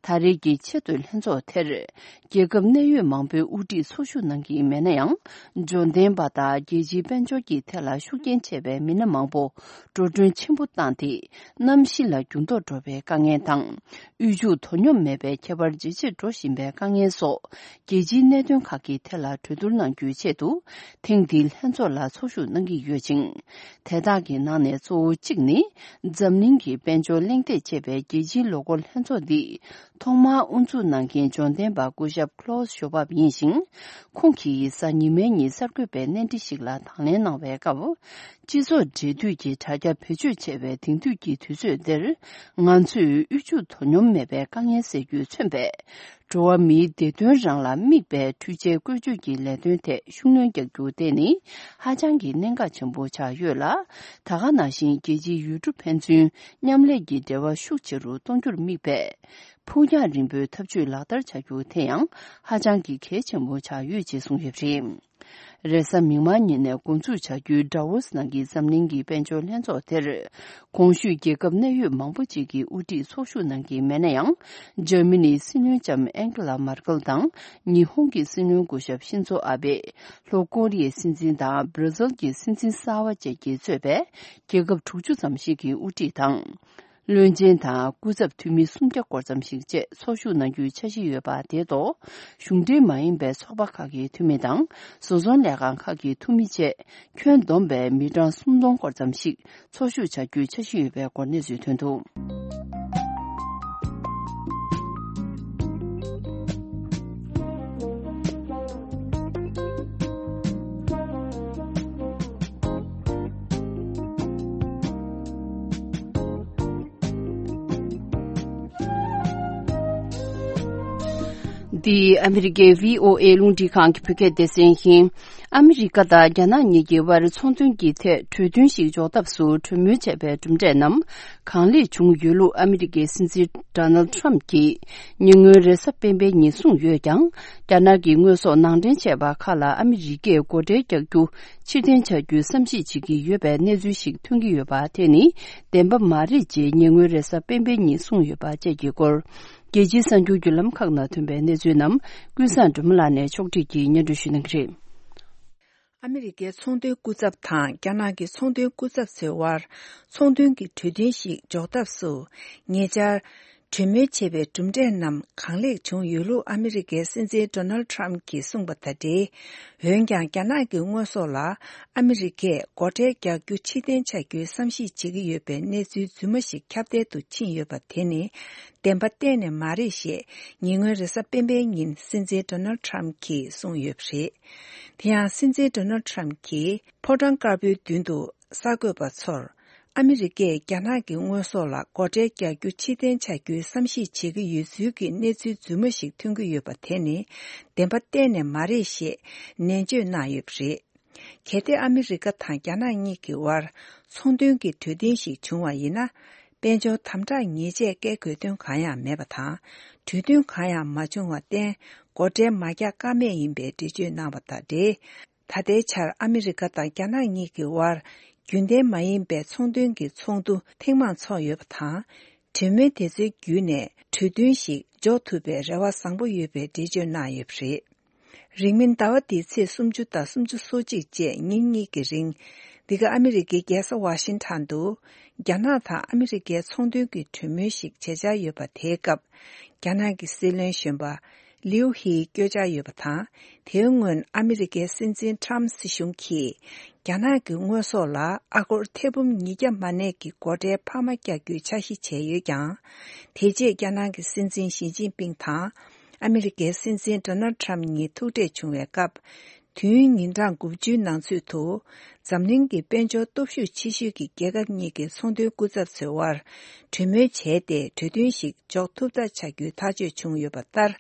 ད་རེས་ཀྱི་ཆེས་མཐོའི་ལྷན་ཚོགས་དེར། རྒྱལ་ཁབ་གནད་ཡོད་མང་པོའི་དབུ་ཁྲིད་ཚོགས་ཞུགས་གནང་གི་མེད་ན་ཡང་། འབྱོར་ལྡན་པ་དང་རྒྱལ་སྤྱིའི་དཔལ་འབྱོར་གྱི་ཐད་ལ་ཤུགས་རྐྱེན་ཆེ་བའི་མི་སྣ་མང་པོ་འགྲོ་གྲོན་ཆེན་པོ་བཏང་སྟེ། གནམ་གཤིས་ལ་འགྱུར་ལྡོག་འགྲོ་བའི་དཀའ་ངལ་དང་། དབུལ་ཕྱུག་དོ་སྙོམས་མེད་པའི་ཁྱད་པར་ཇེ་ཆེར་འགྲོ་བཞིན་པའི་དཀའ་ངལ་སོགས། རྒྱལ་སྤྱིའི་གནད་དོན་ཁག་གི་ཐད་ལ་གྲོས་བསྡུར་གནང་རྒྱུའི་ཆེད་དུ། ཐེངས་འདིའི་ལྷན་ཚོགས་ལ་ཚོགས་ཞུགས་གནང་གི་ཡོད་ཅིང་། དེ་དག་གི་ནང་ནས་གཙོ་བོ་གཅིག་ནི། འཛམ་གླིང་གི་དཔལ་འབྱོར་གླེང་སྟེགས་ཅེས་པའི་རྒྱལ་སྤྱིའི་ལོ་འཁོར་ལྷན་ཚོགས་འདི། ཐོག་མར་དབུ་འཛུགས་གནང་མཁན་འབྱོར་ལྡན་པ་སྐུ་ཞབས་Klaus Schwab ཡིན་ཞིང་། ཁོང་གིས་གཟའ་ཉི་མའི་ཉིན་གསར་འགོད་པའི་གནས་འདྲི་ཞིག་ལ་དང་ལེན་གནང་བའི་སྐབས། སྤྱི་ཚོགས་འབྲེལ་མཐུད་ཀྱི་དྲ་རྒྱ་བེད་སྤྱོད་བྱས་པའི་དེང་དུས་ཀྱི་དུས་ཚོད་འདིར། ང་ཚོས་དབུལ་ཕྱུག་དོ་སྙོམས་མེད་པའི་དཀའ་ངལ་སེལ་རྒྱུས་མཚོན་པའི་འགྲོ་བ་མིའི་བདེ་དོན་རང་ལ་དམིགས་པའི་འཕྲུལ་ཆས་བཀོལ་སྤྱོད་ཀྱི་ལས་དོན་ཐད་ཤུགས་སྣོན་རྒྱག་རྒྱུ་དེ་ནི་ཧ་ཅང་གི་གནད་འགག་ཆེན་པོ་ཆགས་ཡོད་ལ། ད་ག་ནང་བཞིན་རྒྱལ་སྤྱིའི་ཡུལ་གྲུ་ཕན་ཚུན་མཉམ་ལས་ཀྱི་འབྲེལ་བ་ཤུགས་ཆེ་རུ་གཏོང་རྒྱུར་དམིགས་པའི་ཕུགས་རྒྱང་རིང་པོའི་འཐབ་ཇུས་ལག་བསྟར་བྱ་རྒྱུ་དེ་ཡང་ཧ་ཅང་གི་གལ་ཆེན་པོ་ཆགས་ཡོད་ཅེས་གསུངས་ཡོད་པ་རེད། རེས་གཟའ་མིག་དམར་ཉིན་ནས་འགོ་འཛུགས་བྱ་རྒྱུའི་ཌ་ཝོ་སི་ནང་གི་འཛམ་གླིང་གི་དཔལ་འབྱོར་ལྷན་ཚོགས་དེར། གོང་ཞུས་རྒྱལ་ཁབ་གནད་ཡོད་མང་པོ་ཅིག་གི་དབུ་ཁྲིད་ཚོགས་ཞུགས་གནང་གི་མེད་ན་ཡང་། འཇར་མ་ནིའི་སྲིད་བློན་ལྕམ་ཨན་ཀེ་ལ་མར་ཀེལ་དང་ཉི་ཧོང་གི་སྲིད་བློན་སྐུ་ཞབས་ཤིན་ཛོ་ཨ་བེ། ལྷོ་ཀོ་རི་ཡའི་སྲིད་འཛིན་དང་བྷར་ཛིལ་གྱི་སྲིད་འཛིན་གསར་བ་བཅས་ཀྱིས་གཙོས་པའི་རྒྱལ་ཁབ་དྲུག་ཅུ་ཙམ་ཞིག་གི་དབུ་ཁྲིད་དང་། བློན་ཆེན་དང་སྐུ་ཚབ་འཐུས་མི་སུམ་བརྒྱ་སྐོར་ཙམ་ཞིག་བཅས་ཚོགས་ཞུགས་གནང་རྒྱུའི་འཆར་གཞི་ཡོད་པ་དེ་ཐོག་གཞུང་འབྲེལ་མ་ཡིན་པའི་ཚོགས་པ་ཁག་གི་འཐུས་མི་དང་བཟོ་ཚོང་ལས་ཁང་ཁག་གི་འཐུས་མི་བཅས་ཁྱོན་བསྡོམས་པའི་མི་གྲངས་སུམ་སྟོང་སྐོར་ཙམ་ཞིག་ཚོགས་ཞུགས་བྱ་རྒྱུའི་འཆར་གཞི་ཡོད་པའི་སྐོར་གནས་ཚུལ་ཐོན་འདུག། འདི་ཨ་མི་རི་ཀའི་བྷི་ཨོ་ཨེ་རླུང་འཕྲིན་ཁང་གི་བོད་སྐད་སྡེ་ཚན་ཡིན། ཨ་མི་རི་ཀ་དང་རྒྱ་ནག་གཉིས་ཀྱི་དབར་ཚོང་དོན་གྱི་ཐད་གྲོས་མཐུན་ཞིག་འཇོག་ཐབས་སུ་གྲོས་མོལ་བྱས་པའི་གྲུབ་འབྲས་རྣམས་གང་ལེགས་བྱུང་ཡོད་ལུགས་ཨ་མི་རི་ཀའི་སྲིད་འཛིན་ཌོ་ནལ་ཁྲམ་གྱིས་ཉེ་སྔོན་རེས་གཟའ་སྤེན་པའི་ཉིན་གསུངས་ཡོད་ཀྱང་། རྒྱ་ནག་གི་དངོས་ཟོག་ནང་འདྲེན་བྱས་པ་ཁག་ལ་ཨ་མི་རི་ཀས་སྒོ་ཁྲལ་རྒྱག་རྒྱུ་ཕྱིར་འཐེན་བྱ་རྒྱུའི་བསམ་གཞིག་བྱེད་ཀྱི་ཡོད་པའི་གནས་ཚུལ་ཞིག་ཐོན་གྱི་ཡོད་པ་དེ་ནི་བདེན་པ་མ་རེད་ཅེས་ཉེ་སྔོན་རེས་གཟའ་སྤེན་པའི་ཉིན་གསུངས་ཡོད་པ་བཅས་ཀྱི་སྐོར། རྒྱལ་སྤྱིའི་གསར་འགྱུར་བརྒྱུད་ལམ་ཁག་ནང་ཐོན་པའི་གནས་ཚུལ་རྣམས་ཀུན་བཟང་སྒྲོལ་མ་ལགས་ནས་ཕྱོགས་སྒྲིག་གིས་སྙན་སྒྲོན་ཞུ་གནང་གི་རེད། ཨ་མི་རི་ཀའི་ཚོང་དོན་སྐུ་ཚབ་དང་རྒྱ་ནག་གི་ཚོང་དོན་སྐུ་ཚབ་ཚོའི་དབར་ཚོང་དོན་གྱི་གྲོས་མཐུན་ཞིག་འཇོག་ཐབས་སུ་ཉེ་ཆར་གྲོས་མོལ་བྱས་པའི་གྲུབ་འབྲས་རྣམས་གང་ལེགས་བྱུང་ཡོད་ལུགས་ཨ་མི་རི་ཀའི་སྲིད་འཛིན་ཌོ་ནལ་ཁྲམ་གྱིས་གསུངས་པ་དང་འབྲེལ། འོན་ཀྱང་རྒྱ་ནག་གི་དངོས་ཟོག་ལ་ཨ་མི་རི་ཀས་སྒོ་ཁྲལ་རྒྱག་རྒྱུ་ཕྱིར་འཐེན་བྱ་རྒྱུའི་བསམ་གཞིག་བྱེད་ཀྱི་ཡོད་པའི་གནས་ཚུལ་རྫུན་མ་ཞིག་ཁྱབ་གདལ་དུ་ཕྱིན་ཡོད་པ་དེ་ནི་བདེན་པ་གཏན་ནས་མ་རེད་ཞེས་ཉེ་སྔོན་རེས་གཟའ་སྤེན་པའི་ཉིན་སྲིད་འཛིན་ཌོ་ནལ་ཁྲམ་གྱིས་གསུངས་ཡོད་པ་རེད། དེ་ཡང་སྲིད་འཛིན་ཌོ་ནལ་ཁྲམ་གྱིས་ཕོ་བྲང་དཀར་པོའི་མདུན་དུ་གསར་འགོད་པ་ཚོར། ཨ་མི་རི་ཀས་རྒྱ་ནག་གི་དངོས་ཟོག་ལ་སྒོ་ཁྲལ་རྒྱག་རྒྱུ་ཕྱིར་འཐེན་བྱ་རྒྱུའི་བསམ་གཞིག་བྱེད་ཀྱི་ཡོད་ཚུལ་གྱི་གནས་ཚུལ་རྫུན་མ་ཞིག་ཐོན་གྱི་ཡོད་པ་དེ་ནི་བདེན་པ་གཏན་ནས་མ་རེད་ཞེས་ནན་བརྗོད་གནང་ཡོད་པ་རེད། གལ་ཏེ་ཨ་མི་རི་ཀ་དང་རྒྱ་ནག་གཉིས་ཀྱི་དབར་ཚོང་དོན་གྱི་གྲོས་མཐུན་ཞིག་བྱུང་བ་ཡིན་ན། དཔལ་འབྱོར་དམ་དྲག་ཉེས་ཆད་བཀལ་དགོས་དོན་གང་ཡང་མེད་པ་དང་། གྲོས་མཐུན་གང་ཡང་མ་བྱུང་བར་བརྟེན་སྒོ་ཁྲལ་མ་རྒྱག་ཀ་མེད་ཡིན་པའི་འགྲེལ་བརྗོད་གནང་བ་དང་འབྲེལ། ད་ལྟའི་ཆར་ཨ་མི་རི་ཀ་དང་རྒྱ་ནག་གཉིས་ཀྱི་དབར་རྒྱུན་ལྡན་མ་ཡིན་པའི་ཚོང་དོན་གྱི་ཚོགས་འདུ་ཐེངས་མང་ཚོགས་ཡོད་པ་དང་། གྲོས་མོལ་དེ་ཚོའི་བརྒྱུད་ནས་གྲོས་མཐུན་ཞིག་འཇོག་ཐུབ་པའི་རེ་བ་བཟང་པོ་ཡོད་པའི་འགྲེལ་བརྗོད་གནང་ཡོད་པ་རེད། རིང་མིན་ཟླ་བ་འདིའི་ཚེས་སུམ་ཅུ་དང་སུམ་ཅུ་སོ་གཅིག་བཅས་ཉིན་གཉིས་ཀྱི་རིང་། འདི་ག་ཨ་མི་རི་ཀའི་རྒྱལ་ས་ཝ་ཤིང་ཊོན་དུ། རྒྱ་ནག་དང་ཨ་མི་རི་ཀའི་ཚོང་དོན་གྱི་གྲོས་མོལ་ཞིག་བྱེད་འཆར་ཡོད་པ་དེའི་སྐབས། རྒྱ་ནག་གི་སྲིད་བློན་གཞོན་པ། ལིའུ་ཧིའི་བསྐྱོད་འཆར་ཡོད་པ་དང་། དེའི་སྔོན་ཨ་མི་རི་ཀའི་སྲིད་འཛིན་ཊམ་སྲིད་གཞུང་གིས། རྒྱ་ནག་གི་དངོས་ཟོག་ལ་ཨ་སྒོར་ཐེར་འབུམ་ཉིས་བརྒྱ་མ་གནས་ཀྱི་སྒོ་ཁྲལ་འཕར་མ་རྒྱག་རྒྱུའི་འཆར་གཞི་བྱས་ཡོད་ཀྱང་། དེ་རྗེས་རྒྱ་ནག་གི་སྲིད་འཛིན་ཞི་ཅིན་ཕིང་དང་། ཨ་མི་རི་ཀའི་སྲིད་འཛིན་ཌོ་ནལ་ཁྲམ་གཉིས་ཐུག་འཕྲད་བྱུང་བའི་སྐབས། དུས་ཡུན་ཉིན་གྲངས་དགུ་བཅུའི་ནང་ཚུད་དུ། འཛམ་གླིང་གི་དཔལ་འབྱོར་སྟོབས་ཤུགས་ཆེ་ཤོས་ཀྱི་རྒྱལ་ཁབ་གཉིས་ཀྱི་ཚོང་དོན་སྐུ་ཚབ་ཚོའི་དབར། གྲོས་མོལ་བྱས་ཏེ། གྲོས་མཐུན་ཞིག་འཇོག་ཐུབ་ཐབས་བྱ་རྒྱུའི་ཐག་གཅོད་བྱུང་ཡོད་པ་ལྟར།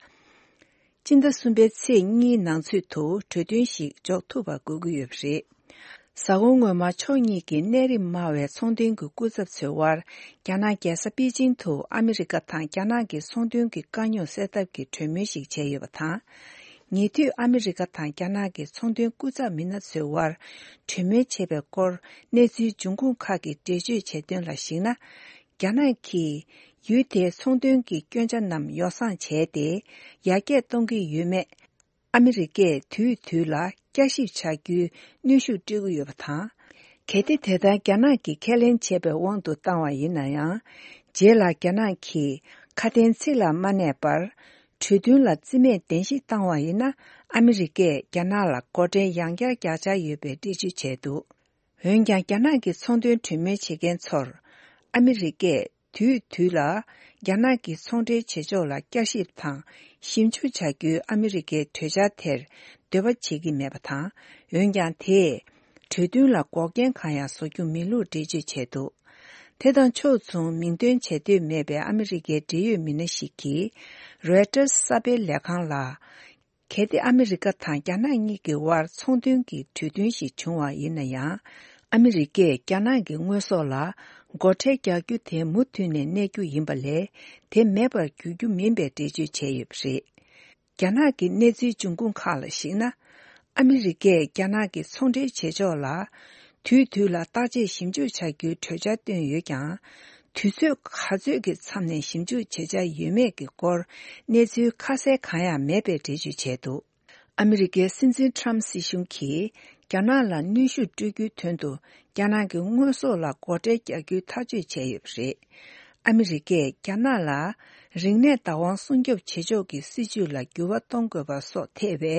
སྤྱི་ཟླ་གསུམ་པའི་ཚེས་གཉིས་ནང་ཚུད་དུ་གྲོས་མཐུན་ཞིག་འཇོག་ཐུབ་པ་དགོས་ཀྱི་ཡོད་པ་རེད། གཟའ་འཁོར་སྔོན་མ་ཕྱོགས་གཉིས་ཀྱི་གནད་རིམ་དམའ་བའི་ཚོང་དོན་གྱི་སྐུ་ཚབ་ཚོའི་དབར། རྒྱ་ནག་རྒྱལ་ས་པེ་ཅིང་དུ་ཨ་མི་རི་ཀ་དང་རྒྱ་ནག་གི་ཚོང་དོན་གྱི་དཀའ་རྙོག་སེལ་ཐབས་ཀྱི་གྲོས་མོལ་ཞིག་བྱས་ཡོད་པ་དང་། ཉེ་དུས་ཨ་མི་རི་ཀ་དང་རྒྱ་ནག་གི་ཚོང་དོན་སྐུ་ཚབ་མི་སྣ་ཚོའི་དབར་གྲོས་མོལ་བྱས་པའི་སྐོར། གནས་ཚུལ་འབྱུང་ཁུངས་ཁག་གིས་འགྲེལ་བརྗོད་བྱས་དོན་ལ་གཞིགས་ན། རྒྱ་ནག་གིས་ཡུལ་དེའི་ཚོང་དོན་གྱི་སྐྱོན་ཆ་རྣམས་ཡོ་བསྲང་བྱས་ཏེ། ཡར་རྒྱས་གཏོང་གི་ཡོད་མེད། ཨ་མི་རི་ཀས་དུས་དུས་ལ་བསྐྱར་ཞིབ་བྱ་རྒྱུའི་གནོན་ཤུགས་སྤྲོད་ཀྱི་ཡོད་པ་དང་། གལ་ཏེ་དེ་ལྟར་རྒྱ་ནག་གིས་ཁས་ལེན་བྱས་པའི་དབང་དུ་བཏང་བ་ཡིན་ན་ཡང་། རྗེས་ལ་རྒྱ་ནག་གིས་ཁ་དན་ཚིག་ལ་མ་གནས་པར། གྲོས་མཐུན་ལ་རྩིས་མེད་གདན་ཞུ་བཏང་བ་ཡིན་ན། ཨ་མི་རི་ཀས་རྒྱ་ནག་ལ་སྒོ་ཁྲལ་ཡང་བསྐྱར་རྒྱག་འཆར་ཡོད་པའི་འགྲེལ་བརྗོད་བྱས་འདུག། འོན་ཀྱང་། རྒྱ་ནག་གི་ཚོང་དོན་གྲོས་མོལ་བྱེད་མཁན་ཚོར། ཨ་མི་རི་ཀས་དུས་དུས་ལ་རྒྱ་ནག་གི་ཚོང་འབྲེལ་བྱེད་ཕྱོགས་ལ་བསྐྱར་ཞིབ་དང་ཞིབ་འཇུག་བྱ་རྒྱུའི་ཨ་མི་རི་ཀའི་གྲོས་འཆར་དེར་འདོད་པ་བྱེད་ཀྱི་མེད་པ་དང་། འོན་ཀྱང་། དེས་ གྲོས་མཐུན་ལ་འགོག་རྐྱེན་གང་ཡང་བཟོ་རྒྱུ་མིན་ལུགས་འགྲེལ་བརྗོད་བྱས་འདུག་དེ་དང་ཕྱོགས་མཚུངས་མིང་འདོན་བྱེད་འདོད་མེད་པའི་ཨ་མི་རི་ཀའི་འབྲེལ་ཡོད་མི་སྣ་ཞིག་གིས་Reuters་གསར་སྤེལ་ལས་ཁང་ལ། གལ་ཏེ་ཨ་མི་རི་ཀ་དང་རྒྱ་ནག་གཉིས་ཀྱི་དབར་ཚོང་དོན་གྱི་གྲོས་མཐུན་ཞིག་བྱུང་བ་ཡིན་ན་ཡང་། ཨ་མི་རི་ཀས་རྒྱ་ནག་གི་དངོས་ཟོག་ལ་སྒོ་ཁྲལ་རྒྱག་རྒྱུ་དེ་མུ་མཐུད་ནས་གནས་རྒྱུ་ཡིན་པ་ལས། དེ་མེད་པར་འགྱུར་རྒྱུ་མིན་པའི་འགྲེལ་བརྗོད་བྱས་ཡོད་པ་རེད། རྒྱ་ནག་གི་གནས་ཚུལ་འབྱུང་ཁུངས་ཁག་ལ་གཞིགས་ན། ཨ་མི་རི་ཀས་རྒྱ་ནག་གི་ཚོང་འབྲེལ་བྱེད་ཕྱོགས་ལ། དུས་དུས་ལ་བརྟག་དཔྱད་ཞིབ་འཇུག་བྱ་རྒྱུའི་གྲོས་འཆར་བཏོན་ཡོད་ཀྱང་། དུས་ཚོད་ག་ཚོད་ཀྱི་མཚམས་ནས་ཞིབ་འཇུག་བྱེད་འཆར་ཡོད་མེད་ཀྱི་སྐོར་གནས་ཚུལ་ཁ་གསལ་གང་ཡང་མེད་པའི་འགྲེལ་བརྗོད་བྱས་འདུག་ཨ་མི་རི་ཀའི་སྲིད་འཛིན་ཁྲམ་སྲིད་གཞུང་གིས་རྒྱ་ནག་ལ་གནོན་ཤུགས་སྤྲོད་རྒྱུའི་དོན་དུ་རྒྱ་ནག་གི་དངོས་ཟོག་ལ་སྒོ་ཁྲལ་རྒྱག་རྒྱུའི་ཐག་གཅོད་བྱས་ཡོད་པ་རེད། ཨ་མི་རི་ཀས་རྒྱ་ནག་ལ་རིག་གནས་བདག་དབང་སྲུང་སྐྱོབ་བྱེད་ཕྱོགས་ཀྱི་སྲིད་ཇུས་ལ་འགྱུར་བ་གཏོང་དགོས་པ་སོགས་ཐེ་བའི་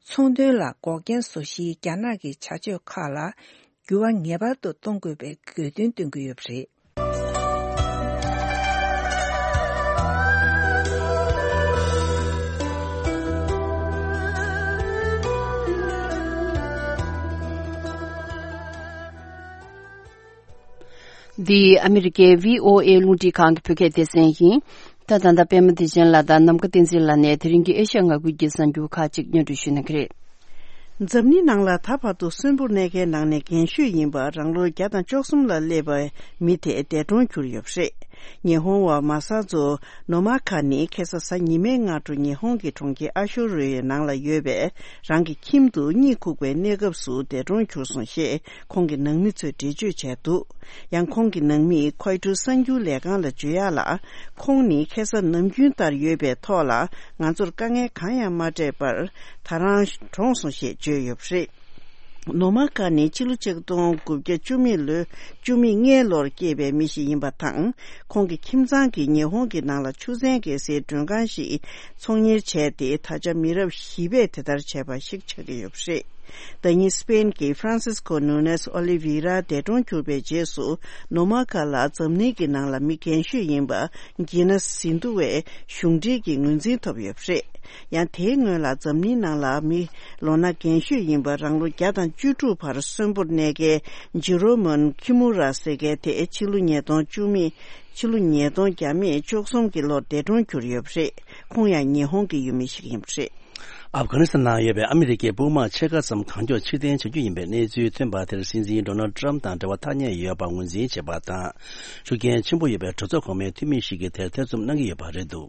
ཚོང་དོན་ལ་འགོག་རྐྱེན་བཟོ་གཞིའི་རྒྱ་ནག་གི་བྱ་སྤྱོད་ཁག་ལ་འགྱུར་བ་ངེས་པར་དུ་གཏོང་དགོས་པའི་དགོས་འདུན་བཏོན་གྱི་ཡོད་པ་རེད། འདི་ཨ་མི་རི་ཀའི་བྷི་ཨོ་ཨེ་རླུང་འཕྲིན་ཁང་གི་བོད་སྐད་སྡེ་ཚན་ཡིན། ད་ད་ལྟ་པད་མ་བདེ་ཆེན་ལགས་དང་ནམ་མཁའ་བསྟན་འཛིན་ལགས་ནས་དེ་རིང་གི་ཨེ་ཤ་ཡ་ང་ཁུལ་གྱི་གསར་འགྱུར་ཁག་ཅིག་སྙན་སྒྲོན་ཞུ་གནང་གི་རེད། འཛམ་གླིང་ནང་ལ་ད་བར་དུ་གསོན་པོར་གནས་མཁན་ནང་ནས་རྒན་ཤོས་ཡིན་པ་རང་ལོ་བརྒྱ་དང་བཅུ་གསུམ་ལ་སླེབས་པའི་མི་དེ་འདས་གྲོངས་གྱུར་ཡོད་པ་རེད། ཉི་ཧོང་བ་མ་ས་ཛོ་ནོ་མ་ཁ་ནི་ཁ་སང་གཟའ་ཉི་མའི་སྔ་དྲོ་ཉི་ཧོང་གི་གྲོང་ཁྱེར་ཨ་ཤོ་རོའི་ནང་ལ་ཡོད་པའི་རང་གི་ཁྱིམ་དུ་གཉིད་ཁུག་པའི་གནས་སྐབས་སུ་འདས་གྲོངས་གྱུར་སོང་ཞེས་ཁོང་གི་ནང་མི་ཚོས་འགྲེལ་བརྗོད་བྱས་འདུག་ཡང་ཁོང་གི་ནང་མིས་ཁོའི་ཊུ་གསར་འགྱུར་ལས་ཁང་ལ་བརྗོད་ཡག་ལ། ཁོང་ནི་ཁ་སང་ནམ་རྒྱུན་ལྟར་ཡོད་པའི་ཐོག་ལ་ང་ཚོར་དཀའ་ངལ་གང་ཡང་མ་སྤྲད་པར་ད་རང་གྲོངས་སོང་ཞེས་བརྗོད་ཡོད་པ་རེད། ནོ་མ་ཁ་ནི་ཕྱི་ལོ་ཆིག་སྟོང་དགུ་བརྒྱ་བཅུ་མེད་ལོའི་བཅུ་མེད་ལྔའི་ལོར་སྐྱེས་པའི་མི་ཞིག་ཡིན་པ་དང་། ཁོང་གི་ཁྱིམ་ཚང་གིས་ཉི་ཧོང་གི་ནང་ལ་ཆུ་ཚན་བརྒལ་སའི་མགྲོན་ཁང་ཞིག་ཚོང་གཉེར་བྱས་ཏེ། ད་ཆ་མི་རབས་བཞི་པས་དེ་ལྟར་བྱས་པ་ཞིག་ཆགས་ཀྱི་ཡོད་པ་རེད། ཟླ་ཉིན་སི་པེན་གྱི་ཧྥ་རན་སིས་ཀོ་ནུ་ནེས་ཨོ་ལི་ཝི་ར་འདས་གྲོངས་གྱུར་པའི་རྗེས་སུ། ནོ་མ་ཁ་ལ་འཛམ་གླིང་གི་ནང་ལ་མི་རྒན་ཤོས་ཡིན་པ་གྱི་ན་སི་འདུ་བའི་གཞུང་འབྲེལ་གྱི་ངོས་འཛིན་ཐོབ་ཡོད་པ་རེད། ཡང་དེའི་སྔོན་ལ་འཛམ་གླིང་ནང་ལ་མི་ལོ་ན་རྒན་ཤོས་ཡིན་པ་རང་ལོ་བརྒྱ་དང་བཅུ་དྲུག་བར་གསོན་པོར་གནས་མཁན་ཇི་རོ་མོན་ཁི་མུ་ར་ཟེར་མཁན་དེ་ཕྱི་ལོ་ཉིས་སྟོང་བཅུ་མེད་ཕྱི་ལོ་ཉིས་སྟོང་བརྒྱ་མེད་བཅུ་གསུམ་གྱི་ལོར་འདས་གྲོངས་གྱུར་ཡོད་པ་རེད། ཁོང་ཡང་ཉི་ཧོང་གི་ཡུལ་མི་ཞིག་ཡིན་པ་རེད། ཨབ་གྷ་ནི་སི་ཐན་ནང་ཡོད་པའི་ཨ་མི་རི་ཀའི་དཔུང་དམག་ཕྱེད་ཀ་ཙམ་གང་མགྱོགས་ཕྱིར་འཐེན་བྱ་རྒྱུ་ཡིན་པའི་གནས་ཚུལ་ཐོན་པ་དེར་སྲིད་འཛིན་ཌོ་ནལ་ཌི་ཊརམ་དང་འབྲེལ་བ་ཐག་ཉེ་ཡོད་པ་ངོས་འཛིན་བྱས་པ་དང་། ཤུགས་རྐྱེན་ཆེན་པོ་ཡོད་པའི་གྲོས་ཚོགས་གོང་མའི་འཐུས་མི་ཞིག་གིས་དེར་ཐེ་ཚོམ་གནང་གི་ཡོད་པ་རེད་འདུག་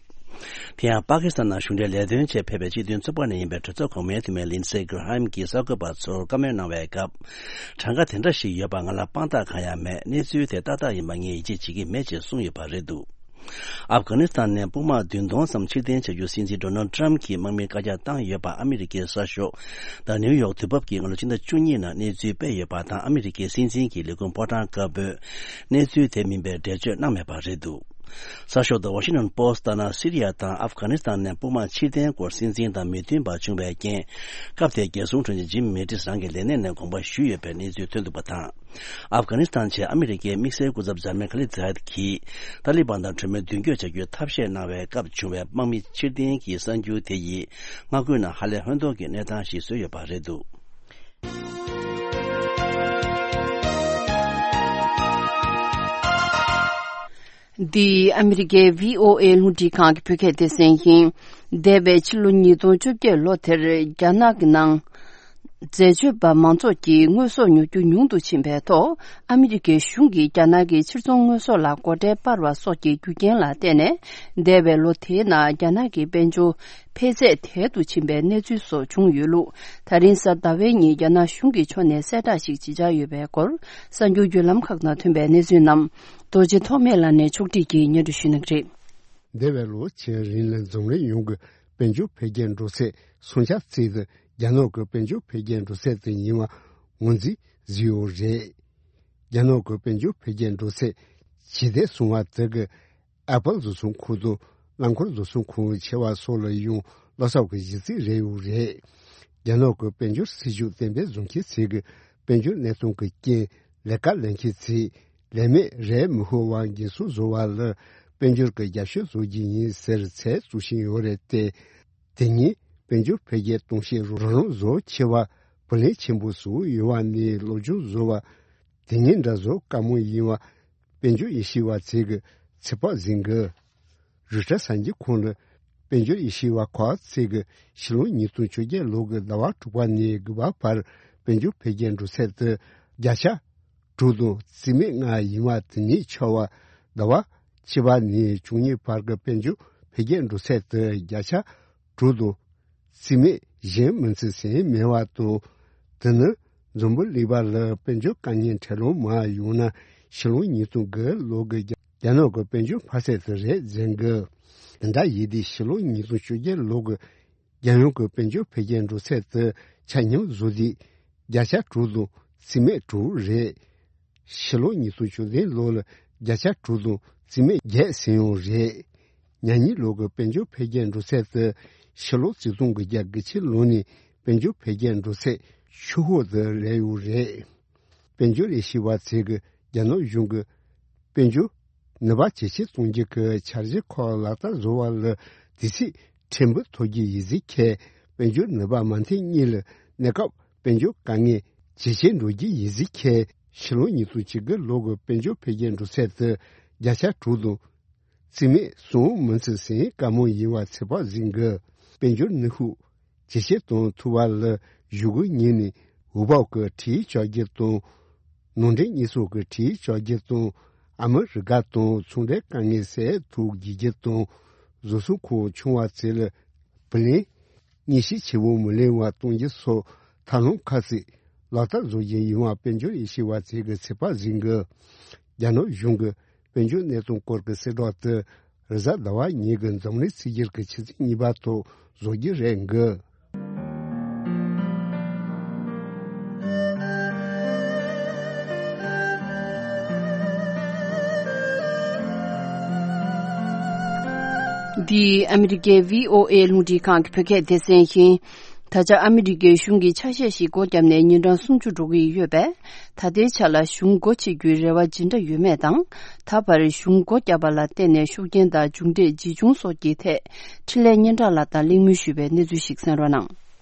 དེ་ཡང་པ་ཀི་སི་ཐན་ནང་གཞུང་འབྲེལ་ལས་དོན་ཆེད་ཕེབས་པའི་སྤྱི་མཐུན་ཚོགས་པ་ནས་ཡིན་པའི་གྲོས་ཚོགས་གོང་མའི་འཐུས་མི་ལིན་སེ་གྷི་ར་ཧམ་གྱིས་གསར་འགོད་པ་ཚོར་བཀའ་མོལ་གནང་བའི་སྐབས། གྲངས་ཀ་དེ་འདྲ་ཞིག་ཡོད་པ་ང་ལ་དཔང་རྟགས་གང་ཡང་མེད། གནས་ཚུལ་དེ་ཏག་ཏག་ཡིན་པ་ངས་ཡིད་ཆེས་བྱེད་ཀྱི་མེད་ཅེས་གསུངས་ཡོད་པ་རེད་འདུག་ཨབ་གྷ་ནི་སི་ཐན་ནས་དཔུང་དམག་བདུན་སྟོང་ཙམ་ཕྱིར་འཐེན་བྱ་རྒྱུ་སྲིད་འཛིན་ཌོ་ནལ་ཌི་ཊརམ་གྱིས་དམག་མིར་བཀའ་རྒྱ་བཏང་ཡོད་པ་ཨ་མི་རི་ཀའི་གསར་ཤོག་The New York དུས་བབ་ཀྱིས་སྔ་ལོ་ཕྱི་ཟླ་བཅུ་གཉིས་ནང་གནས་ཚུལ་སྤེལ་ཡོད་པ་དང་། ཨ་མི་རི་ཀའི་སྲིད་འཛིན་གྱི་ལས་ཁུངས་ཕོ་བྲང་དཀར་པོས་གནས་ཚུལ་དེ་མིན་པའི་འགྲེལ་བརྗོད་གནང་མེད་པ་རེད་འདུག་གསར་ཤོག་The Washington Post ལྟར་ན། སི་རི་ཡ་དང་ཨབ་གྷ་ནི་སི་ཐན་ནས་དཔུང་དམག་ཕྱིར་འཐེན་སྐོར་སྲིད་འཛིན་དང་མི་མཐུན་པ་བྱུང་བའི་རྐྱེན། སྐབས་དེའི་རྒྱལ་སྲུང་དྲུང་ཆེ་ཇིམ་མེ་ཏིས་རང་གི་ལས་གནས་ནས་དགོངས་པ་ཞུས་ཡོད་པའི་གནས་ཚུལ་ཐོན་འདུག་པ་དང་། ཨབ་གྷ་ནི་སི་ཐན་ཆེད་ཨ་མི་རི་ཀའི་དམིགས་བསལ་སྐུ་ཚབ་འཇར་མན་ཁ་ལི་ཛ་ཡད་ཀྱིས་ཏཱ་ལི་བན་དང་གྲོས་མོལ་མདུན་སྐྱོད་བྱ་རྒྱུའི་ཐབས་ཤེས་གནང་བའི་སྐབས་བྱུང་བའི་དམག་མི་ཕྱིར་འཐེན་གྱི་གསར་འགྱུར་དེ་ཡིས་མངའ་ཁུལ་ནང་ཧ་ལས་ཧོན་ཐོར་གྱི་གནས་སྟངས་ཤིག་བཟོས་ཡོད་པ་རེད་འདུག་འདི་ཨ་མི་རི་ཀའི་བྷི་ཨོ་ཨེ་རླུང་འཕྲིན་ཁང་གི་བོད་སྐད་སྡེ་ཚན་ཡིན། འདས་པའི་ཕྱི་ལོ་ཉིས་སྟོང་བཅོ་བརྒྱད་ལོ་དེར་རྒྱ་ནག་གི་ནང་འཛད་སྤྱོད་པ་མང་ཚོགས་ཀྱིས་དངོས་ཟོག་ཉོ་རྒྱུ་ཉུང་དུ་ཕྱིན་པའི་ཐོག་ཨ་མི་རི་ཀའི་གཞུང་གིས་རྒྱ་ནག་གི་ཕྱིར་ཚོང་དངོས་ཟོག་ལ་སྒོ་ཁྲལ་སྤར་བ་སོགས་ཀྱི་རྒྱུ་རྐྱེན་ལ་བརྟེན་ནས། འདས་པའི་ལོ་དེའི་ནང་རྒྱ་ནག་གི་དཔལ་འབྱོར་འཕེལ་ཚད་དལ་དུ་ཕྱིན་པའི་གནས་ཚུལ་སོགས་བྱུང་ཡོད་ལུགས། ད་རིང་གཟའ་ཟླ་བའི་ཉིན་རྒྱ་ནག་གཞུང་གི་ཕྱོགས་ནས་གསལ་བསྒྲགས་ཤིག་ཇི་ཆགས་ཡོད་པའི་སྐོར། གསར་འགྱུར་བརྒྱུད་ལམ་ཁག་ནང་ཐོན་པའི་གནས་ཚུལ་རྣམས་རྡོ་རྗེ་ཐོགས་མེད་ལགས་ནས་ཕྱོགས་སྒྲིག་གིས་སྙན་སྒྲོན་ཞུ་གནང་གི་རེད། འདས་པའི་ལོ་ཕྱེད་རིང་ལ་འཛམ་གླིང་ཡོངས་ཀྱི་དཔལ་འབྱོར་འཕེལ་རྒྱས་འགྲོ་ཚད་སུམ་ཆ་ཙམ་དེ་རྒྱ་ནག་གི་དཔལ་འབྱོར་འཕེལ་རྒྱས་འགྲོ་ཚད་དེ་ཡིན་པ་ངོས་འཛིན་བཟོས་ཡོད་རེད། རྒྱ་ནག་གི་དཔལ་འབྱོར་འཕེལ་རྒྱས་འགྲོ་ཚད་ཇེ་བདེ་སོང་བ་དེ་གིས། ཨེ་པལ་བཟོ་ཚོང་ཁང་དང་རླངས་འཁོར་བཟོ་ཚོང་ཁང་ཆེ་བ་སོགས་ལ་ཡང་བློ་འཚབ་ཀྱི་གཞི་རྩ་རེད་ཡོད་རེད། རྒྱ་ནག་གི་དཔལ་འབྱོར་སྲིད་ཇུས་གཏན་འབེབས་བཟོ་མཁན་ཚོས་ཀྱི་དཔལ་འབྱོར་གནས་སྟངས་ཀྱི་རྐྱེན་ལས་ཀ་ལས་མཁན་ཚོས་ལས་མེད་རེ་མི་ཤོར་བར་འགན་སྲུང་བཟོ་བ་ལ་དཔལ་འབྱོར་གྱི་རྒྱབ་སྐྱོར་བཟོ་རྒྱུ་ཡིན་ཟེར་ཚད་བཙུགས་བཞིན་ཡོད་རེད་དེ། དེ་ཉིད་དཔལ་འབྱོར་འཕེལ་རྒྱས་གཏོང་བྱེད་རོགས་རམ་བཟོ་ཆེ་བ་ བུ་ལོན་ཆེན་པོ་བཟོ་ཡོང་བ་ནས་སློབ་སྦྱོང་བཟོ་བ་དེ་ཉིད་འདྲ་བཟོ་དཀའ་མོ་ཡིན་པ་དཔལ་འབྱོར་ཡེ་ཤེས་པ་ཚེ་གི་ཚེ་དཔག་ཟིན་གི། རུ་ཏྲ་གསར་འགྱུར་ཁོངས་ལ་དཔལ་འབྱོར་ཡེ་ཤེས་པ་ཁོ་ཚེ་གི་ཕྱི་ལོ་ཉིས་སྟོང་བཅོ་བརྒྱད་ལོ་གི་ཟླ་བ་དྲུག་པ་ནས་དགུ་པ་བར་དཔལ་འབྱོར་འཕེལ་རྒྱས་འགྲོ་ཚད་དུ་བརྒྱ་ཆ་དྲུག་དང་རྩིས་མེད་ལྔ་ཡིན་པ་དེ་ཉིད་ཆགས་པ། ཟླ་བ་བཅུ་པ་ནས་བཅུ་གཉིས་བར་གྱི་དཔལ་འབྱོར་འཕེལ་རྒྱས་འགྲོ་ཚད་དུ་བརྒྱ་ཆ་དྲུག་དང་རྩིས་མེད་གཞན་མིན་ཚུལ་ཟིན་མེད་པ་དང་། དེ་ནི་འཛམ་བུ་གླིང་པ་ལ་དཔལ་འབྱོར་དཀའ་ངལ་འཕྲད་ལོང་མ་ཡོང་ན་ཕྱི་ལོ་ཉིས་སྟོང་དགུ་ལོ་གི་རྒྱ་རྒྱ་ནག་གི་དཔལ་འབྱོར་འཕར་ཚད་དུ་རེད་འཛིན་གི། དེ་འདྲ་ཡིན་དུས་ཕྱི་ལོ་ཉིས་སྟོང་བཅོ་བརྒྱད་ལོ་གི་རྒྱལ་ཡོངས་ཀྱི་དཔལ་འབྱོར་འཕེལ་རྒྱས་འགྲོ་ཚད་དུ་ཆ་མཉམ་བཟོ་དུས་བརྒྱ་ཆ་དྲུག་དང་རྩིས་མེད་དྲུག་རེད། ཕྱི་ལོ་ཉིས་སྟོང་བཅུ་བདུན་ལོ་ལ་བརྒྱ་ཆ་དྲུག་དང་རྩིས་མེད་བརྒྱད་ཟིན་ཡོང་རེད། ཉ་གཉིས་ལོ་གི་དཔལ་འབྱོར་འཕེལ་རྒྱས་འགྲོ་ཚད་དུ་ཕྱི་ལོ་ཆིག་སྟོང་དགུ་བརྒྱ་དགུ་བཅུ་ལོ་ནས་དཔལ་འབྱོར་འཕེལ་རྒྱས་འགྲོ་ཚད་ཆུ་ཤོག་ཏུ་སླེབས་ཡོད་རེད། དཔལ་འབྱོར་ལས་བྱེད་པ་ཚོས་ཀྱི་རྒྱ་ནག་གཞུང་གི་དཔལ་འབྱོར་ནུས་པ་ཇེ་ཆེར་གཏོང་རྒྱུ་གི་འཆར་གཞི་ཁག་ལག་བསྟར་བཟོ་བ་ལ་དུས་ཚོད་ཕྲན་བུ་ཐོབ་རྒྱུ་ཡིན་ཟེར་ཁྱེད་དཔལ་འབྱོར་ནུས་པ་མ་མཐུན་གཉིས་ལ་གནས་སྐབས་དཔལ་འབྱོར་དཀའ་ངལ་ཇེ་ཆེར་འགྲོ་རྒྱུ་ཡིན་ཟེར་ཁྱེད་ཕྱི་ལོ་ཉིས་སྟོང་བཅུ་དགུ་ལོ་གི་དཔལ་འབྱོར་འཕེལ་རྒྱས་འགྲོ་ཚད་དུ་བརྒྱ་ཆ་དྲུག་དང་རྩིས་མེད་གསུམ་མིན་ཚུལ་ཟིན་དཀའ་མོ་ཡིན་པ་ཚོད་དཔག་ཟིན་དགོས། དཔལ་འབྱོར་ནུས་ཤུགས་ཇེ་ཆེར་གཏོང་ཐུབ་པ་ལ་གཞུག་གུ་ཉིན་ནས་འོས་བབ་ཀྱི་ཁྲིམས་བཅའ་རྒྱུ་དང་། ནང་འདྲེན་གཉེར་སྐྱོང་གི་ཁྲིམས་བཅའ་རྒྱུ་དང་། ཨ་མི་རི་ཀ་དང་ཚོང་འབྲེལ་དཀའ་ངལ་སེལ་ཐབས་བྱེད་རྒྱུ་དང་། བཟོ་ཚོང་ཁང་ཆུང་བ་ཚོ་ལ་བུ་ལོན་ཉེས་ཆད་ཆེ་བོ་མི་ལེན་པ་གཏོང་རྒྱུ་སོགས་ཐབས་ལམ་ཁ་ཤས་ལག་བསྟར་བཟོ་རྒྱུ་ཡིན་པ་དཔལ་འབྱོར་ལས་བྱེད་པ་ཚོས་ཀྱི་ཚོད་དཔག་ཟིན་དགོས། རྒྱ་ནག་གཞུང་གི་དཔལ་འབྱོར་གནས་སྟངས་སྐོར་གྱི་གསལ་བསྒྲགས་དེ་རེས་གཟའ་ཟླ་བ་ཉིན་གྱི་འཛམ་གླིང་ཚེས་བརྒྱད་ཀྱི་ཆུ་ཚོད་གཉིས་པ་ཐོག་བཟོ་རྒྱུ་རེད་འགོད། འདི་ཨ་མི་རི་ཀའི་བྷི་ཨོ་ཨེ་རླུང་འཕྲིན་ཁང་གི་བོད་སྐད་སྡེ་ཚན་ཡིན། ད་ཆ་ཨ་མི་རི་ཀའི་གཞུང་གི་ཆ་ཤས་ཤིག་སྒོ་བརྒྱབ་ནས་ཉིན་གྲངས་སུམ་ཅུ་འགྲོ་གི་ཡོད་པས། ད་ལྟའི་ཆ་ལ་གཞུང་སྒོ་ཕྱེ་རྒྱུའི་རེ་བ་ཇི་འདྲ་ཡོད་མེད་དང་། ད་བར་གཞུང་སྒོ་བརྒྱབ་པ་ལ་བརྟེན་ནས་ཤུགས་རྐྱེན་དང་མཇུག་འབྲས་ཇི་བྱུང་སོགས་ཀྱི་ཐད་འཕྲིན་ལས་སྙན་གྲགས་ལགས་དང་གླེང་མོལ་ཞུས་པའི་གནས་ཚུལ་ཞིག་གསན་རོགས་གནང་།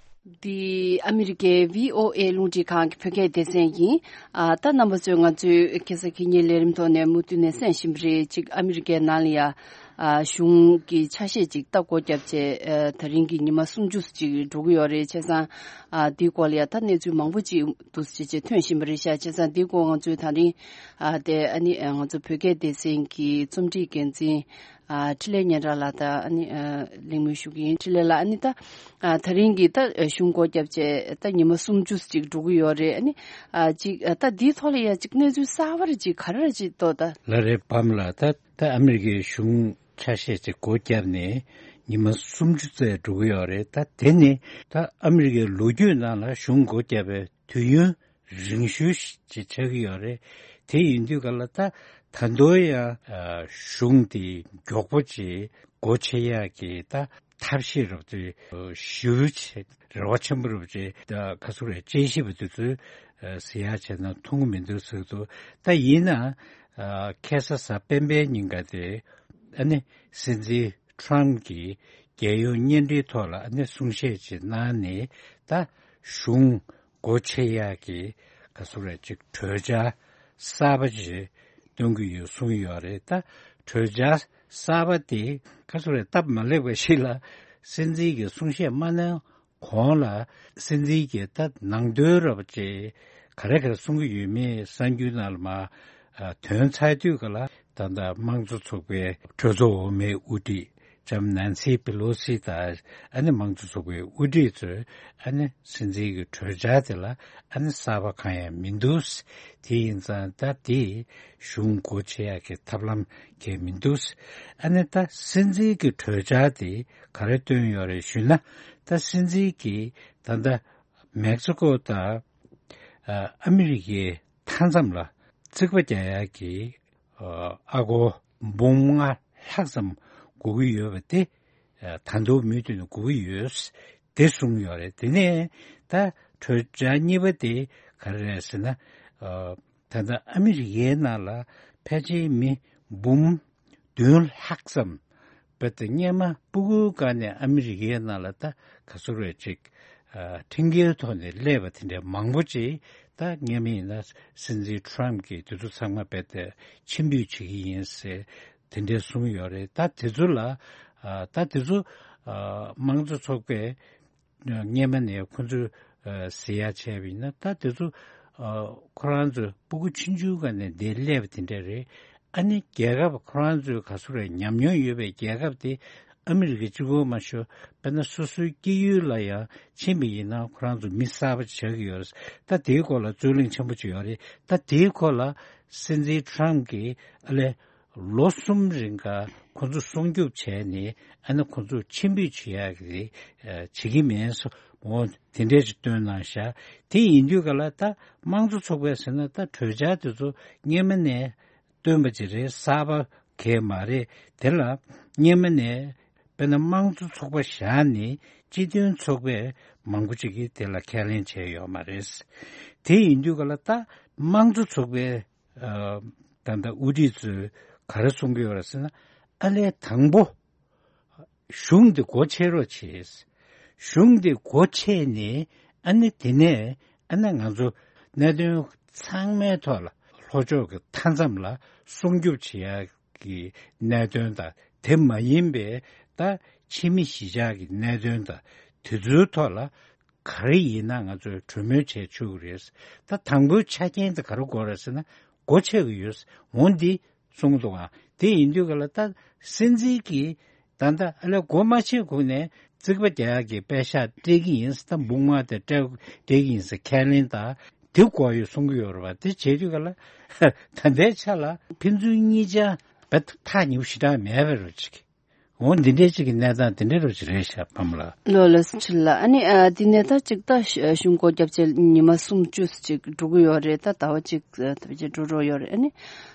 འདི་ཨ་མི་རི་ཀའི་བྷི་ཨོ་ཨེ་རླུང་འཕྲིན་ཁང་གི་བོད་སྐད་སྡེ་ཚན་ཡིན། ཨ་ད་རྣམ་པ་ཚོས་ང་ཚོའི་ཁ་སང་ཁ་ཉིན་ལས་རིམ་ཐོག་ནས་མུ་མཐུད་ནས་གསན་བཞིན་པ་རེད། ཅིག་ཨ་མི་རི་ཀའི་ནང་ལ་ཡ་ཨ་གཞུང་གི་ཆ་ཤས་ཅིག་ད་སྒོ་བརྒྱབ་བྱས་ཨ་ད་རིང་གི་ཉི་མ་སུམ་ཅུ་ཅིག་འགྲོ་གི་ཡོད་རེད། བྱས་ཙང་ཨ་འདིའི་སྐོར་ལ་ཡ་ད་གནས་ཚུལ་མང་པོ་ཅིག་འདུག་ཅེས་བྱས་ཐོན་བཞིན་པ་རེད་ཤག་བྱས་ཙང་འདིའི་སྐོར་ང་ཚོས་ད་རིང་ཨ་དེ་ཨ་ནི་ང་ཚོ་བོད་སྐད་སྡེ་ཚན་གྱི་རྩོམ་སྒྲིག་འགན་འཛིན། ཨ་འཕྲིན་ལས་སྙན་གྲགས་ལགས་དང་ཨ་ནི་ཨ་གླེང་མོལ་ཞུ་གི་ཡིན། འཕྲིན་ལས་ལགས། ཨ་ནི་ད་ཨ་ད་རིང་གི་ད་གཞུང་སྒོ་བརྒྱབ་བྱས་ད་ཉི་མ་སུམ་ཅུ་ཅིག་འགྲོ་གི་ཡོད་རེད། ཨ་ནི་ཨ་ཅིག་ཨ་ད་འདིའི་ཐོག་ལ་ཡ་ཅིག་གནས་ཚུལ་གསར་པ་རེ་ཅིག་ག་རེ་རེ་ཅིག་ཏོ་ད། ལགས་རེད་བམ་ལགས། ད་ད་ཨ་མི་རི་ཀའི་གཞུང་ཆ་ཤས་ཅིག་སྒོ་བརྒྱབ་ནས་ཉི་མ་སུམ་ཅུ་ཙམ་འགྲོ་གི་ཡོད་རེད། ད་དེ་ནི་ད་ཨ་མི་རི་ཀའི་ལོ་རྒྱུས་ནང་ལ་གཞུང་སྒོ་བརྒྱབ་པའི་དུས་ཡུན་རིང་ཤོས་ཤིག་ཅིག་ཆགས་ཀྱི་ཡོད་རེད། དེ་ཡིན་དུས་ག་ལ་ད་ད་དུང་ཡང་ཨ་གཞུང་དེ་མགྱོགས་པོ་ཅིག་སྒོ་ཕྱེ་ཡག་གི་ད་ཐབས་ཤེས་རབ་ཅིག་ཞེ་པོ་ཅིག་རེ་བ་ཆེན་པོ་རབ་ཅིག་ད་ག་ཚོད་རེད། དཔྱད་ཞིབ་པ་དེ་ཚོས་ཨ་ཟེར་ཡག་བྱས་ན་མཐོང་གི་མི་འདུག་ཟེར་གི་འདུག་ད་ཡིན་ན་ཨ་ཁ་སང་གཟའ་སྤེན་པའི་ཉིན་ཀ་དེ་ཨ་ནི་སྲིད་འཛིན་ཁྲོམ་གྱིས་རྒྱལ་ཡོངས་བརྙན་འཕྲིན་ཐོག་ལ་ཨ་ནི་གསུང་བཤད་ཅིག་གནང་ནས་ད་གཞུང་སྒོ་ཕྱེ་ཡག་གི་ག་ཚོད་རེད་ཅིག་གྲོས་འཆར་གསར་པ་ཅིག་གཏོང་གི་ཡོད་གསུངས་ཡོད་རེད། ད་གྲོས་འཆར་གསར་པ་དེ་ག་ཚོད་རེད་སྟབས་མ་ལེགས་པ་ཞིག་ལ་སྲིད་འཛིན་གྱི་གསུང་བཤད་མ་གནང་གོང་ལ་སྲིད་འཛིན་གྱི་ད་ནང་དོན་རབ་ཅིག་ག་རེ་ག་རེ་གསུང་གི་ཡོད་མེད་གསར་འགྱུར་ནང་ལ་མར་ཨ་ཐོན་ཚར་དུས་ག་ལ་ད་ལྟ་དམངས་གཙོ་ཚོགས་པའི་གྲོས་ཚོགས་འོག་མའི་དབུ་ཁྲིད་ལྕམ་ནན་སི་པེ་ལོ་སི་དང་ཨ་ནི་དམངས་གཙོ་ཚོགས་པའི་དབུ་ཁྲིད་ཚོས་ཨ་ནི་སྲིད་འཛིན་གྱི་གྲོས་འཆར་དེ་ལ་ཨ་ནི་གསར་པ་གང་ཡང་མི་འདུག་དེ་ཡིན་ཙང་ད་དེ་གཞུང་སྒོ་ཕྱེ་ཡག་གི་ཐབས་ལམ་གང་ཡང་མི་འདུག་ཨ་ནི་ད་སྲིད་འཛིན་གྱི་གྲོས་འཆར་དེ་ག་རེ་བཏོན་ཡོད་རེད་ཞུས་ན། ད་སྲིད་འཛིན་གྱིས་ད་ལྟ་མེག་སི་ཀོ་དང་ཨ་ཨ་མི་རི་ཀའི་མཐའ་མཚམས་ལ་རྩིག་པ་རྒྱག་ཡག་གི་ཨ་ཨ་སྒོར་འབུམ་ལྔ་ལྷག་ཙམ་དགོས་ཀྱི་ཡོད་པ་དེ་ད་དུང་མུ་མཐུད་ནས་དགོས་ཀྱི་ཡོད་དེ་གསུངས་ཡོད་རེད། དེ་ནས་ད་གྲོས་འཆར་གཉིས་པ་དེ་ག་རེ་རེད་ཟེར་ན། ད་ལྟ་ཨ་མི་རི་ཀའི་ནང་ལ་ཕལ་ཆེར་མི་འབུམ་བདུན་ལྷག་ཙམ་བོད་དུ་སྔོན་མ་སྤུ་གུའི་སྒང་ནས་ཨ་མི་རི་ཀའི་ནང་ལ་ད་ག་ཚོད་རེད་ཅིག་ ཁྲིམས་འགལ་ཐོག་ནས་སླེབས་པ་དེ་འདྲ་མང་པོ་ཅིག་ད་སྔོན་མ་ཡིན་ན་སྲིད་འཛིན་ཊམ་གྱིས་དེ་ཚོ་ཚང་མ་རྦད་དེ་ཕྱིར་འབུད་བྱེད་ཀྱི་ཡིན་ཟེར་དེ་འདྲ་གསུངས་ཡོད་རེད། ད་དེ་ཚོ་ལ་ད་དེ་ཚོ་དམངས་གཙོ་ཚོགས་པས་སྔོན་མ་ནས་ཁོ་ཚོས་ཟེར་ཡ་བྱས་པ་ཡིན་ན། ད་དེ་ཚོ་ཁོ་རང་ཚོས་སྤུ་གུ་ཆུང་ཆུང་སྒང་ནས་འདིར་སླེབས་པ་དེ་འདྲ་རེད། ཨ་ནི་རྒྱལ་ཁབ་ཁོ་རང་ཚོའི་ག་ཚོད་རེད་ཉམས་མྱོང་ཡོད་པའི་རྒྱལ་ཁབ་དེ་ཨ་མི་རི་ཀ་གཅིག་པོ་མ་ཤོར་དཔེར་ན་སོ་སོའི་སྐྱེས་ཡུལ་ལ་ཡང་ཕྱིན་པ་ཡིན་ན་ཁོ་རང་ཚོ་མི་གསར་པ་ཆགས་ཀྱི་ཡོད་རེད། ད་དེའི་སྐོར་ལ་རྩོད་གླེང་ཆེན་པོ་ཅིག་ཡོད་རེད། ད་དེའི་སྐོར་ལ་སྲིད་འཛིན་ཊམ་གྱིས་ཨ་ལས་ལོ་གསུམ་རིང་ག་ཁོ་ཚོ་སྲུང་སྐྱོབ་བྱས་ནས་ཨ་ནི་ཁོ་ཚོ་ཕྱིར་འབུད་བྱེད་ཡག་གི་བྱེད་ཀྱི་མེད་སོ། འོ་དེ་འདྲས་ཅིག་སྟོན་གནང་ཤག་དེ་ཡིན་དུས་ག་ལ་ད་དམངས་གཙོ་ཚོགས་པས་ཟེར་ན་ད་གྲོས་འཆར་དེ་ཚོ་སྔོན་མ་ནས་བཏོན་པ་ཅིག་རེད། གསར་པ་གས་མ་རེད། དེ་ལ་སྔོན་མ་ནས་དཔེར་ན་དམངས་གཙོ་ཚོགས་པ་བཞག་ནས་སྤྱི་མཐུན་ཚོགས་པས་མང་པོ་ཅིག་གིས་དེ་ལ་ཁས་ལེན་བྱས་ཡོད་མ་རེད། དེ་ཡིན་དུས་ག་ལ་ད་དམངས་གཙོ་ཚོགས་པའི་ད་ལྟ་དབུ་ཁྲིད་ཚོས་ག་རེ་གསུང་གི་ཡོད་རེད་ཟེར་ན། ཨ་ལས་དང་པོ་གཞུང་འདི་སྒོ་ཕྱེ་རོགས་བྱེད། གཞུང་འདི་སྒོ་ཕྱེ་ནས་ཨ་ནི་དེ་ནས་ཨ་ནི་ང་ཚོ་གནད་དོན་ཚང་མའི་ཐོག་ལ་ལྷོ་ཕྱོགས་ཀྱི་མཐའ་མཚམས་ལ་སྲུང་སྐྱོབ་བྱེད་ཡག་གི་གནད་དོན་དང་དེ་མ་ཡིན་པའི་ད་ཕྱི་མི་གཞིས་ཆགས་ཀྱི་གནད་དོན་དང་དེ་ཚོའི་ཐོག་ལ་ག་རེ་ཡིན་ན་ང་ཚོས་གྲོས་མོལ་བྱས་ཆོག་གི་རེད། ད་དང་པོའི་ཆ་རྐྱེན་དེ་ག་རེ་དགོས་རེད་ཟེར་ན་སྒོ་ཕྱེ་གི་ཡོད། འོ་འདི་གསུངས་འདུག་ཨ། དེ་ཡིན་དུས་ག་ལ་ད་སྲིད་འཛིན་གྱིས་ད་ལྟ་ཨ་ལས་སྒོ་མ་ཕྱེ་གོང་ནས་རྩིག་པ་རྒྱག་ཡག་གི་པད་ཤག་སྤྲད་ཀྱི་ཡིན་ཟེར། ད་འབུམ་ལྔ་དེ་སྤྲད་སྤྲད་ཀྱི་ཡིན་ཟེར་ཁས་ལེན་ད་དེ་དགོས་ཡོད་གསུང་གི་ཡོད་རེད་བ། དེ་བྱེད་དུས་ག་ལ་ད་ལྟའི་ཆ་ལ་ཕན་ཚུན་གཉིས་ཆ་བས་ཐག་ཉེ་པོ་ཞེ་དྲག་མེད་པའི་རོ་ཅིག་འོ་འདི་འདྲའི་ཅིག་གི་གནས་སྟངས་དེ་འདྲའི་རོ་ཅིག་རེད་ཤག་ཕ་མ་ལགས། ལོ་ལ་སུ་ཆུ་ལ་ཨ་ནི་ཨ་འདི་ནས་ད་ཅིག་ད་གཞུང་སྒོ་རྒྱབ་བྱས་ཉི་མ་གསུམ་བཅུ་ཅིག་འགྲོ་གི་ཡོད་རེད། ད་ཟླ་བ་གཅིག་ད་བྱས་འགྲོ་འགྲོ་ཡོད་རེད། ཨ་ནི་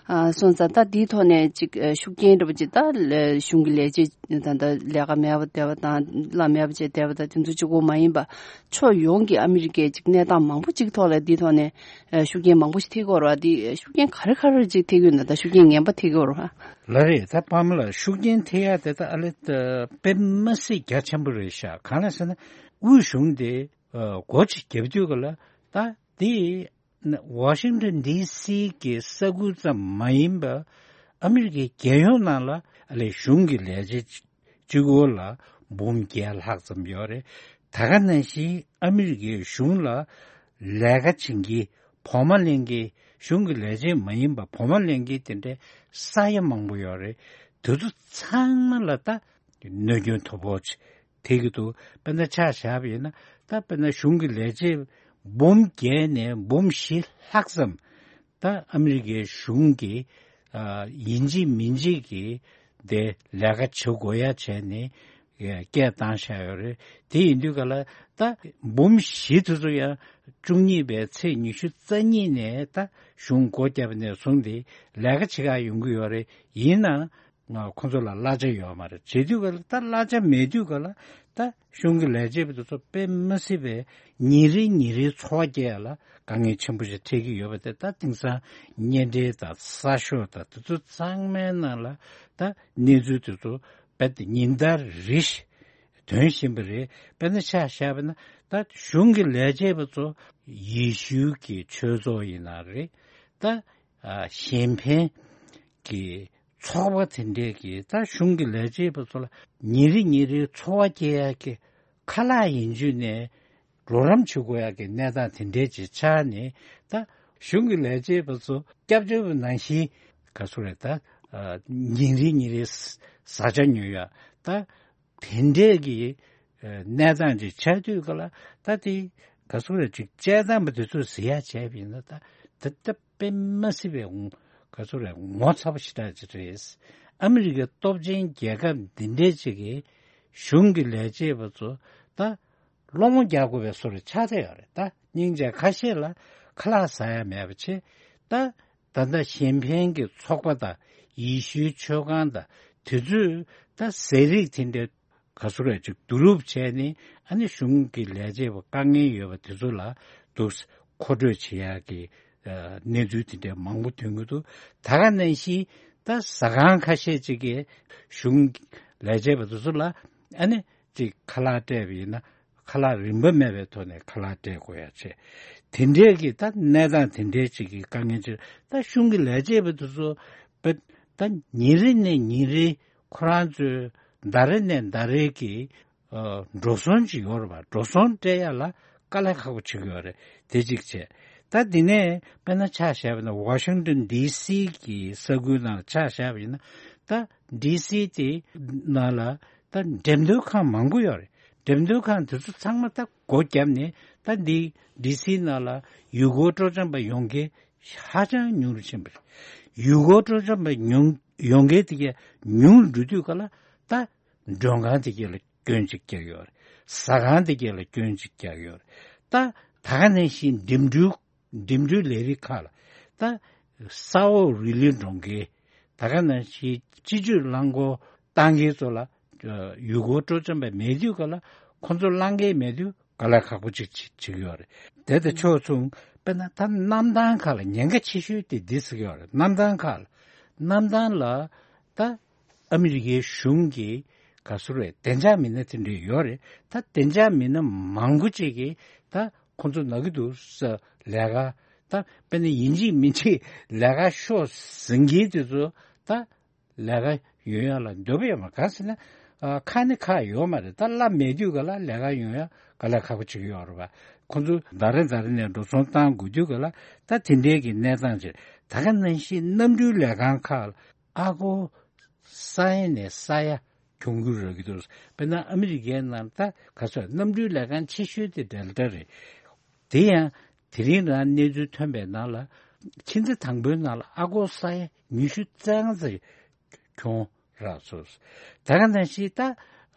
ཨ་སོང་ཙང་ད་འདིའི་ཐོག་ནས་ཅིག་ཨ་ཤུགས་རྐྱེན་འདྲ་པོ་ཅིག་ད་ལ་གཞུང་གི་ལས་བྱེད་ད་ད་ལས་ཀ་མེད་པ་བསྡད་པ་དང་གླ་མེད་པ་བྱས་བསྡད་པ་དང་དེ་ཚོ་གཅིག་པོ་མ་ཡིན་པ་ཕྱོགས་ཡོངས་ཀྱི་ཨ་མི་རི་ཀའི་ཅིག་གནས་སྟངས་མང་པོ་ཅིག་ཐོག་ལ་འདིའི་ཐོག་ནས་ཨ་ཤུགས་རྐྱེན་མང་པོ་ཞིག་ཐེབས་ཀྱི་ཡོད་རེད་བ། འདི་ཤུགས་རྐྱེན་ག་རེ་ག་རེ་ཅིག་ཐེབས་ཀྱི་ཡོད་ན། ད་ཤུགས་རྐྱེན་ངན་པ་ཐེབས་ཀྱི་ཡོད་རེད་བ། ལགས་རེད། ད་ཕ་མ་ལགས་ཤུགས་རྐྱེན་ཐེབས་ཡ་དེ་ད་ཨ་ལེ་ད་དཔེ་མི་སྲིད་རྒྱ་ཆེན་པོ་རེད་ཤག་གང་ལ་ཟེར་ན་དབུས་གཞུང་དེ་ཨ་སྒོ་ཅིག་བརྒྱབ་དུས་ག་ལ་ད་དེ་ཝ་ཤིང་ཊོན་ཌི་སི་གི་ས་ཁུལ་ཙམ་མ་ཡིན་པ་ཨ་མི་རི་ཀའི་རྒྱལ་ཡོངས་ནང་ལ་ཨ་ལེ་གཞུང་གི་ལས་བྱེད་གཅིག་པོ་ལ་འབུམ་བརྒྱད་ལྷག་ཙམ་ཡོད་རེད། ད་ག་ནང་བཞིན་ཨ་མི་རི་ཀའི་གཞུང་ལ་ལས་ཀ་བྱེད་མཁན་བོགས་མ་ལེན་མཁན་གཞུང་གི་ལས་བྱེད་མ་ཡིན་པ་བོགས་མ་ལེན་མཁན་དེ་འདྲའི་ས་ཡ་མང་པོ་ཡོད་རེད། དེ་ཚོ་ཚང་མ་ལ་ད་གནོད་སྐྱོན་དོ་ཕོག་ཅིག་ཐེབས་ཀྱི་འདུག་དཔེར་ན་ཆ་བཞག་པ་ཡིན་ན་ད་དཔེར་ན་གཞུང་གི་ལས་བྱེད་འབུམ་བརྒྱད་ནས་འབུམ་བཞི་ལྷག་ཙམ་ད་ཨ་མི་རི་ཀའི་གཞུང་གིས་ཨ་ཡིན་གཅིག་མིན་གཅིག་གིས་དེ་ལས་ཀ་བྱེད་དགོས་ཡ་བྱས་ནས་སྐད་བཏང་བཞག་ཡོད་རེད། དེ་ཡིན་དུས་ག་ལ་ད་འབུམ་བཞི་དེ་ཚོ་ཡང་བཅུ་གཉིས་པའི་ཚེས་ཉི་ཤུ་རྩ་གཉིས་ནས་ད་གཞུང་སྒོ་བརྒྱབ་ནས་བཟུང་སྟེ་ལས་ཀ་བྱེད་ག་ཡོང་གི་ཡོད་རེད། ཡིན་ནའང་ཁོང་ཚོ་ལ་གླ་ཆ་ཡོད་མ་རེད། བྱེད་དུས་ག་ལ་ད་གླ་ཆ་མེད་དུས་ག་ལ་ད་གཞུང་གི་ལས་བྱེད་པ་དེ་ཚོ་དཔེ་མི་སྲིད་པའི་ཉིན་རེ་ཉིན་རེའི་འཚོ་བ་སྐྱེལ་ཡ་ལ་དཀའ་ངལ་ཆེན་པོ་ཞིག་འཕྲད་ཀྱི་ཡོད་པ་དེ་ད་དེང་སང་བརྙན་འཕྲིན་དང་གསར་ཤོག་དང་དེ་ཚོ་ཚང་མའི་ནང་ལ་ད་གནས་ཚུལ་དེ་ཚོ་རྦད་དེ་ཉིན་ལྟར་རེ་བཞིན་ཐོན་བཞིན་པ་རེད། དཔེར་ན་ཆ་བཞག་པ་ན་ད་གཞུང་གི་ལས་བྱེད་པ་ཚོ་ཡེ་ཤུའི་གི་ཆོས་ཚོགས་ཡིན་ན་རེད། ད་ཨ་གཞན་ཕན་གྱི་ཚོགས་པ་དེ་འདྲས་ཀྱིས་ད་གཞུང་གི་ལས་བྱེད་པ་ཚོ་ལ་ཉིན་རེ་ཉིན་རེའི་འཚོ་བ་སྐྱེལ་ཡག་གི་ཁ་ལག་ཡིན་རྒྱུ་ནས་རོགས་རམ་བྱེད་དགོས་ཡག་གི་གནས་སྟངས་དེ་འདྲས་ཅིག་ཆགས་ནས་ད་གཞུང་གི་ལས་བྱེད་པ་ཚོ་སྐྱབས་བཅོལ་བ་ནང་བཞིན་ག་ཚོད་རེད་ད་ཨ་ཉིན་རེ་ཉིན་རེའི་བཟའ་བཅའ་ཉོ་ཡག་ད་དེ་འདྲས་ཀྱི་ཨ་གནས་སྟངས་ཅིག་ཆགས་དུས་ག་ལ་ད་དེ་ག་ཚོད་རེད་ཅིག་དཔྱད་སྟངས་པ་དེ་ཚོས་ཟེར་ཡག་བྱས་པ་ཡིན་ན་ད་དེ་ད་དཔེ་མ་སྲིད་པའི་ངོ་ག་ཚོད་རེད་ངོ་ཚ་པོ་ཞེ་དྲག་ཅིག་རེད། ཨ་མི་རི་ཀའི་སྟོབས་ཆེན་རྒྱལ་ཁབ་འདི་འདྲས་ཅིག་གིས་གཞུང་གི་ལས་བྱེད་པ་ཚོ་ད་སློང་མོ་རྒྱག་དགོས་པའི་བཟོ་འདྲ་ཆགས་བསྡད་ཡོད་རེད། ད་སྙིང་རྗེ་ཁ་ཤས་ལ་ཁ་ལག་ཟ་ཡ་མེད་པ་བྱས། ད་ད་ལྟ་གཞན་ཕན་གྱི་ཚོགས་པ་དང་ཡེ་ཤུའི་ཆོས་ཁང་དང་དེ་ཚོས་ད་ཟས་རིགས་དེ་འདྲའི་ག་ཚོད་རེད་ཅིག་བསྡུ་རུབ་བྱས་ནས་ཨ་ནི་གཞུང་གི་ལས་བྱེད་པ་དཀའ་ངལ་ཡོད་པ་དེ་ཚོ་ལ་འདུག་མཁོ་སྤྲོད་བྱེད་ཡག་གི་ཨ་གནས་ཚུལ་དེ་འདྲའི་མང་པོ་ཐོན་གྱི་འདུག་ད་ག་ནང་བཞིན་ད་ཟ་ཁང་ཁ་ཤས་ཅིག་གིས་གཞུང་ལས་བྱེད་པ་དེ་ཚོ་ལ་ཨ་ནི་ཅིག་ཁ་ལག་སྤྲད་པ་ཡིན་ན་ ཁ་ལག་རིན་པ་མེད་པའི་ཐོག་ནས་ཁ་ལག་སྤྲད་དགོས་ཡ་བྱས། དེ་འདྲའི་གི་ད་གནས་སྟངས་དེ་འདྲའི་ཅིག་གི་དཀའ་ངལ་ཅིག་ད་གཞུང་གི་ལས་བྱེད་པ་དེ་ཚོ་བས་ད་ཉིན་རེ་ནས་ཉིན་རེ་ཁོ་རང་ཚོའི་ཟླ་རེ་ནས་ཟླ་རེ་གི་ཨ་འགྲོ་སོང་ཅིག་ཡོད་རེད་པ། འགྲོ་སོང་སྤྲད་ཡ་ལ་དཀའ་ལས་ཁག་པོ་བྱེད་ཀྱི་ཡོད་རེད། དེ་གཅིག་བྱས། ད་འདི་ནས་དཔེར་ན་ཆ་བཞག་པ་ན་ཝ་ཤིང་ཏོན་ཌི་སི་གི་ས་ཁུལ་ནང་ལ་ཆ་བཞག་པ་ཡིན་ན། ད་ཌི་སི་དེ་ནང་ལ་ད་འགྲེམས་སྟོན་ཁང་མང་པོ་ཡོད་རེད། འགྲེམས་སྟོན་ཁང་དེ་ཚོ་ཚང་མ་ད་སྒོ་བརྒྱབ་ནས། ད་འདི་ཌི་སི་ནང་ལ་ཡུལ་སྐོར་སྤྲོ་འཆམ་པ་ཡོང་མཁན་ཧ་ཅང་ཉུང་རུ་ཕྱིན་པ་རེད། ཡུལ་སྐོར་སྤྲོ་འཆམ་པ་ཉུང་ཡོང་མཁན་དེ་གས་ཉུང་རུ་འགྲོ་དུས་ག་ལ་ད་མགྲོན་ཁང་དེ་གས་ལ་སྐྱོན་གཅིག་རྒྱག་ཡོད་རེད། ཟ་ཁང་དེ་གས་ལ་སྐྱོན་གཅིག་རྒྱག་ཡོད་རེད། ད་ད་ག་ནང་བཞིན་འགྲིམ་འགྲུལ་འགྲིམ་འགྲུལ་ལས་རིགས་ཁག་ལ། ད་ས་འོག་རི་ལི་འགྲོ་མཁན། ད་ག་ནང་བཞིན་སྤྱི་སྤྱོད་རླངས་འཁོར་བཏང་མཁན་ཚོ་ལ་ཡུལ་སྐོར་སྤྲོ་འཆམ་པ་མེད་དུས་ག་ལ་ཁོ་ཚོ་རླངས་འཁོར་མེད་དུས་དཀའ་ལས་ཁག་པོ་ཅིག་བྱེད་བྱེད་ཀྱི་ཡོད་རེད། དེ་དང་ཕྱོགས་མཚུངས་དཔེར་ན་ད་གནམ་ཐང་ཁག་ལ་ཉེན་ཁ་ཆེ་ཤོས་དེ་འདི་ཟེར་གྱི་ཡོད་རེད། གནམ་ཐང་ཁག་ལ། གནམ་ཐང་ལ་ད་ཨ་མི་རི་ཀའི་གཞུང་གི་ག་ཚོད་རེད། བདེ་འཇགས་མི་སྣ་དེ་འདྲ་ཡོད་རེད། ད་བདེ་འཇགས་མི་སྣ་མང་པོ་ཅིག་གིས་ད་ཁོང་ཚོ་ན་གི་འདུག་ཟེར་ལས་ཀ། ད་དཔེར་ན་ཡིན་གཅིག་མིན་གཅིག་ལས་ཀ་ཤོག་ཟེར་མཁན་དེ་ཚོ་ད་ལས་ཀ་ཡོང་ཡ་ལ་འདོད་པ་ཡོད་མ་རེད། གང་ཟེར་ན་ཨ་ཁ་ནི་ཁག་ཡོད་མ་རེད། ད་གླ་མེད་དུས་ག་ལ་ལས་ཀ་ཡོང་ཡ་དཀའ་ལས་ཁག་པོ་ཅིག་ཡོད་རེད་པ། ཁོང་ཚོ་ཟླ་རེ་ཟླ་རེ་ནས་འགྲོ་སོང་བཏང་དགོས་དུས་ག་ལ་ད་དེ་འདྲའི་གི་གནས་སྟངས་ཅིག་ད་ག་ནང་བཞིན་གནམ་གྲུའི་ལས་ཁང་ཁག་ལ་ཨ་སྒོར་ས་ཡ་ནས་ས་ཡ་གྱོང་གུན་རག་གི་འདུག་དཔེར་ན་ཨ་མི་རི་ཀའི་ནང་ད་ག་ཚོད་གནམ་གྲུའི་ལས་ཁང་ཆེ་ཤོས་དེ་ཌེལ་ཊ་རེད། དེ་ཡང་དེ་རིང་རང་གནས་ཚུལ་ཐོན་པའི་ནང་ལ་ཕྱི་ཟླ་དང་པོའི་ནང་ལ་ཨ་སྒོར་ས་ཡ་ཉི་ཤུ་རྩ་ལྔ་ཙམ་གྱོང་རག་སོང་། ད་ག་ནང་བཞིན་ད་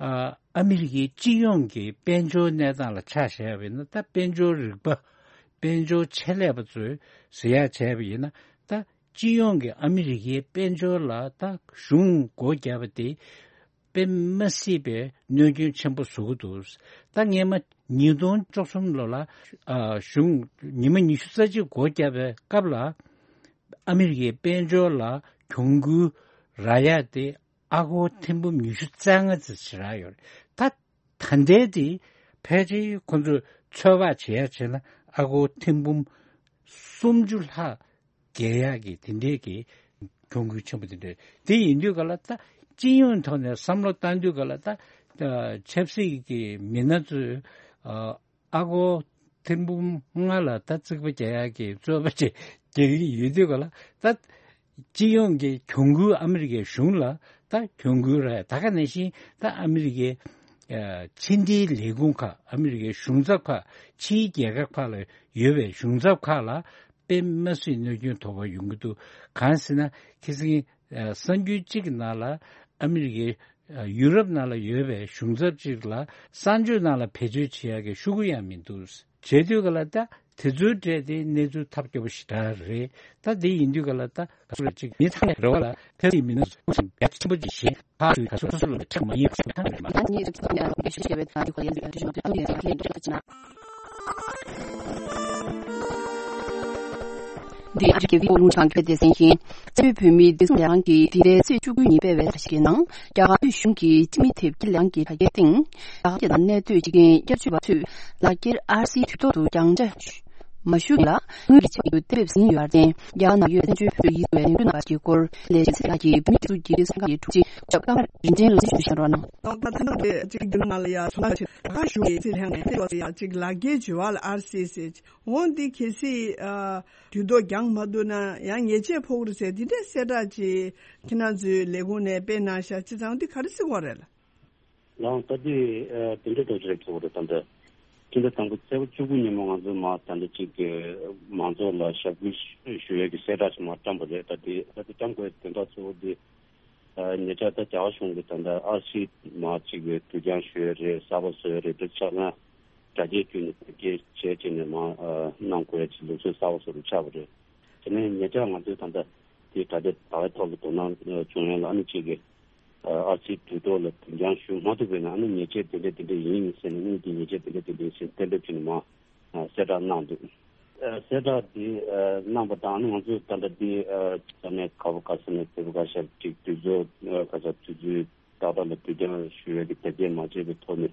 ཨ་ཨ་མི་རི་ཀའི་སྤྱི་ཡོངས་ཀྱི་དཔལ་འབྱོར་གནས་སྟངས་ལ་ཆ་བཞག་པ་ཡིན་ན། ད་དཔལ་འབྱོར་རིག་པ་དཔལ་འབྱོར་ཆེད་ལས་པ་ཚོས་ཟེར་ཡག་བྱས་པ་ཡིན་ན། ད་སྤྱི་ཡོངས་ཀྱི་ཨ་མི་རི་ཀའི་དཔལ་འབྱོར་ལ་ད་གཞུང་སྒོ་བརྒྱབ་པ་དེ་དཔེ་མ་སྲིད་པའི་གནོད་སྐྱོན་ཆེན་པོ་བཟོ་གི་འདུག་ད་སྔས་མ་ཉིས་སྟོང་བཅུ་གསུམ་ལོ་ལ་ཨ་གཞུང་ཉི་མ་ཉི་ཤུ་རྩ་གཅིག་སྒོ་བརྒྱབ་པའི་སྐབས་ལ་ཨ་མི་རི་ཀའི་དཔལ་འབྱོར་ལ་གྱོང་གུན་རག་ཡག་དེ་ཨ་སྒོར་ཐེར་འབུམ་ཉི་ཤུ་རྩ་ལྔ་ཙམ་ཞིག་རག་ཡོད་རེད། ད་ད་ལྟའི་དེ་ཕལ་ཆེར་ཁོང་ཚོས་ཚོད་དཔག་བྱེད་ཡག་བྱས་ན་ཨ་སྒོར་ཐེར་འབུམ་སུམ་ཅུ་ལྷག་བརྒལ་ཡག་གི་དེ་འདྲའི་གི་གྱོང་གུན་ཆེན་པོ་དེ་འདྲ་དེ་ཡིན་དུས་ག་ལ། ད་སྤྱི་ཡོངས་ཐོག་ནས་བསམ་བློ་བཏང་དུས་ག་ལ། ད་ཆབ་སྲིད་ཀྱི་མི་སྣ་ཚོས་ཨ་སྒོར་ཐེར་འབུམ་ལྔ་ལ་ད་རྩིག་པ་རྒྱག་ཡག་གི་རྩོད་པ་ཅིག་རྒྱག་གི་ཡོད་དུས་ག་ལ། ད་སྤྱི་ཡོངས་ཀྱི་གྱོང་གུན་ཨ་མི་རི་ཀའི་གཞུང་ལ་ད་གྱོང་གུན་རག་ད་ག་ནང་བཞིན་ད་ཨ་མི་རི་ཀའི་ཕྱི་འབྲེལ་ལས་ཁུངས་ཁག་ཨ་མི་རི་ཀའི་གཞུང་ཚབ་ཁག་ཕྱིའི་རྒྱལ་ཁབ་ཁག་ལ་ཡོད་པའི་གཞུང་ཚབ་ཁག་ལ་དཔེ་མ་སྲིད་གནོད་སྐྱོན་དོགས་པ་ཡོང་གི་འདུག་གང་ཟེར་ན་ཁ་སང་གསར་འགྱུར་གཅིག་གི་ནང་ལ་ཨ་མི་རི་ཀའི་ཡུ་རོབ་ནང་ལ་ཡོད་པའི་གཞུང་ཚབ་ཅིག་ལ་གསང་སྤྱོད་ནང་ལ་བེད་སྤྱོད་བྱེད་ཡག་གི་ཤོག་གུ་ཡང་མི་འདུག་བྱེད་དུས་ག་ལ་ད་དེ་ཚོའི་གྲས་དེ་གནས་ཚུལ་ཐབས་སྐྱོ་པོ་ཞེ་དྲག་རེད། ད་དེ་ཡིན་དུས་ག་ལ་ད་ག་ཚོད་ཅིག་མི་ཚང་མས་རེ་བ་ལ་ཐབས་ཡིན་མི་སྣ་ཚོ་ཡག་ཆེན་པོ་ཅིག་བྱེད་ཁག་ཚོས་ག་ཚོད་སོ་སོ་ལ་ཁྲག་མ་ཡིན་པ་ཞུ་ཐབས་མེད་པ། ད་ངས་རེ་བ་ཡག་པོ་ཞུ་ཞེས་པའི་ད་དེ་ག་ཡང་ཞུ་ཞུ་ཞུ་ཞུ་ཞུ་ཞུ་ཞུ་ཞུ་ཞུ་ཞུ་ཞུ་ཞུ་ཞུ་ཞུ་འདི་ཨ་རི་རྒྱལ་སྤྱིའི་ཨོ་རླུང་དྲ་རྒྱའི་སྡེ་ཚན་ཡིན། རྩ་བའི་བོད་མིའི་བདེ་སྲུང་ལས་ཁང་གིས་འདི་ཟླའི་ཚེས་བཅུ་དགུ་ཉིན་སྤེལ་བའི་བརྡ་ཆད་ནང་། རྒྱ་གར་གཞུང་གིས་སྤྱི་མི་དེབ་སྐྱེལ་ལས་ཁང་གི་དྲ་རྒྱའི་སྟེང་། རྒྱ་གར་རྒྱལ་ནང་གནས་སྡོད་བྱེད་མཁན་བསྐྱར་བཅོས་པ་ཚོས་ལག་འཁྱེར་ཨར་སིའི་དུས་ཐོག་ཏུ་བརྒྱངས་བཅར་མ་ཞུ་ལ་དངུལ་གྱི་ཆེད་དུ་གཏན་འབེབས་ཟིན་ཡོད་པར་བརྟེན། རྒྱ་གར་ནང་ཡོད་བཙན་བྱོལ་བོད་རིགས་ཡིན་པའི་ལས་འགུལ་གནང་བ་གྱི་སྐོར་ལས་བྱེད་ཚེ་ལགས་ཀྱིས་བོད་མིའི་སྒྲིག་འཛུགས་ཀྱི་སྤྱི་ཁྱབ་ལྷན་ཚོགས་ཀྱི་དྲུང་ཆེ་ཞབས་བཀའ་མར་རིན་ཆེན་ལགས་ནས་གསུང་བཤད་གནང་རོགས་གནང་། ད་ལྟ་ད་ལྟ་རེད་ཅིག་རྒྱུ་ནང་ལ་ཡ་ཚོང་ཁ་ཆེ་ད་ག་གཞུང་གི་ཚེ་ལྷན་ནས་ཡ་ཅིག་ལག་འཁྱེར་བྱེད་པ་ལ་ཨར་སི་ཟེར། འོ་འདི་གལ་སྲིད་ཨ་དུས་ཐོག་འགྱངས་མ་ཐུབ་ན་ཡང་ཉེས་ཆད་ཕོག་རེད་ཟེར་འདི་འདྲའི་གསལ་བསྒྲགས་ཅིག་ཁྱེད་རང་ཚོའི་ལས་ཁུངས་ནས་སྤེལ་གནང་ཤག་བྱས་ཙང་འདི་ག་རེ་ཟེར་དགོས་རེད་ལ། ཡང་ད་འདི་ཨ་དེ་འདྲའི་འགྲོ་རྒྱུ་རེད་ཐུག་རེད། ད་འདི་ཁྱེད་འདི་དང་པོ་ཚེས་པ་བཅུ་དགུ་ཉིན་མོ་ང་ཚོ་མ་ད་འདི་ཅིག་གི་མང་ཚོགས་ལ་ཞབས་སྐུལ་ཞུ་ཡས་ཀྱི་གསལ་བསྒྲགས་ཤིག་མ་བཀྲམ་པ་རེད། ད་འདི་ད་འདི་བཀྲམ་དགོས་དོན་དག་གཙོ་བོ་འདི། ཉེ་ཆར་ད་རྒྱ་གར་གཞུང་གིས་ད་ལྟ་ཨར་སི་མ་གཅིག་གི་དུས་འགྱངས་ཞུས་རེད། གསར་པ་བཟོས་རེད། དེ་ཆ་ཚང་དྲ་རྒྱའི་བརྒྱུད་ནས་བེད་སྤྱོད་བྱས་བྱས་ནས་མ་གནང་དགོས་ཀྱི་ལུགས་སྲོལ་གསར་པ་བཟོ་རུ་ཆགས་པ་རེད། དེ་ནས་ཉེ་ཆར་ང་ཚོས་ད་ལྟ་དེ་དྲ་རྒྱ་དྲ་བའི་ཐོག་ལ་དོ་སྣང་བྱུང་ཡོད་ལ། ཨ་ནི་གཅིག་གི་ཨར་སི་དུས་ཐོག་ལ་དུས་འགྱངས་ཞུ་མ་ཐུབ་པས་ན་ཨ་ནི་ཉེས་ཆད་དེ་འདྲ་དེ་འདྲ་ཡིན་ཟེར་ནས། དངུལ་གྱི་ཉེས་ཆད་དེ་འདྲ་དེ་འདྲ་ཡིན་ཟེར་གཏན་འབེབས་བྱས་ནས་མ་གསལ་བསྒྲགས་གནང་འདུག་གསལ་བསྒྲགས་འདི་གནང་པ་དང་། ང་ཚོས་ད་ལྟ་འདི་ས་གནས་ག་བ་ག་ས་ནས་དེ་བ་ག་ཤར་ཅིག་དུས་ཚོད་ག་ས་དུས་ཚོད་ཏག་ཏག་ལ་དུས་འགྱངས་ཞུ་ཡས་ཀྱི་དེབ་སྐྱེལ་མ་བྱས་པའི་ཐོག་ནས་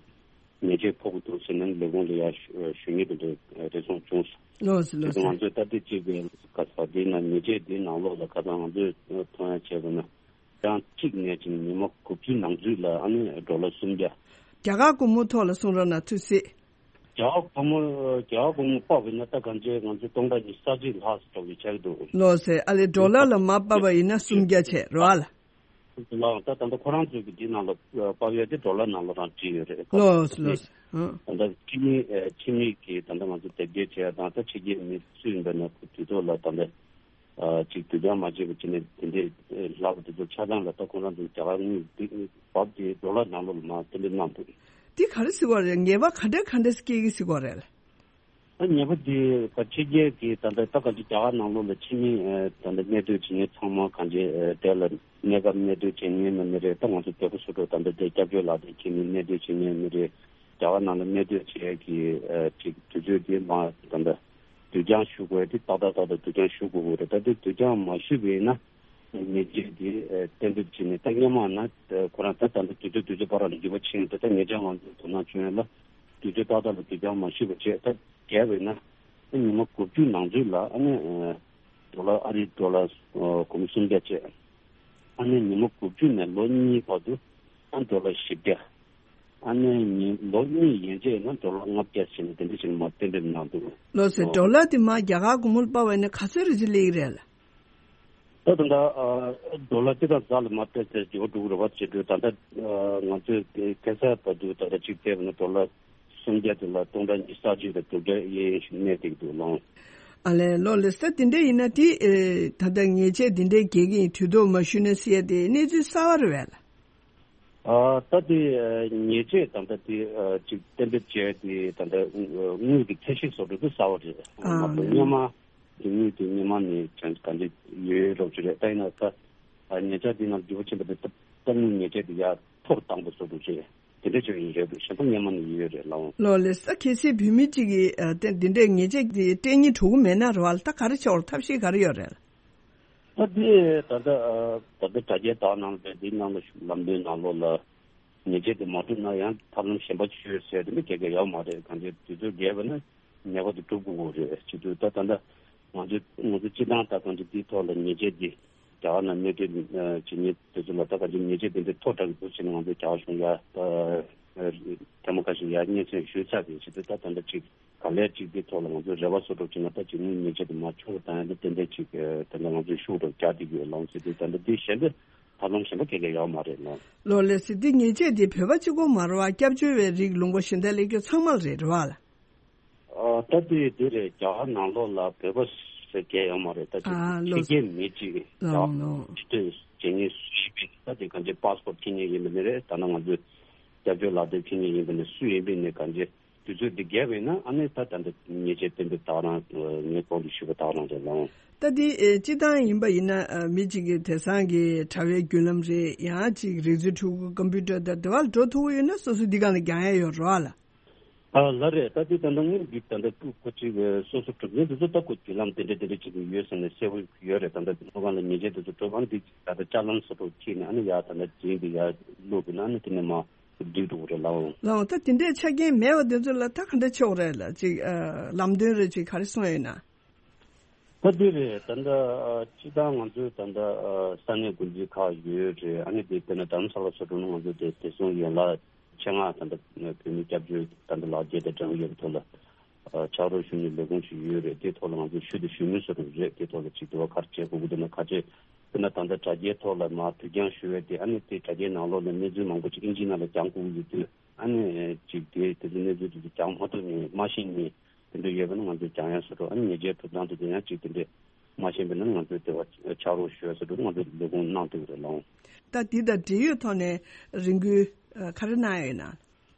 ཉེས་ཆད་ཕོག་གི་འདུག་ཟེར་ནས་ལས་ཁུངས་ལ་ཡར་ཞུ་ཞུ་མཁན་དེ་འདྲ་རེ་ཟུང་བྱུང་སོང་། ལགས་སོ། ལགས་སོ། དེ་ང་ཚོས་ལྟ་དེབ་ཅིག་གི་ག་ས་དེའི་ནང་ཉེས་ཆད་དེའི་ནང་ལོགས་ལ་ཁ་སང་ང་ཚོས་མཐོང་ཡ་བྱས་པ་ན། ཀྲང་གཅིག་ནས་བྱས་ནས་ཉི་མ་དགུ་བཅུའི་ནང་ཚུད་ལ་ཨ་ནི་ཌོ་ལར་སུམ་བརྒྱ། རྒྱ་གར་སྒོར་མོ་ཐོག་ལ་གསུང་རོགས་གནང་། ཐུགས་སྲས། རྒྱ་གར་སྒོར་མོ་རྒྱ་གར་སྒོར་མོ་དཔག་པ་ཡིན་ན་ད་གང་ཅི་ང་ཚོ་སྟོང་ཕྲག་ཉི་ཤུ་རྩ་གཅིག་ལྷག་ཙམ་ཞིག་ཆགས་ཀྱི་འདུག་ལགས་སོ། ཨ་ལས་ཌོ་ལར་ལ་མར་དཔག་པ་ཡིན་ན་སུམ་བརྒྱ་བྱས་རེད་བ། ལགས། ད་ད་ལྟ་ཁོ་རང་ཚོའི་གི་འདི་ནང་ལ་དཔག་ཡས་དེ་ཌོ་ལར་ནང་ལ་རང་བྲིས་ཡོད་རེད། ལགས་སོ། ལགས་སོ། ཨང་། ད་ལྟ་ཕྱི་མི་ཕྱི་མི་གི་ད་ལྟ་ང་ཚོ་དེབ་སྐྱེལ་བྱས་དང་ད་ཕྱི་རྒྱལ་མི་སུ་ཡིན་པ་ན་དུས་ཐོག་ལ་ད་ལྟ། ཨ་ཅིག་དུས་འགྱངས་མ་བྱས་པ་བྱས་ནས་དེ་འདྲའི་ལྷག་པ་དེ་ཚོ་ཆ་ཚང་ལ་ད་ཁོང་རང་ཚོ་རྒྱ་གར་དངུལ་འདི་བབ་དེ་ཌོ་ལར་ནང་ལོགས་ལ་མར་གཏན་འབེབས་གནང་འདུག་འདི་ག་རེ་ཟེར་བ་རེད། ཉེས་པ་ག་འདྲ་ག་འདྲ་སྐྱེ་གི་ཟེར་བ་རེད། ཨ་ཉེས་པ་འདི་ཕ་ཕྱི་རྒྱལ་གྱི་ད་ལྟ་ད་ག་ཅིག་རྒྱ་གར་ནང་ལོགས་ལ་ཕྱི་མི་ད་ལྟ་གནས་སྡོད་བྱེད་མཁན་ཚང་མ་གང་ཅི་དེ་ལ་གནས་སྐབས་གནས་སྡོད་བྱེད་མཁན་ནི་མི་རེད། ད་ང་ཚོ་བོད་པ་སོ་སོ་ད་ལྟ་དེ་སྐྱབས་བཅོལ་ལག་དེབ་ཁྱེར་ནས་གནས་སྡོད་བྱེད་མཁན་མི་རེད། རྒྱ་གར་ནང་ལ་གནས་སྡོད་བྱེད་ཀྱི་ཅིག་དུས་ཚོད་དེ་མ་ད་ལྟ་དུས་འགྱངས་ཞུ་དགོས་དེ་ཏག་ཏག་ཏག་ཏག་དུས་འགྱངས་ཞུ་དགོས་ཀྱི་རེད། ད་དེ་དུས་འགྱངས་མ་ཞུས་པ་ཡིན་ན་ཉེས་ཆད་དེ་གཏན་འབེབས་བྱས་ནས་ད་སྔོན་མ་ན་ཁོ་རང་ད་ད་ལྟ་དུས་ཚོད་དུས་ཚོད་བར་ལ་འགྱུར་བ་ཕྱིན་ད་ད་ཉེ་ཆར་ང་ཚོ་དོ་སྣང་བྱུང་ཡོད་ལ་དུས་ཚོད་ཏག་ཏག་ལ་དུས་འགྱངས་མ་ཞུས་པ་བྱས་ད་བརྒལ་བ་ཡིན་ན་ད་ཉི་མ་དགུ་བཅུ་ནང་ཚུད་ལ་ཨ་ནི་ཌོ་ལར་ཨ་རིའི་ཌོ་ལར་སྒོར་མོ་སུམ་བརྒྱ་བྱས། ཨ་ནི་ཉི་མ་དགུ་བཅུ་ནས་ལོ་གཉིས་བར་དུ་ཨ་ཌོ་ལར་བཞི་བརྒྱ། ཨ་ནི་ཉིན་ལོ་གཉིས་ཡན་ཆད་ན་ཌོ་ལར་ལྔ་བརྒྱ་བྱས་ནས་དེ་འདྲ་བྱས་ནས་མར་གཏན་འབེབས་གནང་འདུག་ལགས་སོ། ལོ་ཌོ་ལར་དེ་མར་རྒྱ་གར་སྒོར་མོ་ལ་དཔག་པ་ཡིན་ན་ག་ཚོད་རེ་ཅིག་སླེབས་ཀྱི་རེད་ལགས། ད་ད་ལྟ་ཨ་ཌོ་ལར་སྤྱི་དང་རྩ་ལ་མར་ཏོག་ཙམ་འགྱུར་བ་འགྲོ་གི་རེད་པ་བྱེད་དུས་ད་ལྟ་ཨ་ང་ཚོས་དེ་ཁ་སང་བར་དུ་ད་ལྟ་གཅིག་བལྟས་པ་ན་ཌོ་ལར་སུམ་བརྒྱ་དེ་ལ་སྟོང་ཕྲག་ཉི་ཤུ་རྩ་གཅིག་དང་དྲུག་བརྒྱ་གཡས་གཡོན་ཞིག་གནས་བསྡད་ཀྱི་འདུག་ལགས། ཨ་ལས་ལགས་ལགས་སོ། དེ་འདྲ་ཡིན་ན་དེ་ཨེ་ད་ལྟ་ཉེས་ཆད་དེ་འདྲའི་འགེལ་གྱི་ཡིན་དུས་ཐོག་མ་ཞུས་ན་ཟེར་ཡ་དེ་གནས་ཚུལ་གསར་པ་རེད་པས་ལགས། ཨ་ད་དེ་ཨ་ཉེས་ཆད་དང་ད་དེ་ཨ་ཅིག་གཏན་འབེབས་བྱས་དེ་ད་ལྟ་དངུལ་གྱི་ཚད་གཞི་བཟོ་འདྲ་དེ་གསར་པ་རེད། ཨ་མ་གཏོགས་སྔོན་མ་དེ་དངུལ་དེ་སྔོན་མ་ནས་ཅང་ག་འདྲ་ཡོད་རོགས་ཅིག་རེད། ད་ཡིན་ན་ད་ཨ་ཉེ་ཆར་དེ་ནང་འགྱུར་བ་ཕྱིན་པ་དེ་ད་ད་དངུལ་ཉེས་ཆད་དེ་ཡར་མཐོ་རུ་བཏང་པ་བཟོ་འདྲ་ཅིག་དེ་འདྲ་ཅིག་ཡིན་རེད་འདུག་གཞན་པ་སྔོན་མ་ནས་ཡོད་རེད་ལགས། ལགས་ལགས་སོ། གལ་སྲིད་བོད་མི་གཅིག་གིས་ཨ་དེ་འདི་འདྲའི་ཉེས་ཆད་དེ་སྤྲད་སྙིང་བྲོ་གི་མེད་ན་རེད་པ་ལགས། ད་ག་རེ་བྱེད་དགོས་རེད། ཐབས་ཤེས་ག་རེ་ཡོད་རེད་ལགས། ད་དེ་ད་ལྟ་ཨ་ད་ལྟ་དྲ་རྒྱའི་དག་ནང་ལ་འདི་ནང་ལ་ལམ་སྟོན་ནང་ལོགས་ལ་ཉེས་ཆད་དེ་མ་སྤྲོད་ན་ཡང་ཐབས་ལམ་གཞན་པ་ཅིག་ཡོད་ཟེར་དེ་འདྲ་ག་གེ་ཡོད་མ་རེད། གང་ཅི་དུས་ཚོད་བརྒལ་བ་ན་ཉེས་པ་དེ་སྒྲུབ་དགོས་ཀྱི་རེད་བྱེད་དུས་ད་ད་ལྟ་ང་ཚོ་ང་ཚོ་སྤྱི་བཏང་ད་གང་ཅི་དེའི་ཐོག་ལ་ཉེས་ཆད་དེ་རྒྱ་གར་ནང་གནས་སྡོད་བྱེད་མཁན་དེ་ཚོ་ལ་ད་གང་ཅི་ཉེས་ཆད་དེ་འདྲ་མཐོ་དྲགས་ཀྱི་འདུག་ཟེར་ནས་ང་ཚོ་རྒྱ་གར་གཞུང་ཡ་ད་ཐེངས་མ་ཁ་ཤས་ཡ་སྙན་སེང་ཞུས་ཚར་བྱེད་དུས་ད་ད་ལྟ་ཅིག་ག་ལེར་གཅིག་འདི་ཐོག་ལ་ང་ཚོས་རེ་བ་བཟོ་འདྲ་བྱས་ན་ད་གཅིག་ནི་ཉེས་ཆད་དེ་མར་ཆུང་རུ་བཏང་ཡ་འདི་ཏན་ཏན་གཅིག་ད་ལྟ་ང་ཚོས་ཤུགས་དྲག་རྒྱག་བསྡད་ཀྱི་ཡོད་ལགས་ཟེར་དུས་ད་ལྟ་འདི་གཞན་པའི་ཐབས་ལམ་གཞན་པ་ག་གེ་ཡོད་མ་རེད་ལགས། ལགས་ལགས་སོ། འདི་ཉེས་ཆད་འདི་བོད་པ་གཅིག་པོ་མ་རེད་པ། སྐྱབས་བཅོལ་བའི་རིགས་ལུང་པ་གཞན་དག་སླེབས་མཁན་ཚང་མ་ལ་རེད་རེད་པ་ལགས། ཨ་ད་དེ་དེ་རེད། རྒྱ་གར་ནང་ལོགས་ལ་བོད་པ་ཟེར་མཁན་ཡོད་མ་རེད། ད་ཅིག་ཨ་ཕྱི་ལོ་རྒྱལ་མི་གཅིག་རྒྱ་ལོ་ལོ་གར་འདི་འདྲ་བྱེད་མཁན་སུ་ཡིན་པ་ད་དེ་གང་ཅི་པཱ་སི་པོར་ཊི་འཁྱེར་མཁན་ཡིན་པ་ནི་རེད། ད་ནང་ང་ཚོས་སྐྱབས་བཅོལ་ལག་དེབ་འཁྱེར་མཁན་ཡིན་པ་ནི་སུ་ཡིན་པ་ནི་གང་ཅི། དུས་ཚོད་འདི་བརྒལ་བས་ན་ཨ་ནི་ད་ད་འདི་ཉེས་ཆད་གཏན་འབེབས་དག་རང་ངས་གོང་དུ་ཞུས་པ་དག་རང་རེད་ལགས། ད་འདི་ཨེ་སྤྱི་བཏང་ཡིན་པ་ཡིན་ན་ཨ་མི་གཅིག་གིས་དེང་སང་གི་དྲ་བའི་བརྒྱུད་ལམ་རེད། ཡང་གཅིག་རིག་མཛོད་ཕྲུ་གུ་ཀམ་པུ་ཊར་དང་དེ་བ་ལ་འགྲོ་ཐུབ་ཀྱི་ཡོད་ན་སོ་སོ་འདི་སྒང་ལ་རྒྱག་ཡ་ཡོད་རེད་པ་ལགས། ཨ་ལགས་རེད། ད་འདི་ད་ལྟ་དངུལ་འདི་ད་ལྟ་ཀུ་ཁོ་གཅིག་སོ་སོ་གྲུབ་ཚན་དེ་ཚོ་ད་ཁོ་བརྒྱུད་ལམ་དེ་འདྲ་དེ་འདྲ་བྱེད་ཀྱི་ཡོད་ཟེར་ནས་གསལ་པོ་ཡོད་རེད། ད་ལྟ་དངུལ་ཁང་ལ་ཉེས་ཆད་དེ་ཚོ་གྲུབ་ཨ་ནི་འདི་ད་ལྟ་ཅ་ལན་སོ་སོ་ཁྱེར་ནས་ཨ་ནི་ཡར་ད་ལྟ་འཛིན་འདི་ཡར་བླུགས་པ་ན་ཨ་ནི་དེ་ནས་མར། སྒྲིག་འགྲོ་གི་རེད་ལགས། ལགས་འོང་། ད་དེ་འདྲའི་ཆ་རྐྱེན་མེད་པ་དེ་ཚོ་ལ་ད་ག་འདྲ་ཆོག་རེད་ལགས། ཅིག་ཨ་ལམ་སྟོན་རེ་ཅིག་ག་རེ་གསུངས་ཡོད་ན། ད་དེ་རེད། ད་ལྟ་ཨ་སྤྱི་བཏང་ང་ཚོའི་ད་ལྟ་ཨ་ས་གནས་འགོ་འཛིན་ཁག་ཡོད་རེད། ཨ་ནི་དེ་དཔེར་ན་རྡ་རམ་ས་ལ་སོགས་འགྲོ་ན་ང་ཚོ་དེ་བདེ་སྲུང་ཡན་ལག་ཆེད་མངགས་ད་ལྟ་བོད་མི་སྐྱབས་བཅོལ་ད་ལྟ་ལག་འཁྱེར་དང་གྲངས་ཡོད་པའི་ཐོག་ལ། ཨ་ཕྱག་རོགས་ཞུ་མཁན་ལས་ཁུངས་ཤིག་ཡོད་རེད། དེའི་ཐོག་ལ་ང་ཚོས་ཞུ་དང་ཞུ་མུས་སུ་རུ་རེད། དེའི་ཐོག་ལ་ཅིག་དེ་བ་ག་རེ་བྱེད་དགོས་ཀྱི་འདུག་ན་ག་ཚོད་དཔེར་ན་ད་ལྟ་དྲ་རྒྱའི་ཐོག་ལ་མར་དུས་འགྱངས་ཞུ་བའི་དེ་ཨ་ནི་དེ་དྲ་རྒྱའི་ནང་ལོགས་ལ་གནས་ཚུལ་མང་པོ་ཅིག་ཨིན་ཇི་ནང་ལ་སྦྱང་དགོས་ཀྱི་ཡོད་དུས་ཨ་ནི་ཅིག་དེ་དེ་ཚོ་གནས་ཚུལ་དེ་ཚོ་སྦྱང་མ་ཐུབ་ནས་མ་ཤེས་ནས་དེ་འདྲ་ཡོད་པ་ན་ང་ཚོས་སྦྱང་ཡ་སོ་སོ་ཨ་ནི་ཉེས་ཆད་གྲུབ་སྟངས་དེ་ཚོ་ཡང་ཅིག་དེ་འདྲས་མ་ཤེས་པ་ན་ང་ཚོས་དེ་བ་ཕྱག་རོགས་ཞུ་ཡ་སོ་སོ་ང་ཚོས་ལས་ཁུངས་གནང་ཐུབ་ཀྱི་རེད་ལགས། ད་འདི་དང་འབྲེལ་ཡོད་ཐོག་ནས་རེ་སྐུལ་ག་རེ་གནང་ཡ་ཡོད་ན།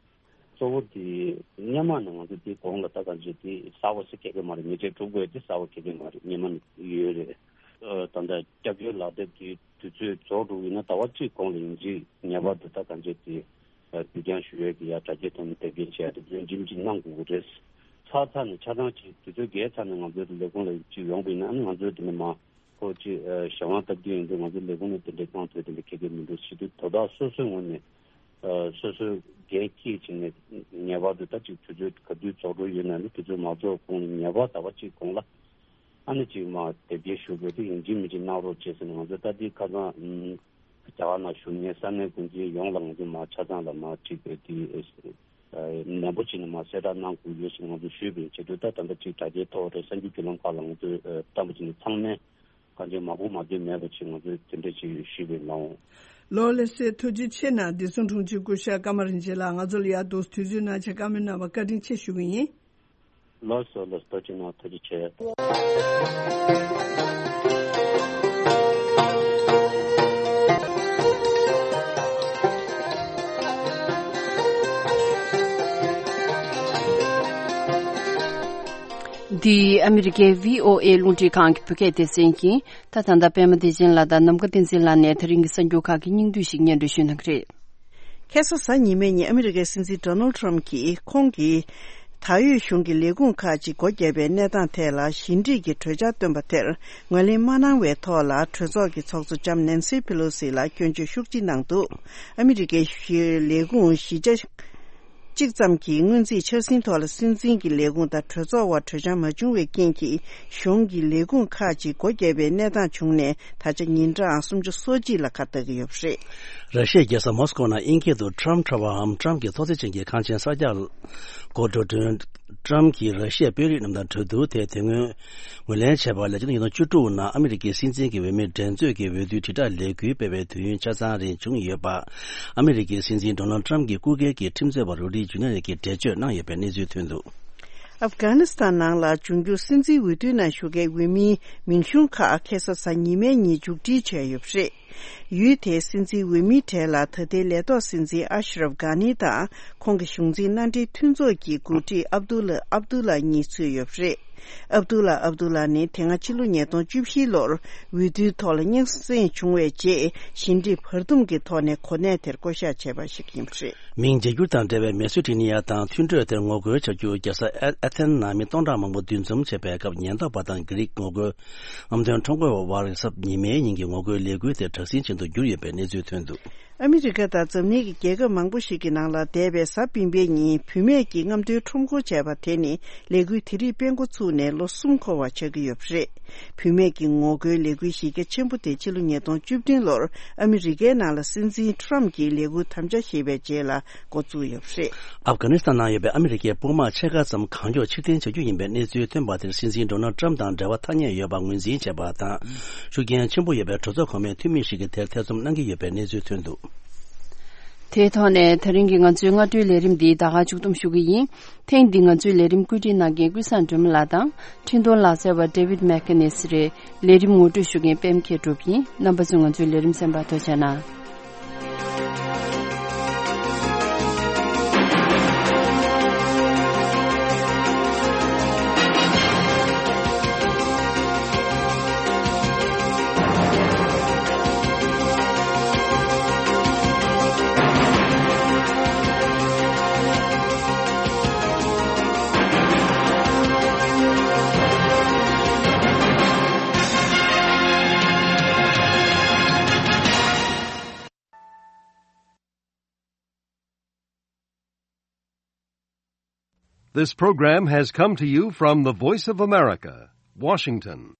གཙོ་བོ་དེ་སྔོན་མ་ནས་ང་ཚོ་དེ་གོང་ལ་ད་གང་བྱས་དེ་གསར་པ་ཞིག་ག་གེ་མ་རེད། ཉེས་ཆད་གྲུབ་དགོས་དེ་གསར་པ་ག་གེ་མ་རེད། སྔོན་མ་ནས་ཡོད་རེད། ཨ་ད་ལྟ་སྐྱབས་བཅོལ་ལག་དེབ་དེ་དུས་ཚོད་རྫོགས་འགྲོ་གི་ཡིན་ན་ཟླ་བ་གཅིག་གོང་ལ་ཡིན་གཅིག་ངེས་པར་དུ་ད་གང་བྱས་དེ་ཨ་དུས་འགྱངས་ཞུ་ཡས་ཀྱི་ཡ་དྲ་རྒྱའི་ཐོག་ནས་དེབ་སྐྱེལ་བྱས་ཏེ་དོན་རྒྱུན་གཅིག་གནང་དགོས་ཀྱི་རེད། ཚར་ཚར་ནས་ཆ་ཚང་གཅིག་དུས་ཚོད་བརྒལ་ཚར་ནས་ང་ཚོའི་ལས་ཁུངས་ལ་གཅིག་ཡོང་པ་ཡིན་ན་ཨ་ནི་ང་ཚོའི་དེ་ནས་མ། ཁོ་ཅིག་ཨ་གཞན་དབང་སྟབས་བདེ་ཡིན་དུས་ང་ཚོའི་ལས་ཁུངས་ནས་དེ་འདྲའི་གཏོང་ཐུབ་དེ་འདྲ་ཁེ་ཁེ་མི་འདུག་ཟེར་དུས་དོ་བདག་སོ་སོའི་ངོས་ནས་ཨ་སོ་སོའི་ འགན་འཁྱེར་བྱས་ནས་ངེས་པར་དུ་ད་ཅིག་དུས་ཚོད་ག་དུས་རྫོགས་འགྲོ་ཡོད་ན་ནི་དུས་ཚོད་མ་རྫོགས་གོང་ལ་ངེས་པར་ཟླ་བ་གཅིག་གོང་ལ་ཨ་ནི་ཅིག་མ་དེབ་སྐྱེལ་ཞུ་དགོས་དེ་ཡིན་གཅིག་མིན་གཅིག་གནང་རོགས་བྱས་ཟེར་ནས་ང་ཚོ་ད་ལྟའི་ཁ་སང་རྒྱ་གར་ནང་བཞུགས་མཁན་ས་གནས་འགོ་འཛིན་ཡོངས་ལ་ང་ཚོ་མ་ཆ་ཚང་ལ་མ་ཅིག་དེ་ནན་པོ་བྱས་ནས་མ་གསལ་བསྒྲགས་གནང་དགོས་ཡོད་ཟེར་ང་ཚོ་ཞུས་པའི་ཆེད་དུ་ད་ད་ལྟ་ཅིག་དྲ་རྒྱའི་ཐོག་རེད་གསར་འགྱུར་བརྒྱུད་ལམ་ཁག་ལ་ང་ཚོས་བཀྲམ་པ་བྱས་ནས་ཚང་མས་གང་ཅི་མ་གོ་མ་ཐོས་མེད་པ་ཅིག་ང་ཚོས་དེ་འདྲ་ཅིག་ཞུས་པའི་ནང་། ལོ་ལེ་སེ་ཐུགས་རྗེ་ཆེ་གནང་བདེ་སྲུང་དྲུང་ཆེ་སྐུ་ཞབས་ཀརྨ་རིན་ཆེན་ལགས། ང་ཚོ་ལ་ཡར་འདུག་དུས་ཚོད་གནང་ཆེད་བཀའ་མོལ་གནང་བ་བཀའ་དྲིན་ཆེ་ཞུ་གི་ཡིན། ལགས་སོ་ལགས་སོ། ཐུགས་རྗེ་གནང་། ཐུགས་རྗེ་ཆེ། འདི་ཨ་མི་རི་ཀའི་བྷི་ཨོ་ཨེ་རླུང་འཕྲིན་ཁང་གི་བོད་སྐད་སྡེ་ཚན་ཡིན། ད་ད་ལྟ་པད་མ་བདེ་ཆེན་ལགས་དང་ནམ་མཁའ་བསྟན་འཛིན་ལགས་ནས་ད་རིང་གི་གསར་འགྱུར་ཁག་གི་སྙིང་བསྡུས་ཤིག་སྙན་སྒྲོན་ཞུ་གནང་གི་རེད། ཁ་སང་གཟའ་ཉི་མའི་ཉིན་ཨ་མི་རི་ཀའི་སྲིད་འཛིན་ཌོ་ནལ་ཊམ་གྱིས་ཁོང་གིས་ད་ཡོད་གཞུང་གི་ལས་ཁུངས་ཁག་ཅིག་སྒོ་བརྒྱབ་པའི་གནས་སྟངས་ཐད་ལ་ཞི་འགྲིག་གི་གྲོས་འཆར་བཏོན་པ་དེར་ངོས་ལེན་མ་གནང་བའི་ཐོག་ལ་གྲོས་ཚོགས་ཀྱི་ཚོགས་གཙོ་ལྕམ་ནན་སི་ཕེ་ལོ་སི་ལ་སྐྱོན་བརྗོད་ཤུགས་ཆེ་གནང་འདུག་ཨ་མི་རི་ཀའི་ལས་ཁུངས་བཞི་ཆ་གཅིག་ཙམ་གྱི་སྔོན་རྩིས་འཆར་ཟིན་ཐོག་ལ་སྲིད་འཛིན་གྱི་ལས་ཁུངས་དང་གྲོས་ཚོགས་དབར་གྲོས་འཆར་མ་བྱུང་བའི་རྐྱེན་གྱིས་གཞུང་གི་ལས་ཁུངས་ཁག་ཅིག་སྒོ་བརྒྱབ་པའི་གནས་སྟངས་བྱུང་ནས་ད་ཆ་ཉིན་གྲངས་སུམ་ཅུ་སོ་གཅིག་ལ་ཁ་གཏད་ཀྱི་ཡོད་པ་རེད། ར་ཤི་ཡའི་རྒྱལ་ས་མོ་སི་ཀོ་ནང་དབྱིན་སྐད་དུ་Trump Tower འམ་ཊམ་གྱི་ཐོག་བརྩེགས་ཅན་གྱི་ཁང་ཆེན་གསར་རྒྱག་འགོ་འགྲོ་དོན། ཊམ་གྱིས་ར་ཤི་ཡའི་དཔོན་རིགས་རྣམས་དང་གྲོས་བསྡུར་དེ་དེ་སྔོན་ངོས་ལེན་བྱས་པ་ལས་ཕྱི་ཟླ་ཉིས་སྟོང་བཅུ་དྲུག་ནང་ཨ་མི་རི་ཀའི་སྲིད་འཛིན་གྱི་འོས་མི་འགྲན་རྩོད་ཀྱི་འོས་བསྡུའི་དྲིལ་བསྒྲགས་ལས་འགུལ་སྤེལ་བའི་དུས་ཡུན་ཆ་ཚང་རིང་བྱུང་ཡོད་པ། ཨ་མི་རི་ཀའི་སྲིད་འཛིན་ཌོ་ནལ་ཊམ་གྱི་སྐུ་སྒེར་གྱི་ཁྲིམས་རྩོད་པ་རུ་ཌི་ཇུ་ནི་ཡར་གྱིས་འགྲེལ་བརྗོད་གནང་ཡོད་པའི་གནས་ཚུལ་ཐོན་འདུག་ཨབ་གྷ་ནི་སི་ཐན་ནང་ལ་འབྱུང་འགྱུར་སྲིད་འཛིན་འོས་བསྡུའི་ནང་ཞུགས་མཁན་འོས་མིའི་མིང་གཞུང་ཁག་ཁ་སང་གཟའ་ཉི་མའི་ཉིན་མཇུག་སྒྲིལ་བྱས་ཡོད་པ་རེད། ཡུལ་དེའི་སྲིད་འཛིན་འོས་མིའི་གྲས་ལ་ད་ལྟའི་ལས་ཐོག་སྲིད་འཛིན་ཨ་ཤ་རབ་གྷ་ནི་དང་ཁོང་གི་གཞུང་འཛིན་མནའ་འབྲེལ་མཐུན་ཚོགས་ཀྱི་འགོ་ཁྲིད་ཨབ་དུ་ལ་ཨབ་དུ་ལ་གཉིས་ཚུད་ཡོད་པ་རེད། ཨབ་དུ་ལ་ཨབ་དུ་ལ་ནི་དེ་སྔ་ཕྱི་ལོ་ཉིས་སྟོང་བཅུ་བཞི་ལོར་འོས་བསྡུའི་ཐོག་ལ་རྙོག་ཟིང་བྱུང་བའི་རྗེས་ཞི་འགྲིག་བར་འདུམ་གྱི་ཐོག་ནས་གོ་གནས་དེར་བསྐོ་གཞག་བྱས་པ་ཞིག་ཡིན་པ་རེད། མིང་བརྗེ་བསྒྱུར་དང་འབྲེལ་བའི་མེ་སི་ཊི་ནི་ཡ་དང་མཐུན་གྲོས་དེར་ངོ་རྒོལ་བྱ་རྒྱུར་རྒྱལ་ས་ཨ་ཨ་ཐེན་ནང་མི་སྟོང་ཕྲག་མང་པོ་འདུ་འཛོམས་བྱས་པའི་སྐབས་ཉེན་རྟོག་པ་དང་གྷི་རིག་ངོ་རྒོལ་ཨམ་དོན་ཁྲོམ་སྐོར་བ་དབར་གཟའ་ཉི་མའི་ཉིན་གྱི་ངོ་རྒོལ་ལས་འགུལ་དེ་དྲག་ཟིང་ཅན་དུ་གྱུར་ཡོད་པའི་གནས་ཚུལ་ཐོན་འདུག་ཨ་མི་རི་ཀ་དང་འཛམ་གླིང་གི་རྒྱལ་ཁབ་མང་པོ་ཞིག་གི་ནང་ལ་འདས་པའི་གཟའ་སྤེན་པའི་ཉིན་བུད་མེད་ཀྱིས་རྔམ་སྟོན་ཁྲོམ་སྐོར་བྱས་པ་དེ་ནི་ལས་འགུལ་དེ་རིགས་སྤེལ་འགོ་ཚུགས་ནས་ལོ་གསུམ་འཁོར་བ་ཆགས་ཀྱི་ཡོད་པ་རེད། བུད་མེད་ཀྱི་ངོ་རྒོལ་ལས་འགུལ་གཞི་རྒྱ་ཆེན་པོ་དེ་ཕྱི་ལོ་ཉིས་སྟོང་བཅུ་བདུན་ལོར་ཨ་མི་རི་ཀའི་ནང་ལ་སྲིད་འཛིན་ཊམ་གྱིས་ལས་འགུལ་དམ་བཅའ་བཞེས་པའི་རྗེས་ལ་འགོ་བཙུགས་ཡོད་པ་རེད། ཨབ་གྷ་ནི་སི་ཐན་ནང་ཡོད་པའི་ཨ་མི་རི་ཀའི་དཔུང་དམག་ཕྱེད་ཀ་ཙམ་གང་མགྱོགས་ཕྱིར་འཐེན་བྱ་རྒྱུ་ཡིན་པའི་གནས་ཚུལ་ཐོན་པ་དེར་སྲིད་འཛིན་ཌོ་ནལ་ཊམ་དང་འབྲེལ་བ་ཐ་སྙད་ཡོད་པ་ངོས་འཛིན་བྱས་པ་དང་། ཤུགས་རྐྱེན་ཆེན་པོ་ཡོད་པའི་གྲོས་ཚོགས་གོང་མའི་འཐུས་མི་ཞིག་གིས་དེར་ཐེ་ཚོམ་གནང་གི་ཡོད་པའི་གནས་ཚུལ་ཐོན་འདུག་དེའི་ཐོག་ནས་ད་རིང་གི་ང་ཚོའི་སྔ་དྲོའི་ལས་རིམ་འདི་ད་ག་མཇུག་བསྡོམས་ཞུ་གི་ཡིན། ཐེངས་འདིའི་ང་ཚོའི་ལས་རིམ་བཀོད་སྒྲིག་གནང་མཁན་ཀུན་བཟང་སྒྲོལ་མ་ལགས་དང་འཕྲིན་གཏོང་ལག་རྩལ་བ་David McInnes་རེད། ལས་རིམ་ངོ་སྤྲོད་ཞུ་མཁན་པད་མ་མཁས་གྲུབ་ཡིན། རྣམ་པ་ཚོས་ང་ཚོའི་ལས་རིམ་གསན་པར་ཐུགས་རྗེ་གནང་། This program has come to you from the Voice of America, Washington.